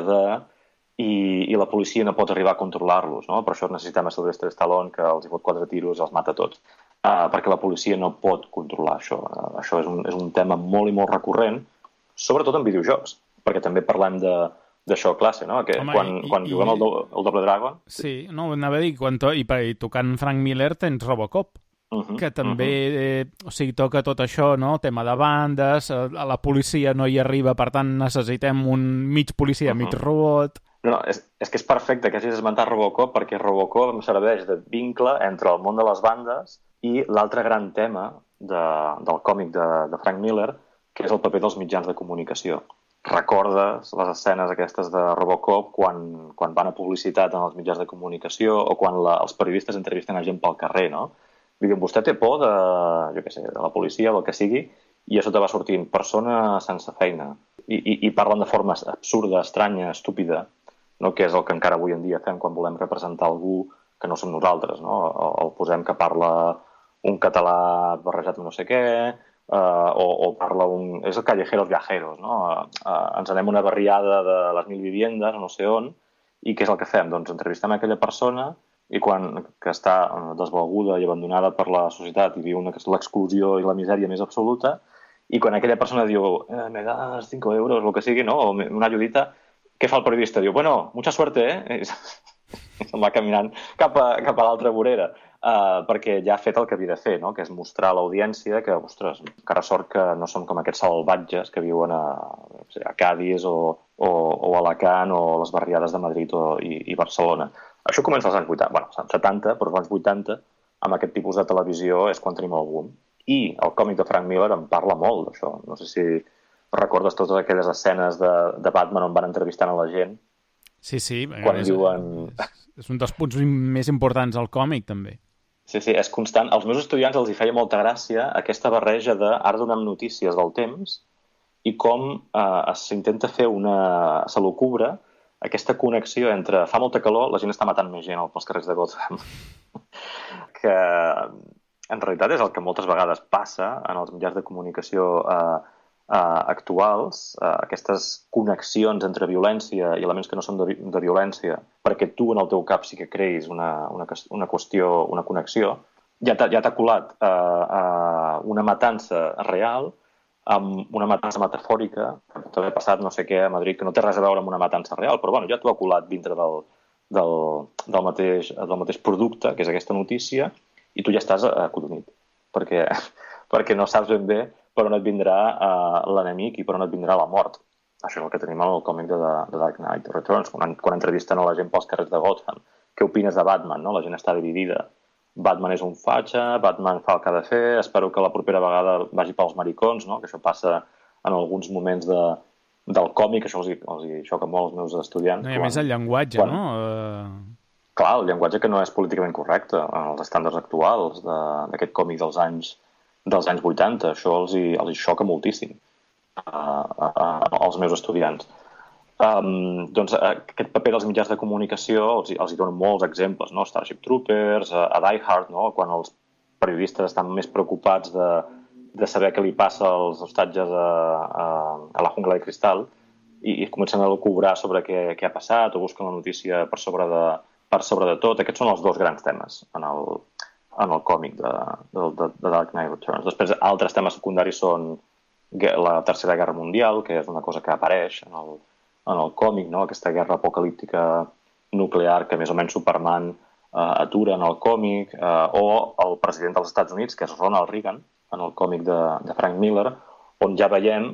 i la policia no pot arribar a controlar-los, no? Per això necessitem a Sylvester Stallone, que els hi fot 4 tiros i els mata tots, perquè la policia no pot controlar això. Això és un tema molt i molt recurrent, sobretot en videojocs, perquè també parlem d'això classe, no? Que quan juguem el Double Dragon... Sí, no, anava a dir, i tocant Frank Miller tens Robocop, que també o sigui, toca tot això, no? Tema de bandes, la policia no hi arriba, per tant necessitem un mig policia, mig robot... No, és que és perfecte que hagis esmentat Robocop, perquè Robocop em serveix de vincle entre el món de les bandes i l'altre gran tema del còmic de Frank Miller, que és el paper dels mitjans de comunicació. Recordes les escenes aquestes de Robocop quan van a publicitat en els mitjans de comunicació o quan els periodistes entrevisten a gent pel carrer, no? Diuen, vostè té por de la policia o el que sigui, i a sota va sortint persona sense feina. I parlen de forma absurda, estranya, estúpida, no? Que és el que encara avui en dia fem quan volem representar algú que no som nosaltres, no? El posem que parla un català barrejat amb no sé què, o parla és el Callejeros Viajeros, no? Ens anem una barriada de les 1000 viviendes, no sé on, i què és el que fem? Doncs entrevistem aquella persona i que està desvalguda i abandonada per la societat i viu l'exclusió i la misèria més absoluta, i quan aquella persona diu me das 5 euros, el que sigui, no? O una ayudita, què fa el periodista? Diu, bueno, mucha suerte, I se'n va caminant cap a l'altra vorera, perquè ja ha fet el que havia de fer, no? Que és mostrar a l'audiència que, ostres, encara sort que no som com aquests salvatges que viuen a Cádiz o a Alacant o a les barriades de Madrid i Barcelona. Això comença als anys 80, bueno, als anys 70, però als anys 80, amb aquest tipus de televisió és quan tenim el boom. I el còmic de Frank Miller en parla molt d'això. No sé si recordes totes aquelles escenes de Batman on van entrevistant a la gent. Sí. És un dels punts més importants del còmic, també. Sí, és constant. Als meus estudiants els hi feia molta gràcia aquesta barreja ara donem notícies del temps i com s'intenta fer se l'ocubra aquesta connexió entre fa molta calor, la gent està matant més gent pels carrers de Gotham, que en realitat és el que moltes vegades passa en els mitjans de comunicació actuals, aquestes connexions entre violència i elements que no són de violència, perquè tu en el teu cap sí que creïs una qüestió, una connexió, ja t'ha colat una matança real amb una matança metafòrica, pot haver passat no sé què a Madrid, que no té res a veure amb una matança real, però bueno, ja t'ho ha colat dintre del mateix producte, que és aquesta notícia, i tu ja estàs acodonit, perquè no saps ben bé per on et vindrà l'enemic i per on et vindrà la mort. Això és el que tenim al còmic de Dark Knight Returns, quan entrevisten a la gent pels carrers de Gotham. Què opines de Batman? No? La gent està dividida. Batman és un fatxa, Batman fa el que ha de fer, espero que la propera vegada vagi pels maricons, no? Que això passa en alguns moments del còmic, això els xoca molt als meus estudiants. No, i a més el llenguatge, no? Clar, el llenguatge que no és políticament correcte en els estàndols actuals d'aquest còmic dels anys 80, això els xoca moltíssim als meus estudiants. Doncs aquest paper dels mitjans de comunicació els hi donen molts exemples, no? Starship Troopers, a Die Hard, no? Quan els periodistes estan més preocupats de saber què li passa als hostatges a la jungla de cristal i comencen a cobrar sobre què ha passat o busquen la notícia per sobre de tot. Aquests són els dos grans temes en el còmic de Dark Knight Returns. Després, altres temes secundaris són la Tercera Guerra Mundial, que és una cosa que apareix en el còmic, no? Aquesta guerra apocalíptica nuclear que més o menys Superman atura en el còmic, o el president dels Estats Units, que és Ronald Reagan, en el còmic de Frank Miller, on ja veiem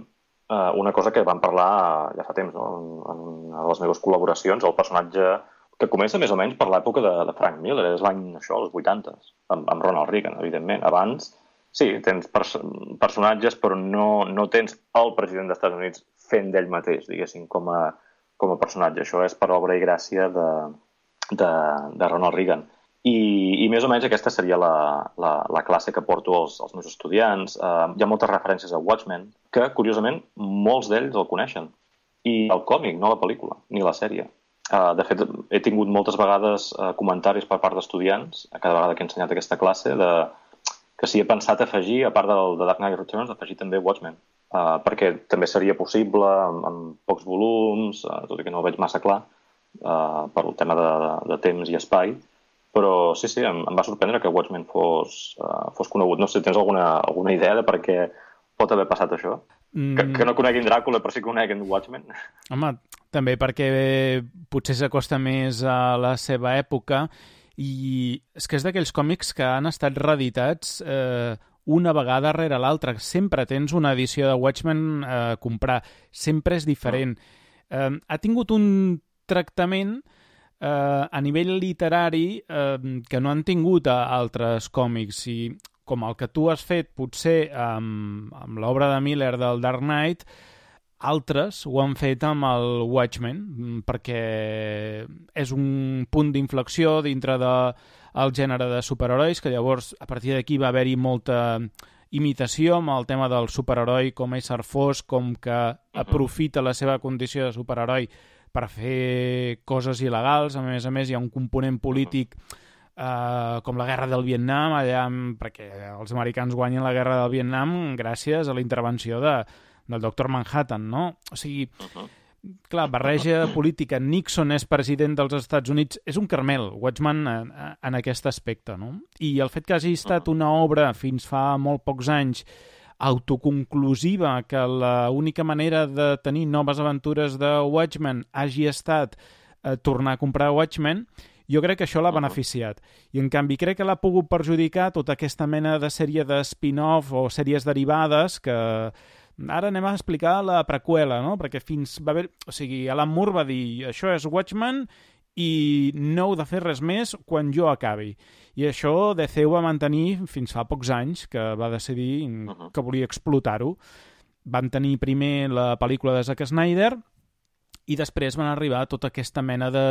una cosa que vam parlar ja fa temps, no? En una de les meves col·laboracions, el personatge que comença més o menys per l'època de Frank Miller, és l'any, això, als 80s, amb Ronald Reagan, evidentment. Abans, sí, tens personatges, però no tens el president dels Estats Units fent d'ell mateix, diguéssim, com a personatge. Això és per obra i gràcia de Ronald Reagan. I més o menys aquesta seria la classe que porto als meus estudiants. Hi ha moltes referències a Watchmen, que, curiosament, molts d'ells el coneixen. I el còmic, no la pel·lícula, ni la sèrie. De fet, he tingut moltes vegades comentaris per part d'estudiants, cada vegada que he ensenyat aquesta classe, que si he pensat afegir, a part de Dark Knight Returns, afegir també Watchmen, perquè també seria possible amb pocs volums, tot i que no ho veig massa clar, per el tema de temps i espai, però sí, em va sorprendre que Watchmen fos conegut. No sé, tens alguna idea de per què pot haver passat això? Que no coneguin Dràcula, però sí que coneguin Watchmen? Home, també perquè potser s'acosta més a la seva època i és que és d'aquells còmics que han estat reeditats una vegada rere l'altra. Sempre tens una edició de Watchmen a comprar. Sempre és diferent. Ha tingut un tractament a nivell literari que no han tingut altres còmics i com el que tu has fet potser amb l'obra de Miller del Dark Knight, altres ho han fet amb el Watchmen, perquè és un punt d'inflexió dintre del gènere de superherois, que llavors a partir d'aquí va haver-hi molta imitació amb el tema del superheroi com a ésser fos, com que aprofita la seva condició de superheroi per fer coses il·legals. A més hi ha un component polític com la guerra del Vietnam, allà, perquè els americans guanyen la guerra del Vietnam gràcies a la intervenció del Dr. Manhattan, no? O sigui, clar, barreja política. Nixon és president dels Estats Units. És un caramel, Watchmen, en aquest aspecte, no? I el fet que hagi estat una obra fins fa molt pocs anys autoconclusiva, que l'única manera de tenir noves aventures de Watchmen hagi estat tornar a comprar Watchmen, jo crec que això l'ha beneficiat. I, en canvi, crec que l'ha pogut perjudicar tota aquesta mena de sèrie de spin-off o sèries derivades que ara anem a explicar la preqüela, no? Perquè fins va haver... O sigui, Alan Moore va dir això és Watchmen i no heu de fer res més quan jo acabi. I això DC ho va mantenir fins fa pocs anys, que va decidir que volia explotar-ho. Van tenir primer la pel·lícula de Zack Snyder i després van arribar tota aquesta mena de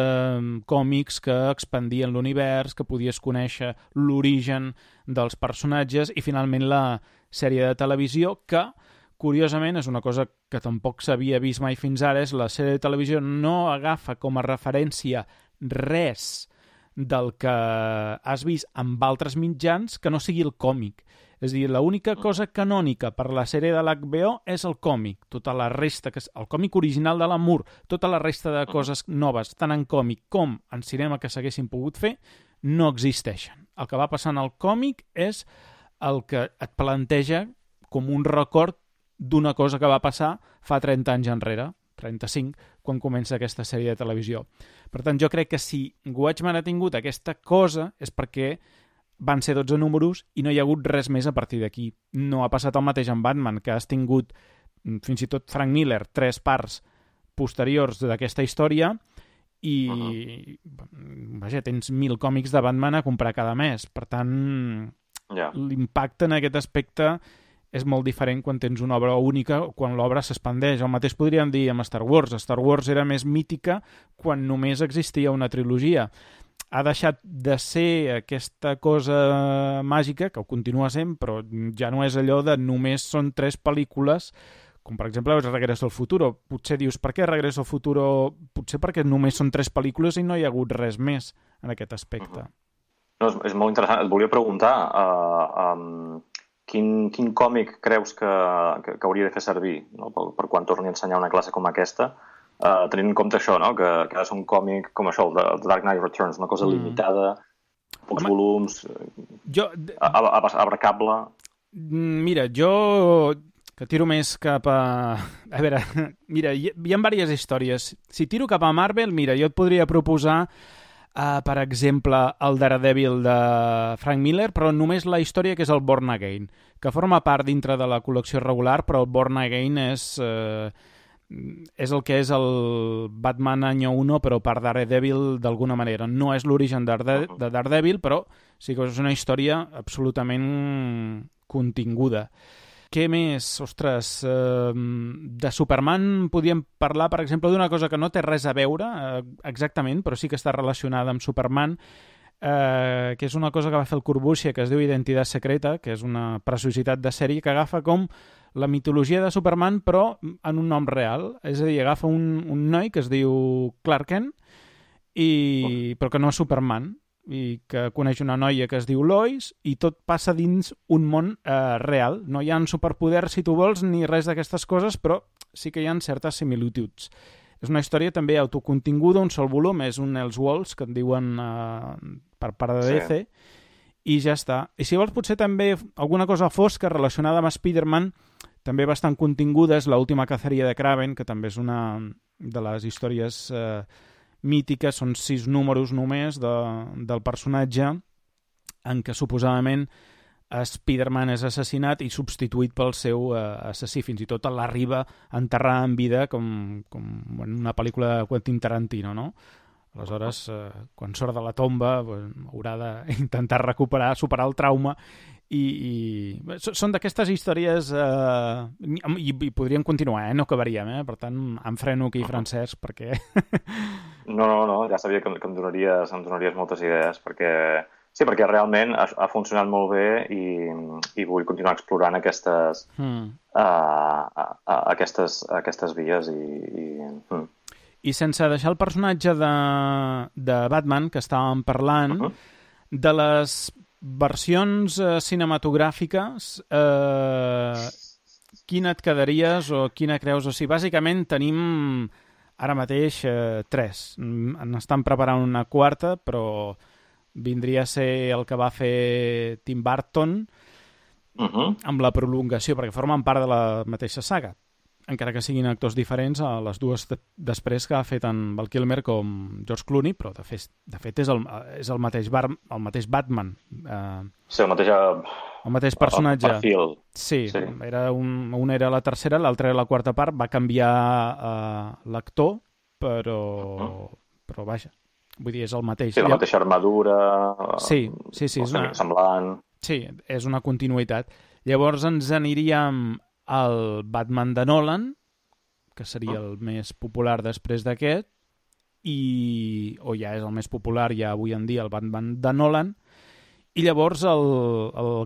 còmics que expandien l'univers, que podies conèixer l'origen dels personatges i finalment la sèrie de televisió que, curiosament, és una cosa que tampoc s'havia vist mai fins ara, és la sèrie de televisió no agafa com a referència res del que has vist amb altres mitjans que no sigui el còmic. És a dir, l'única cosa canònica per la sèrie de l'HBO és el còmic. Tota la resta, el còmic original de l'Amour, tota la resta de coses noves, tant en còmic com en cinema que s'haguessin pogut fer, no existeixen. El que va passar en el còmic és el que et planteja com un record d'una cosa que va passar fa 30 anys enrere, 35, quan comença aquesta sèrie de televisió. Per tant, jo crec que si Watchmen ha tingut aquesta cosa és perquè van ser 12 números i no hi ha hagut res més a partir d'aquí. No ha passat el mateix amb Batman, que has tingut, fins i tot Frank Miller, 3 parts posteriors d'aquesta història i, vaja, tens 1.000 còmics de Batman a comprar cada mes. Per tant, l'impacte en aquest aspecte és molt diferent quan tens una obra única o quan l'obra s'expandeix. El mateix podríem dir amb Star Wars. Star Wars era més mítica quan només existia una trilogia. Ha deixat de ser aquesta cosa màgica, que ho continua sent, però ja no és allò de només són 3 pel·lícules, com per exemple Regreso al Futuro. Potser dius, per què Regreso al Futuro? Potser perquè només són 3 pel·lícules i no hi ha hagut res més en aquest aspecte. No, és molt interessant. Et volia preguntar quin còmic creus que hauria de fer servir, no? per quan torni a ensenyar una classe com aquesta, tenint en compte això, no? que ha de ser un còmic com això, el The Dark Knight Returns, una cosa limitada, pocs volums, abracable. Mira, jo que tiro més cap a... A veure, mira, hi ha diverses històries. Si tiro cap a Marvel, mira, jo et podria proposar, per exemple, el Daredevil de Frank Miller, però només la història que és el Born Again, que forma part dintre de la col·lecció regular, però el Born Again és el que és el Batman Año 1, però per Daredevil d'alguna manera. No és l'origen de Daredevil, però sí que és una història absolutament continguda. Què més? Ostres, de Superman podríem parlar, per exemple, d'una cosa que no té res a veure exactament, però sí que està relacionada amb Superman, que és una cosa que va fer el Corbusier, que es diu Identitat Secreta, que és una preciositat de sèrie que agafa com la mitologia de Superman, però en un nom real. És a dir, agafa un noi que es diu Clark Kent, però que no és Superman, i que coneix una noia que es diu Lois, i tot passa dins un món real. No hi ha superpoders, si tu vols, ni res d'aquestes coses, però sí que hi ha certes similituds. És una història també autocontinguda, un sol volum, és un Elseworlds, que en diuen per part de DC, i ja està. I si vols, potser també alguna cosa fosca relacionada amb Spider-Man, també bastant continguda, és l'última caceria de Kraven, que també és una de les històries mítiques, són 6 números només del personatge, en què suposadament Spider-Man és assassinat i substituït pel seu assassí. Fins i tot l'arriba a enterrar en vida com en una pel·lícula de Quentin Tarantino, no? Aleshores, quan surt de la tomba, haurà d'intentar recuperar, superar el trauma i són d'aquestes històries i podríem continuar, no acabaríem, per tant em freno aquí, Francesc, perquè... No, ja sabia que em donaries moltes idees, perquè realment ha funcionat molt bé i vull continuar explorant aquestes vies I sense deixar el personatge de Batman, que estàvem parlant, de les versions cinematogràfiques, quina et quedaries o quina creus? O sigui, bàsicament tenim ara mateix 3. N'estan preparant una 4, però vindria a ser el que va fer Tim Burton amb la prolongació, perquè formen part de la mateixa saga, encara que siguin actors diferents a les dues després que ha fet tant Val Kilmer com George Clooney, però de fet és el mateix Batman. Sí, el mateix personatge. El perfil. Sí. Un era la tercera, l'altra era la quarta part, va canviar l'actor, però vaja, vull dir, és el mateix. Sí, la mateixa armadura, sí, semblant. Sí, és una continuïtat. Llavors ens aniríem el Batman de Nolan, que seria el més popular després d'aquest, o ja és el més popular ja avui en dia, el Batman de Nolan, i llavors el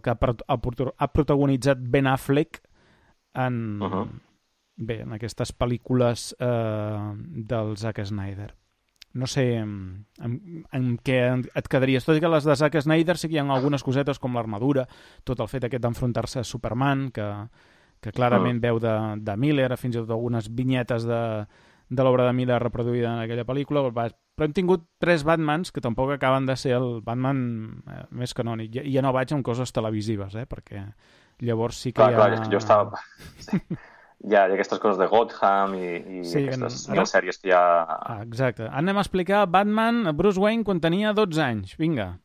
que ha protagonitzat Ben Affleck en aquestes pel·lícules del Zack Snyder. no sé en què et quedaries. Tot i que les de Zack Snyder sí que hi ha algunes cosetes com l'armadura, tot el fet aquest d'enfrontar-se a Superman, que clarament veu de Miller, fins i tot algunes vinyetes de l'obra de Miller reproduïda en aquella pel·lícula, però hem tingut 3 Batmans que tampoc acaben de ser el Batman més canònic. I ja no vaig amb coses televisives, perquè llavors sí que hi ha... Clar, jo estava... Sí. Hi ha aquestes coses de Gotham i sí, aquestes sèries que hi ha... Exacte. Anem a explicar Batman, Bruce Wayne, quan tenia 12 anys. Vinga.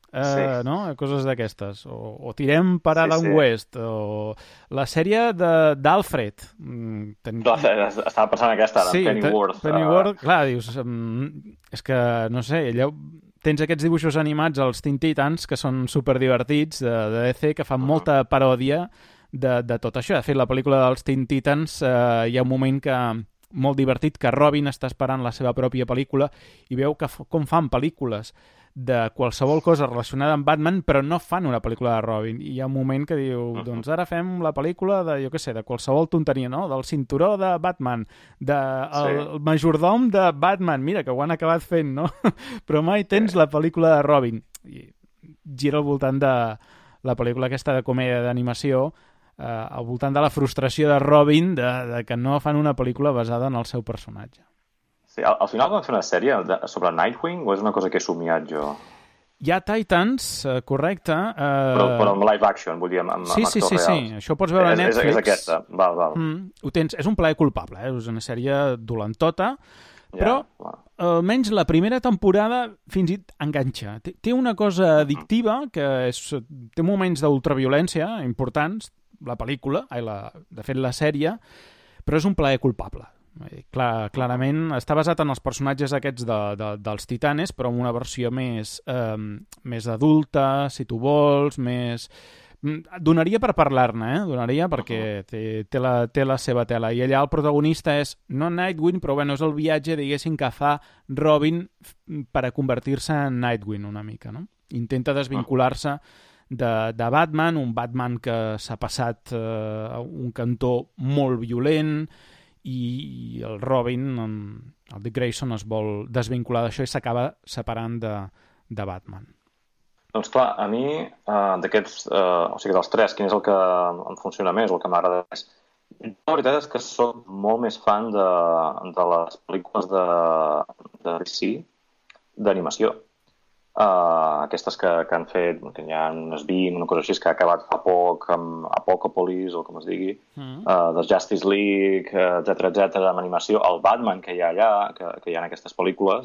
No? Coses d'aquestes. O tirem per Adam West. O la sèrie d'Alfred. Estava pensant aquesta, ara, Pennyworth. Pennyworth, clar, dius... És que, no sé, allò... Tens aquests dibuixos animats, els Teen Titans, que són superdivertits, de DC, que fan molta paròdia de tot això. De fet, la pel·lícula dels Teen Titans hi ha un moment molt divertit que Robin està esperant la seva pròpia pel·lícula i veu com fan pel·lícules de qualsevol cosa relacionada amb Batman, però no fan una pel·lícula de Robin. I hi ha un moment que diu, doncs ara fem la pel·lícula de, jo què sé, de qualsevol tonteria, no? Del cinturó de Batman, del majordom de Batman. Mira, que ho han acabat fent, no? Però mai tens la pel·lícula de Robin. I gira al voltant de la pel·lícula aquesta de comèdia d'animació, al voltant de la frustració de Robin de que no fan una pel·lícula basada en el seu personatge. Sí, al final van fer una sèrie sobre Nightwing o és una cosa que he somiat jo? Hi ha Titans, correcte. Però amb live action, vull dir, amb actors reals. Sí, això ho pots veure a Netflix. És aquesta, val. Ho tens, és un plaer culpable, és una sèrie dolentota, però almenys la primera temporada fins i tot enganxa. Té una cosa addictiva, que té moments d'ultraviolència importants, la pel·lícula, de fet la sèrie, però és un plaer culpable. Clarament està basat en els personatges aquests dels Titanes, però amb una versió més adulta, si tu vols, més... Donaria per parlar-ne, donaria perquè té la seva tela. I allà el protagonista és, no Nightwing, però bueno, és el viatge, diguéssim, que fa Robin per a convertir-se en Nightwing una mica, no? Intenta desvincular-se de Batman, un Batman que s'ha passat a un cantó molt violent i el Robin, el Dick Grayson, es vol desvincular d'això i s'acaba separant de Batman. Doncs clar, a mi d'aquests, o sigui, dels 3, quin és el que em funciona més o el que m'agrada més? La veritat és que soc molt més fan de les pel·lícules de DC d'animació. Aquestes que han fet, que hi ha unes 20, una cosa així, que ha acabat fa poc amb Apocalypse, o com es digui, de Justice League, etc, amb animació. El Batman que hi ha allà, que hi ha en aquestes pel·lícules,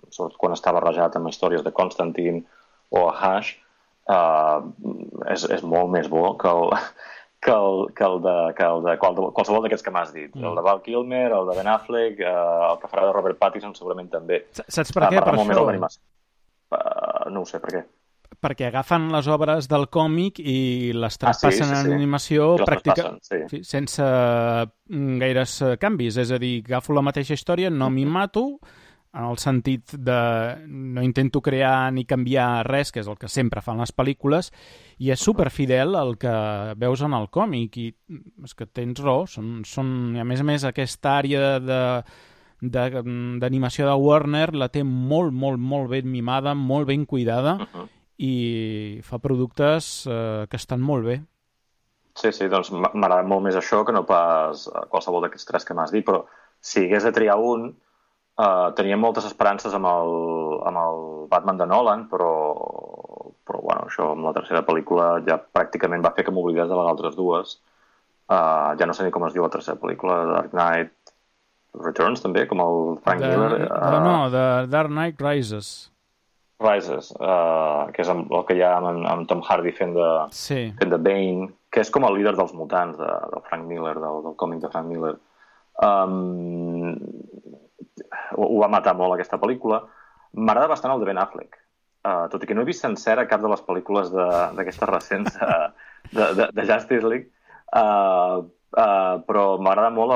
sobretot quan està barrejat amb històries de Constantine o Hush, és molt més bo que el de qualsevol d'aquests que m'has dit. El de Val Kilmer, el de Ben Affleck, el que farà de Robert Pattinson segurament també. Saps per què? Per això? No ho sé, per què? Perquè agafen les obres del còmic i les traspassen en animació sense gaires canvis. És a dir, agafo la mateixa història, no m'hi mato, en el sentit de no intento crear ni canviar res, que és el que sempre fan les pel·lícules, i és superfidel al que veus en el còmic. I és que tens raó, a més aquesta àrea d'animació de Warner la té molt, molt, molt ben mimada, molt ben cuidada, i fa productes que estan molt bé. Sí, doncs m'agrada molt més això que no pas qualsevol d'aquests 3 que m'has dit, però si hagués de triar un, tenia moltes esperances amb el Batman de Nolan, però bueno, això amb la tercera pel·lícula ja pràcticament va fer que m'oblidés de les altres dues. Ja no sé ni com es diu la tercera pel·lícula, Dark Knight Returns també, com el Frank Miller. No, de Dark Knight Rises, que és el que hi ha amb Tom Hardy fent de Bane, que és com el líder dels mutants del Frank Miller, del còmic de Frank Miller. Ho va matar molt aquesta pel·lícula. M'agrada bastant el de Ben Affleck, tot i que no he vist sencera cap de les pel·lícules d'aquestes recents de Justice League, però m'agrada molt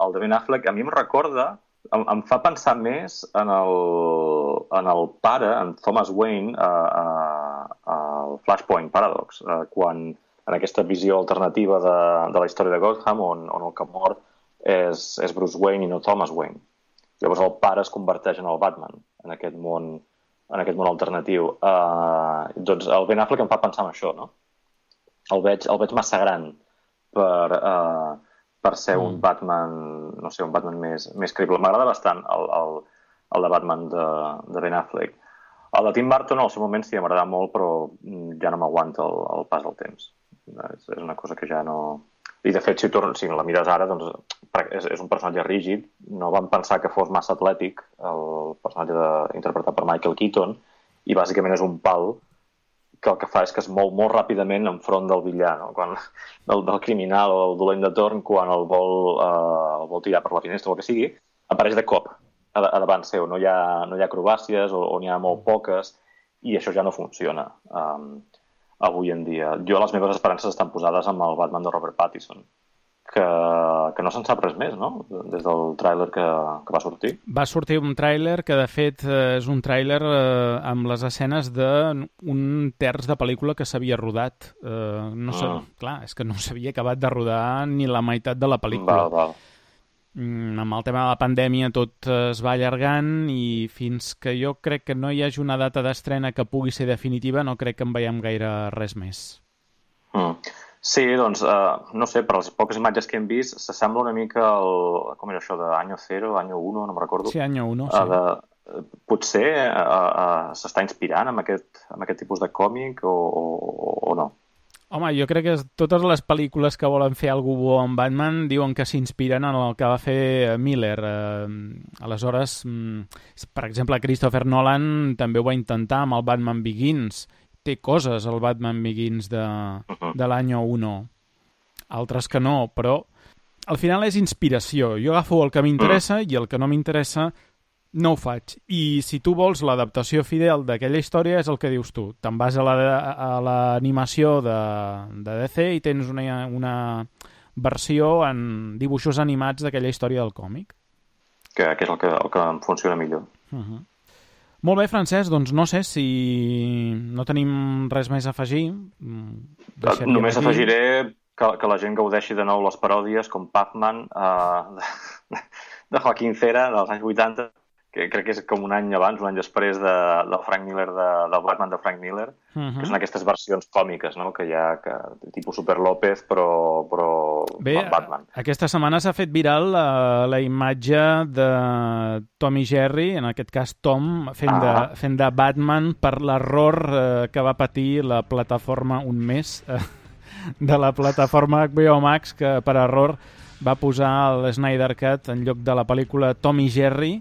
el de Ben Affleck. A mi em recorda, em fa pensar més en el pare, en Thomas Wayne, al Flashpoint Paradox, quan en aquesta visió alternativa de la història de Gotham, on el que mor és Bruce Wayne i no Thomas Wayne. Llavors el pare es converteix en el Batman, en aquest món alternatiu. Doncs el Ben Affleck em fa pensar en això, no? El veig massa gran per ser un Batman, no sé, un Batman més creïble. M'agrada bastant el de Batman de Ben Affleck. El de Tim Burton, al seu moment sí, m'agrada molt, però ja no m'aguanta el pas del temps. És una cosa que ja no... I de fet, si la mires ara, doncs és un personatge rígid. No vam pensar que fos massa atlètic, el personatge interpretat per Michael Keaton, i bàsicament és un pal que el que fa és que es mou molt ràpidament enfront del villà, no? Del criminal o del dolent de torn, quan el vol tirar per la finestra o el que sigui, apareix de cop a davant seu. No hi ha acrobàcies o n'hi ha molt poques, i això ja no funciona avui en dia. Les meves esperances estan posades amb el Batman de Robert Pattinson, que no se'n sap res més, no? Des del tràiler que va sortir. Va sortir un tràiler que, de fet, és un tràiler amb les escenes d'un terç de pel·lícula que s'havia rodat. Clar, és que no s'havia acabat de rodar ni la meitat de la pel·lícula. Val. Amb el tema de la pandèmia tot es va allargant, i fins que jo crec que no hi hagi una data d'estrena que pugui ser definitiva, no crec que en veiem gaire res més. Sí, doncs, no sé, per les poques imatges que hem vist, s'assembla una mica com era això, d'Año 0, Año 1, no me'n recordo. Sí, Año 1, sí. Potser s'està inspirant amb aquest tipus de còmic o no? Home, jo crec que totes les pel·lícules que volen fer algú bo amb Batman diuen que s'inspiren en el que va fer Miller. Aleshores, per exemple, Christopher Nolan també ho va intentar amb el Batman Begins. Té coses, el Batman Begins de l'any 1. Altres que no, però al final és inspiració. Jo agafo el que m'interessa i el que no m'interessa no ho faig. I si tu vols l'adaptació fidel d'aquella història, és el que dius tu. Te'n vas a l'animació de DC i tens una versió en dibuixos animats d'aquella història del còmic. Que és el que em funciona millor. Molt bé, Francesc, doncs no sé si no tenim res més a afegir. Només afegiré que la gent gaudeixi de nou les paròdies com Pac-Man de Joaquín Cera dels anys 80, que crec que és com un any abans, un any després del Frank Miller, del Batman de Frank Miller, que són aquestes versions còmiques, no? Que hi ha tipus Super López, però bé, Batman. Aquesta setmana s'ha fet viral la imatge de Tom i Jerry, en aquest cas Tom, fent de Batman per l'error que va patir la plataforma un mes de la plataforma HBO Max, que per error va posar el Snyder Cut en lloc de la pel·lícula Tom i Jerry.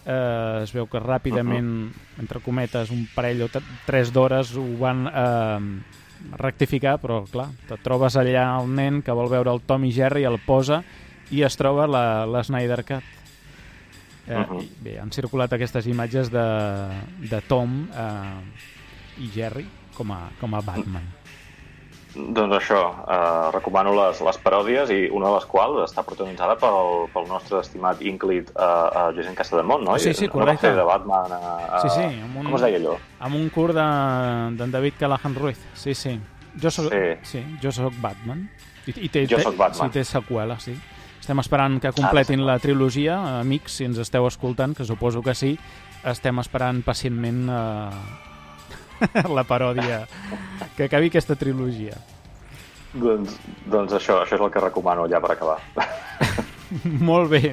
Es veu que ràpidament, entre cometes, un parell o 3 d'hores ho van rectificar, però clar, te trobes allà el nen que vol veure el Tom i Jerry, el posa i es troba la Snyder Cut. Bé, han circulat aquestes imatges de Tom i Jerry com a Batman. Doncs això, recomano les paròdies, i una de les quals està protagonitzada pel nostre estimat ínclit Josep Casademont, no? Sí, correcte. No va fer de Batman sí, com es deia allò? Amb un curt d'en David Callahan Ruiz. Sí. Jo soc Batman. Jo soc Batman. Sí, té seqüela, sí. Estem esperant que completin la trilogia. Amics, si ens esteu escoltant, que suposo que sí, estem esperant pacientment la paròdia, que acabi aquesta trilogia. Doncs això és el que recomano ja per acabar. Molt bé,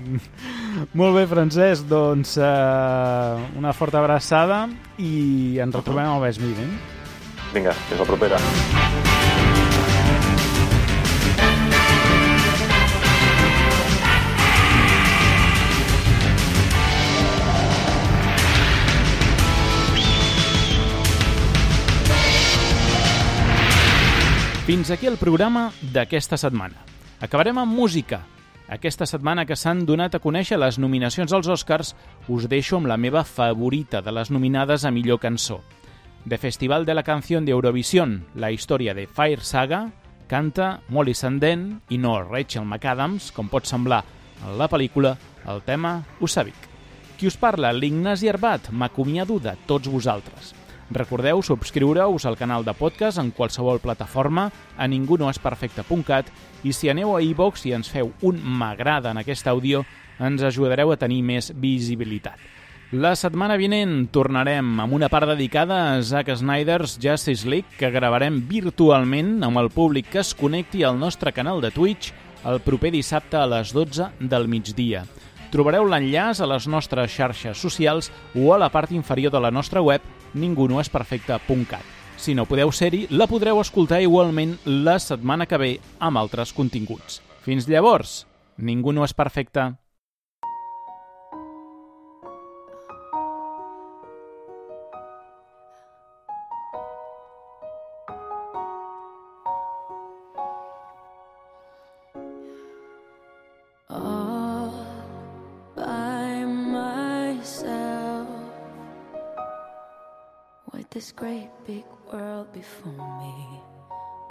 Francesc, doncs una forta abraçada i ens retrobem al Best Meeting. Vinga, fins la propera. Fins aquí el programa d'aquesta setmana. Acabarem amb música. Aquesta setmana que s'han donat a conèixer les nominacions als Oscars, us deixo amb la meva favorita de les nominades a millor cançó. De Festival de la Canción de Eurovisión, la història de Fire Saga, canta Molly Sandén i no Rachel McAdams, com pot semblar en la pel·lícula, el tema Usavik. Qui us parla, l'Ignasi Arbat, m'acomiado de tots vosaltres. Recordeu subscriure-us al canal de podcast en qualsevol plataforma a ningunoesperfecte.cat i si aneu a iVoox i ens feu un m'agrada en aquest àudio, ens ajudareu a tenir més visibilitat. La setmana vinent tornarem amb una part dedicada a Zack Snyder's Justice League que gravarem virtualment amb el públic que es connecti al nostre canal de Twitch el proper dissabte a les 12 del migdia. Trobareu l'enllaç a les nostres xarxes socials o a la part inferior de la nostra web ningunoesperfecte.cat. Si no podeu ser-hi, la podreu escoltar igualment la setmana que ve amb altres continguts. Fins llavors, ningú no és perfecte. This great big world before me,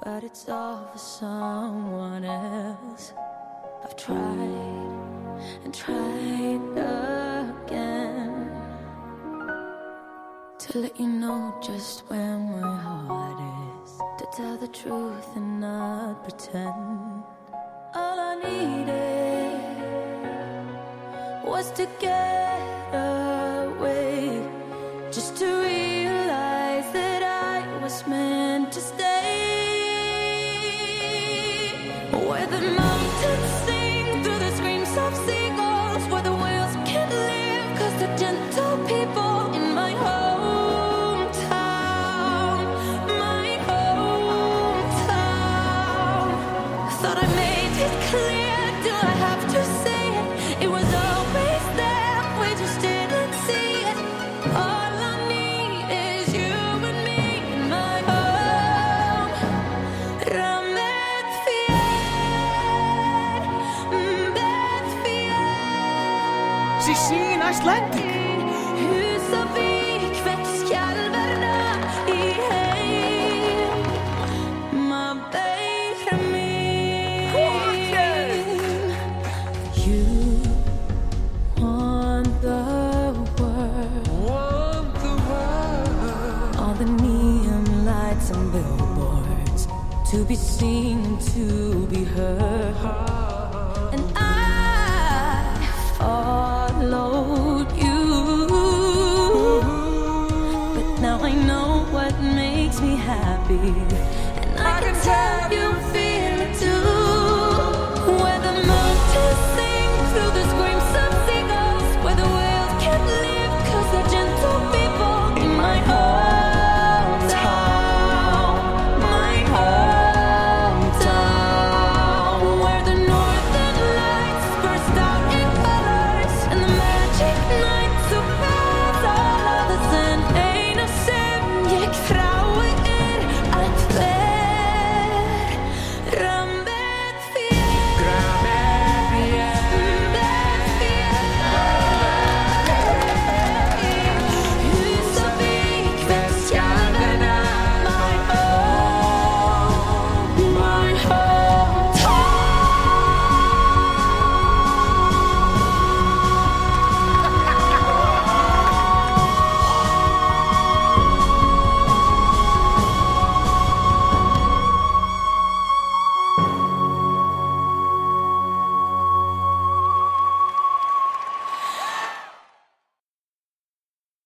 but it's all for someone else. I've tried and tried again to let you know just where my heart is, to tell the truth and not pretend. All I needed was to get away, just to realize that I was meant to stay. Where the mountains sing through the screams of seagulls, where the whales can't live cause they're gentle people in my hometown, my hometown. Thought I made it clear, do I have to say it? It was always there, we just didn't see it. All I need is you and me in my home. Rammet fier, bet fier. Sí, en Icelandic. Hus og vik vekk skjelverna i heim. Ma beira min. You want the world. All the neon lights and billboards, to be seen and to be heard. And I followed you, but now I know what makes me happy.